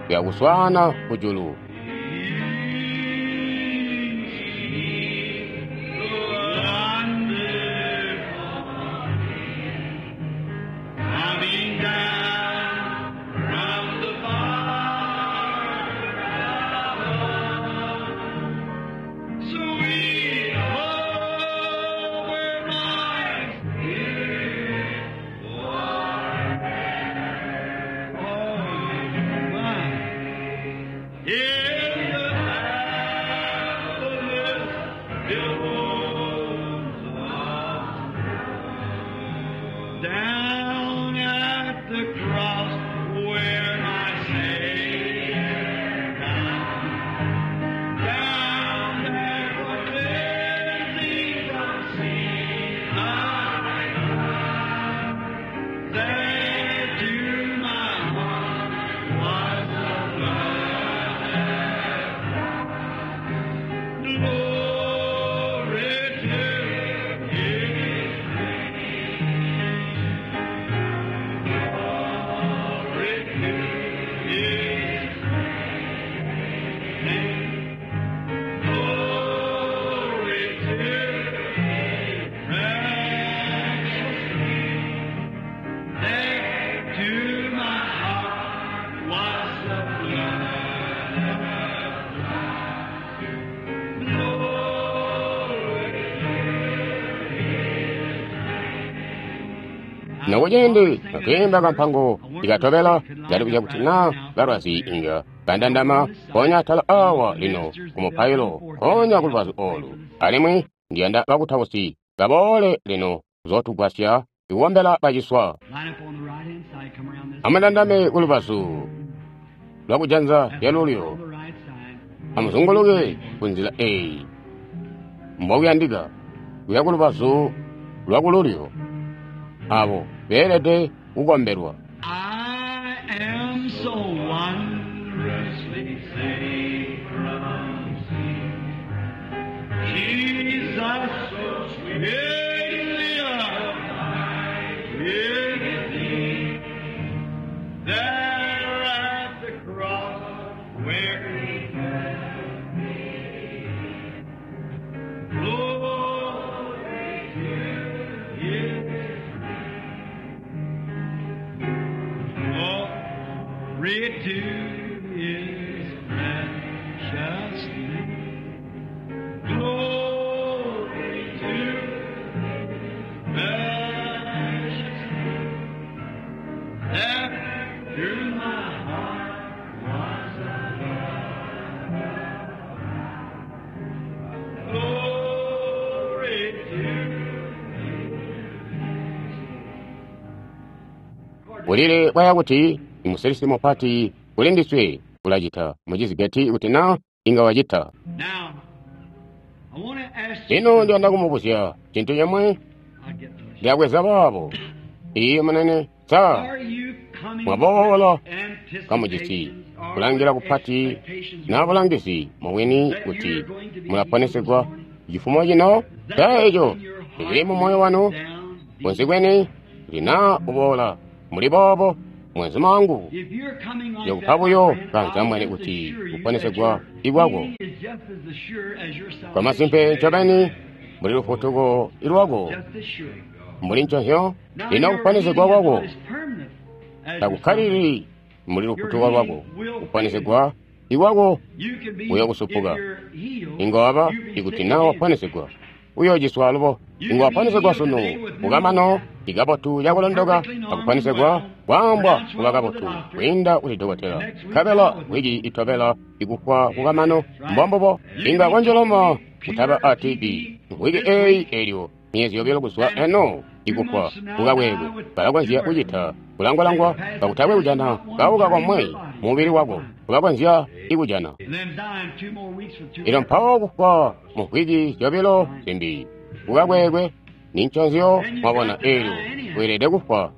yakuswaana kujulu. Coming down from the Father above, sweet over my spirit, oh my, in the fastness billows of down at the cross where my Savior died. Down there for cleansing from sin I cried. There to my heart was the blood that brought glory to His Glory to His name. Glory to His precious name. There to my heart was the blood that brought glory to His Nokucindi atwiimba kampango ikatobela ndalikuja kuti na balwazi inga bandandama ponya atala awa lino kumupailo ponya kulubazu olu alimwi ndiyanda bakutausi baboole lino kuzotugwasya ikukombela baciswa. Line up on the right hand side, come around this Amandandame kulubazu lwakujanza lyalulyo on the right side. amuzunguluke kunzila eyi mbokuyandika kuya kulubazu lwakululyo abo beelede kukombelwa. I am so wondrously saved from sin. Jesus so sweetly abide with me. There at the cross where he met me. Glory to his Glory to His precious name. Glory to His precious name. There through my heart was a love. Glory to Bulile bwaya kuti imusilisi mupati kuli ndiswe ulacita mucizigeti kuti na inga wacita. Now, I want to ask you. Lino ndiyanda kumubuzya cintu cimwe I'll get those. ndiyabweza baabo Iye munene, sa mwaboola kamujisi kulangila kupati na bulangizi mubwini kuti mulaponesegwa cifumo cino? Sa eco cili mu moyo wanu kunsi kweni kuti naa uboola muli boobo, mwenzuma wangu, yokupa buyo kanzambwene kuti kuponesegwa ikwako kwamasimpe ncobeni mbuli lufutuko ilwako mbuli nconzyo. Lino kuponesegwa kwako takukkalili mbuli lufutuko lwako. Kuponesegwa ikwako kuyokusupuka. Inga waba ikuti naa waponesegwa uyociswa alubo. Inga waponesegwa sunu kukamano ikabotu cakulondoka akuponesegwa kwaambwa kuba kabotu kwiinda kuli dokotela, nkabela wiki itobela ikufwa kukamano. Mbombubo. Inga kwanjoloma kutaba a T B wiki eyi elyo myezi yobilo kuzwa eno ikufwa kukakwekwe. Balakonzya kucita kulangwalangwa kakutakwe kujana kauka komwe mubili wako kubakonzya ikujana. Ilo mpawo kufwa mu wiki zyobilo zimbi kukakwekwe ninconzyo. Mwabona, elyo weelede kufwa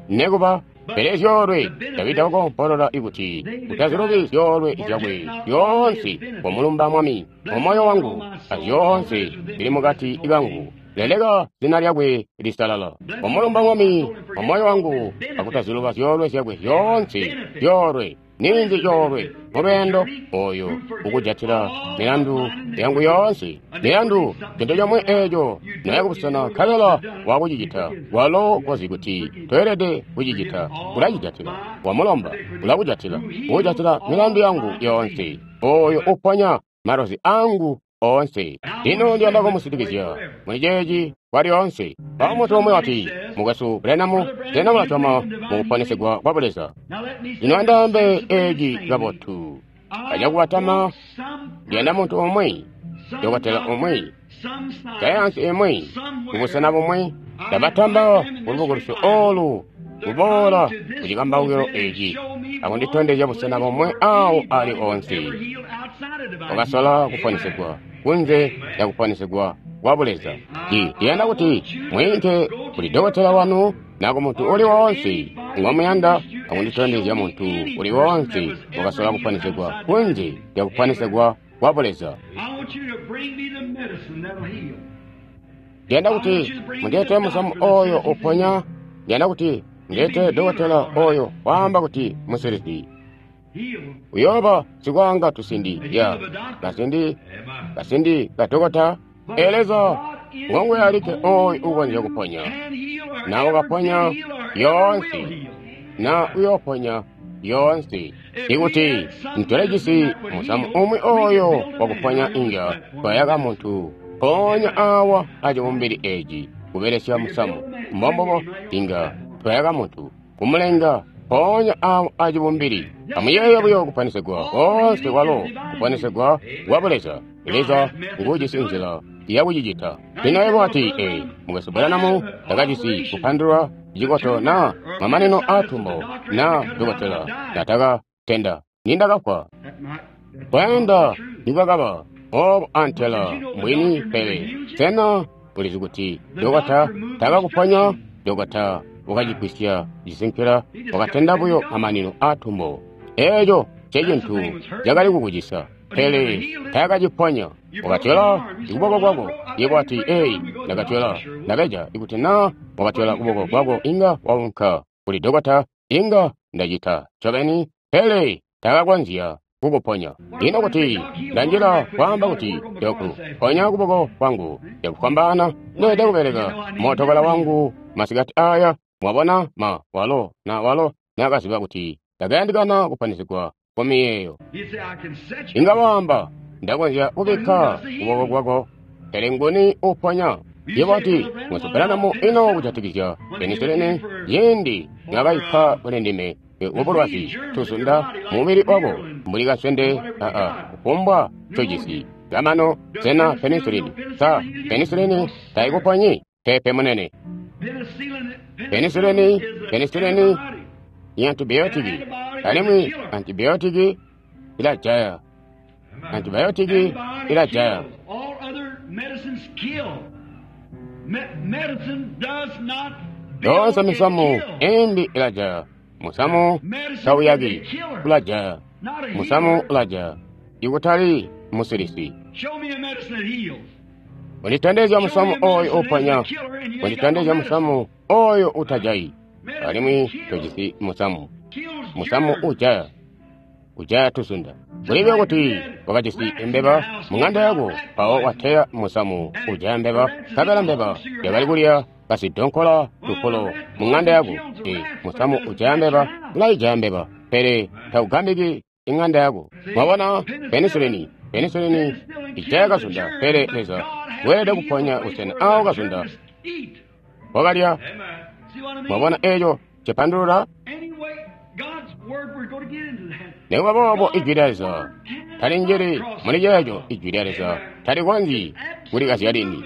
nekuba. Pele zyoolwe Davida wakompolola ikuti utazilubi zyoolwe zyakwe zyoonse. Komulumba Mwami mumoyo wangu azyoonse zili mukati kangu, leleka zina lyakwe lisalala. Komulumba Mwami mumoyo wangu akutaziluba zyoolwe zyakwe zyoonse. Zyoolwe ninzi? Coolwe mulweendo oyo ukujatila milandu yangu yoonse. Milandu cintu comwe eco noya kubusena nkabela wakucicita walo kozi kuti toelede kucicita, ulacijatila. Wamulomba ulakujatila, ukujatila milandu yangu yoonse, oyo uponya malozi angu oonse. Lino ndiyanda kumusitikizya muli ceeci kwa lyoonse. Mpawo muntu umwi wati, Mukwesu Branham, sena mulasyoma mukuponesegwa kwa Buleza? Lino andaambe eci kabotu acakubatama. Ndiyanda muntu umwi, dokotela umwi, sayansi imwi, kubusena bumwi. Ndabatamba kulubukulusyo olu kuboola kucikambaukilo eci akunditondezya busena bomwe awo ali onse wakasola kuponesegwa kunze ya kuponesegwa kwa Buleza. Ndiyanda kuti mwiinke kuli dokotela wanu na ku muntu uli wonse ngomuyanda akunditondezya muntu uli wonse wakasola kuponesegwa kunze ya kuponesegwa kwa Buleza. Ndiyanda kuti mundilete musamu oyo uponya. Ndiyanda kuti ndilete dokotela oyo waamba kuti musilisi uyoba sikwanga tusindi ya kasindi kasindi kadokota. Eleza ngongwe alike oyo ukonzya kuponya, na ukaponya yoonse, na uyoponya yoonse. Ikuti ntolejisi musamu umwi oyo wakuponya inga twayaka muntu ponya awa acibumbili eci kubelesya musamu. Mbombobo inga twayaka muntu kumulenga ponya awa acibumbili. Amuyeeye buyo kuponesegwa koonse kwalo kuponesegwa kwa Buleza. Leza ngujisi nzila yakucicita. Lino yebo wati, ee, Mukwesu Branham takajisi kupandulwa cikoto na mamanino atumbo na dokotela natakatenda nindakafwa. Kwenda nikwakaba obo antela mbwini, pele sena ulizi kuti dokota takakuponya? Dokota wakacigwisya cisinkila, wakatenda buyo mamanino atumbo. Eco ncecintu cakali kukucisa, pele takaciponya. Wakatyola kuboko kwako. Yebo wati, eyi, ndakatyola. Ndakaja ikuti na wakatyola kuboko kwako inga waunka kuli dokota, inga ndacita ncobeni, pele takakonzya kukuponya. Ino kuti ndanjila kwaamba kuti, doku, ponya kuboko kwangu, ndakufwambaana ndeelede kubeleka mootokala wangu masikati aya. Mwabona, ma walo na walo nakaziba kuti ndakayandikana kuponesegwa kwamiyeeyo. Inga waamba, ndakonzya kubikka kuboko kwako, pele nguni uponya? Yebo wati, Mukwesu Branham, ino kujatikizya penisilini yindi mwakaipa kuli ndime ubulwazi tuzunda mubili wako mbuli kaswende aa kufumbwa ncojisi kamano. Sena penisilini sa penisilini taikuponyi? Pepe munene. Penisilini penisilini ni antibiotiki, alimwi antibiotiki ilajaya. Antibiotiki ilajaya. All other medicines kill. Me- medicine does not Yoonse misamu imbi ilajaya. Musamu tauyaki, ulajaya. Musamu ulajaya, ikutali musilisi. Unditondezya musamu oyo uponya, unditondezya musamu oyo utajayi, alimwi tojisi musamu. Musamu ujaya, ujaya tuzunda. Kulibe kuti wakajisi mbeba mung'anda yako, mpawo wateya musamu ujaya mbeba, nkabela mbeba yakali kulya kasidonkola lupulo mung'anda yako. E, musamu ujaya mbeba ulaijaya mbeba, pele taugambiki ing'anda yako. Mwabona, penisilini, penisilini ijaya kazunda, pele Leza weelede kuponya busena awo kazunda wakalya. Mwabona eco cipandulula? Nikuba boobo ijwi lya Leza talinjili muli ceeco. Ijwi lya Leza talikonzyi kulikazya lini,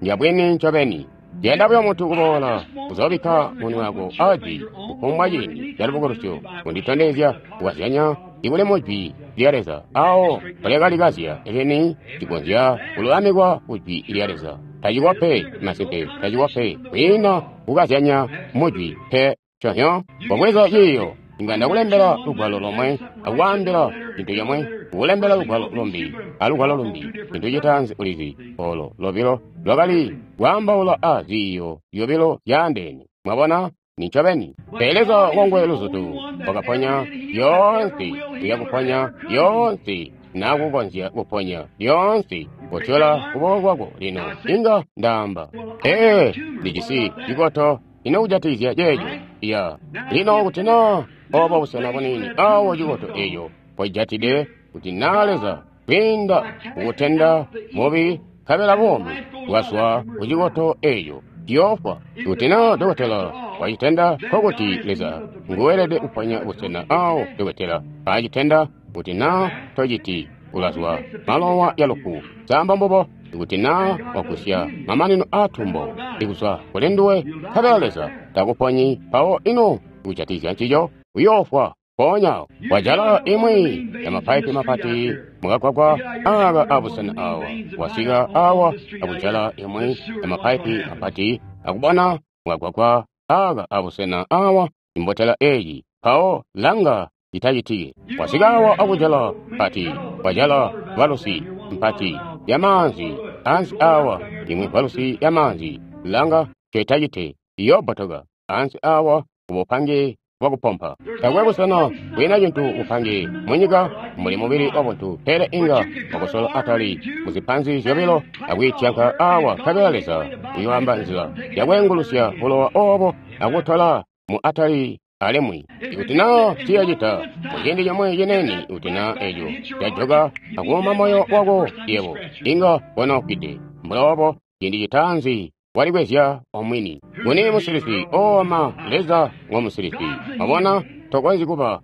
ndyabwini ncobeni. Yenda buyo muntu kuboola kuzoobikka munwe wako ajwi kufumbwa ciindi ca lubukulusyo kunditondezya kukazyanya ikuli mujwi lya Leza awo mpolyakalikazya lini cikonzya kululamikwa kujwi lya Leza. Tacikwa pe, masimpe tacikwa pe, kwiina kukazyanya mujwi pe. Conyo kobweza ciiyo, inga ndakulembela lugwalo lomwe akukwaambila cintu comwe, kukulembela lugwalo lumbi alugwalo lumbi. Cintu citaanzi ulizi, olo lobilo lwakali kwaambaula a ziiyo zyobilo zyaandeene. Mwabona, nincobeni. Pele Leza wangwe luzutu wakaponya lyoonse, uyakuponya lyoonse, nakukonzya kuponya lyoonse. Kotyola kuboko kwako lino, inga ndaamba, ee, ndijisi cikoto ino kujatikizya ceeco. Ya lino kuti na obo busena bunini awo cikoto eco pojatide, kuti na Leza kwiinda kukutenda mubi nkabela buumi bwazwa kucikoto eco ciyoofwa. Kuti na dokotela wacitenda, nkokuti Leza nguwelede kuponya busena awo dokotela paacitenda. Kuti na tociti, ulazwa malowa ya lufu. Samba mbubo. Kuti na wagusya mamanino aatumbo ikuzwa kuli nduwe, nkabela Leza takuponyi, mpawo ino kujatikizya ncico, uyoofwa mpoonya. Wajala imwi ya mapaipi mapati mukagwagwa aka abusena awa, wasika awa akujala imwi ya mapaipi mapati akubona mukagwagwa aka abusena awa imbotela eyi, mpawo langa itacitike. Wasika awa akujala mpati, wajala valusi mpati ya maanzi ansi awa, imwe valusi ya maanzi, langa cetacite, iyobbotoka ansi awa kubupange bwakupompa. Takwe busena bwina cintu bupange munyika muli mubili wabuntu, pele inga wakusola atali muzipanzi zyobilo akwiityanka awa, nkabela Leza uyoamba nzila yakweengulusya bulowa obo akutola mu atali alimwi. Ikuti na tiyacita muciindi comwe cinene, ikuti na eco cajoka akuuma moyo wako yebo, inga wanoofwide. Mbuloobo ciindi citaanzi walikwezya omwini. Nguni musilisi? Ooma, Leza ngo musilisi. Wabona, tokonzyi kuba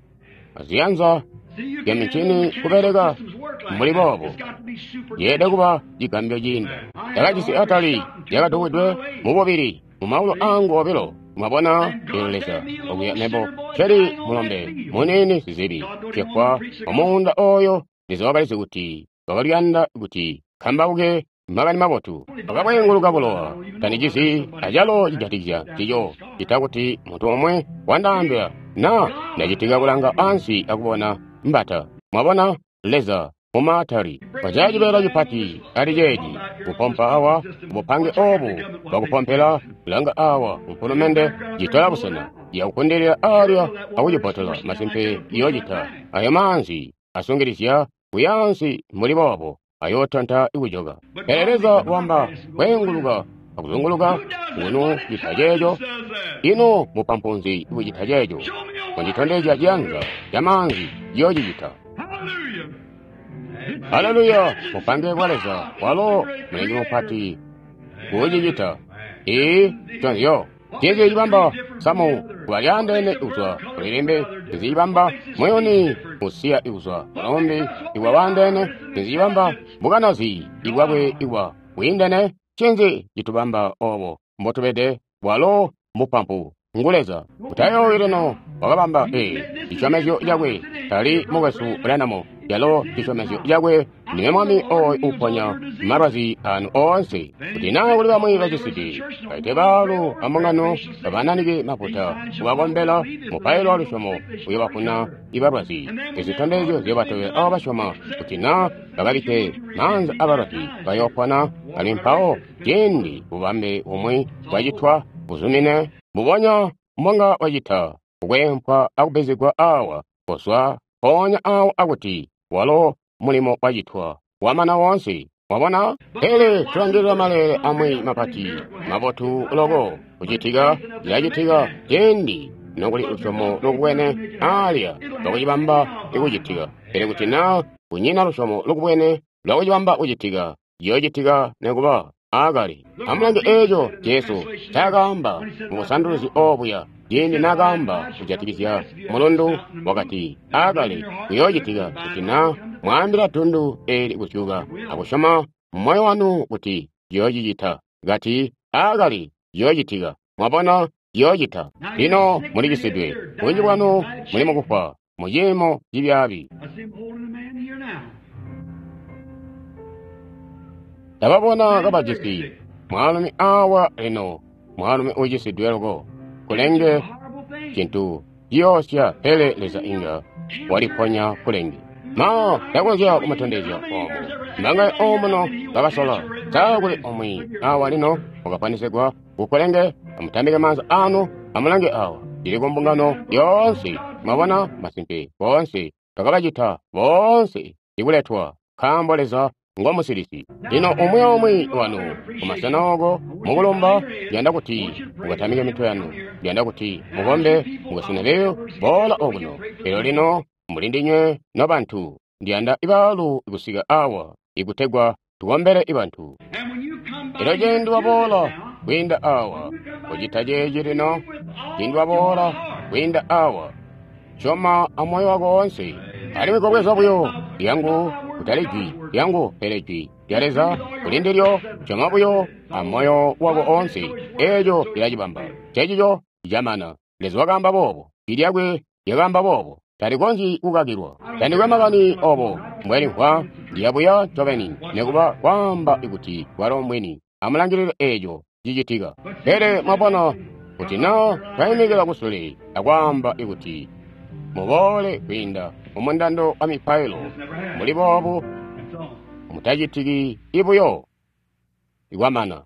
aziyanza zya mincini kubeleka mbuli boobo. Yeelede kuba cigambyo ciinda. Ndakajisi atali lyakadukwidwe mububili mumaulu angu obilo. Mwabona, lino Leza okuya mebo nceli mulombe muniini sizibi cefwa omuunda oyo. Leza wakalizi kuti wakaliyanda kuti kambauke makani mabotu. Wakabweenguluka bulowa, tandicizi acalo cijatikizya ncico, cita kuti muntu omwe wandaambila na ndacitika kulanga ansi akubona mbata. Mwabona, Leza mumaatali wajaya cibeela cipati ali ceeci kupompa awa bupange obu bwakupompela langa awa mfulumende citola busena yakukundilila alya akucibotola. Masimpe iyocita ayo maanzi asungilizya kuyaansi mbuli boobo ayootanta ikujoka. Pele Leza wamba kweenguluka akuzunguluka ngunu cita ceeco. Ino mupampunzi kucita ceeco? Kunditondezya ciyanza ca maanzi ciyoocicita. Haleluya! Mupange bwa Leza walo mulengi mupati kuucicita. Ee, conzyo cinzi cibamba samu kuba lyaandeene kuzwa kulilimbi? Cinzi cibamba muyuni usiya ikuzwa kulumbi ikwa waandeene? Cinzi cibamba bukanazi ibwakwe ikwa bwiindene? Cinzi citubamba obo mbotubede? Walo mupampu ngu Leza. Utayoowi lino, wakabamba ee cisyomezyo cakwe. Tali mukwesu Branham Calo cisyomezyo cakwe, Ndime Mwami oyo uponya malwazi anu oonse. Kuti naa kuli bamwi baciside, baite baalu ambungano babananike mafuta, kubakombela mupailo wa lusyomo uyobafuna ibalwazi. Izitondezyo ziyobatobela abo basyoma, kuti naa bakabikke maanza abalwazi bayoopona. Alimwi mpawo ciindi bubambe bumwi bwacitwa buzumine mbubonya mbonga wacita kukwempwa akubbizigwa awa kozwa mpoonya awo akuti walo mulimo wacitwa wamana woonse. Wabona? Pele tulangilila maleele amwi mapati mabotu loko kucitika cilacitika ciindi nokuli lusyomo lukubwene aalya lwakucibamba ikucitika. Pele kuti naa kunyina lusyomo lukubwene lwakucibamba kucitika, ciyoocitika nikuba aakale. Amulange eeco Jesu ncaakaamba mu busanduluzi obuya ciindi naakaamba kujatikizya mulundu, wakati aakale kuyoocitika kuti naa mwaambila dundu eeli kuzyuka akusyoma mumoyo wanu kuti ciyoocicita. Kati aakale ciyoocitika. Mwabona, ciyoocita. Lino mulicisidwe, bunji bwanu muli mukufwa muciimo cibyaabi. I see him holding a man here now. Ndababona kabajisi mwaalumi awa lino, mwaalumi uucisidwe loko, kulenge Horrible thing. cintu ciyoosya, pele Leza inga waliponya kulenge. Ma ndakonzya kumutondezya oomo mbangaye omuno bakasola saa kuli omwe awa lino wakaponesegwa kukulenge. Amutambike maanza anu, amulange awa cili ku mbungano yoonse. Mwabona, masimpe boonse bakabacita boonse ikuletwa, nkaambo Leza ngo musilisi. Lino umwi aumwi wanu kumasena oko mukulumba, ndiyanda kuti mukatamike mitwe yanu, ndiyanda kuti mukombe mukasena beyo boola okuno. Elyo lino muli ndinywe nobantu, ndiyanda ibaalu kusika awa ikutegwa tukombele ibantu. And when you come by Elyo here ciindi to waboola this now, kwiinda awa kucita ceeci lino, ciindi waboola kwiinda awa, syoma amoyo wako woonse, alimwi kobweza buyo lyangu, kutali jwi lyangu, pele jwi lya Leza kuli ndilyo. Syoma buyo amoyo wako oonse, eeco lilacibamba. Cecico camana. Leza wakaamba boobo, jwi lyakwe lyakaamba boobo, talikonzyi kukakilwa. Tandikwe makani obo mbwelimvwa, ndiyabuya ncobeni, nikuba kwaamba kuti walo mbwini. Amulangilile eeco cicitika. Pele mwabona kuti naa twaimikila kusule akwaamba kuti muboole kwiinda mumundando wa mipailo muli boobu That's all. mutacitiki ibuyo ikwamana.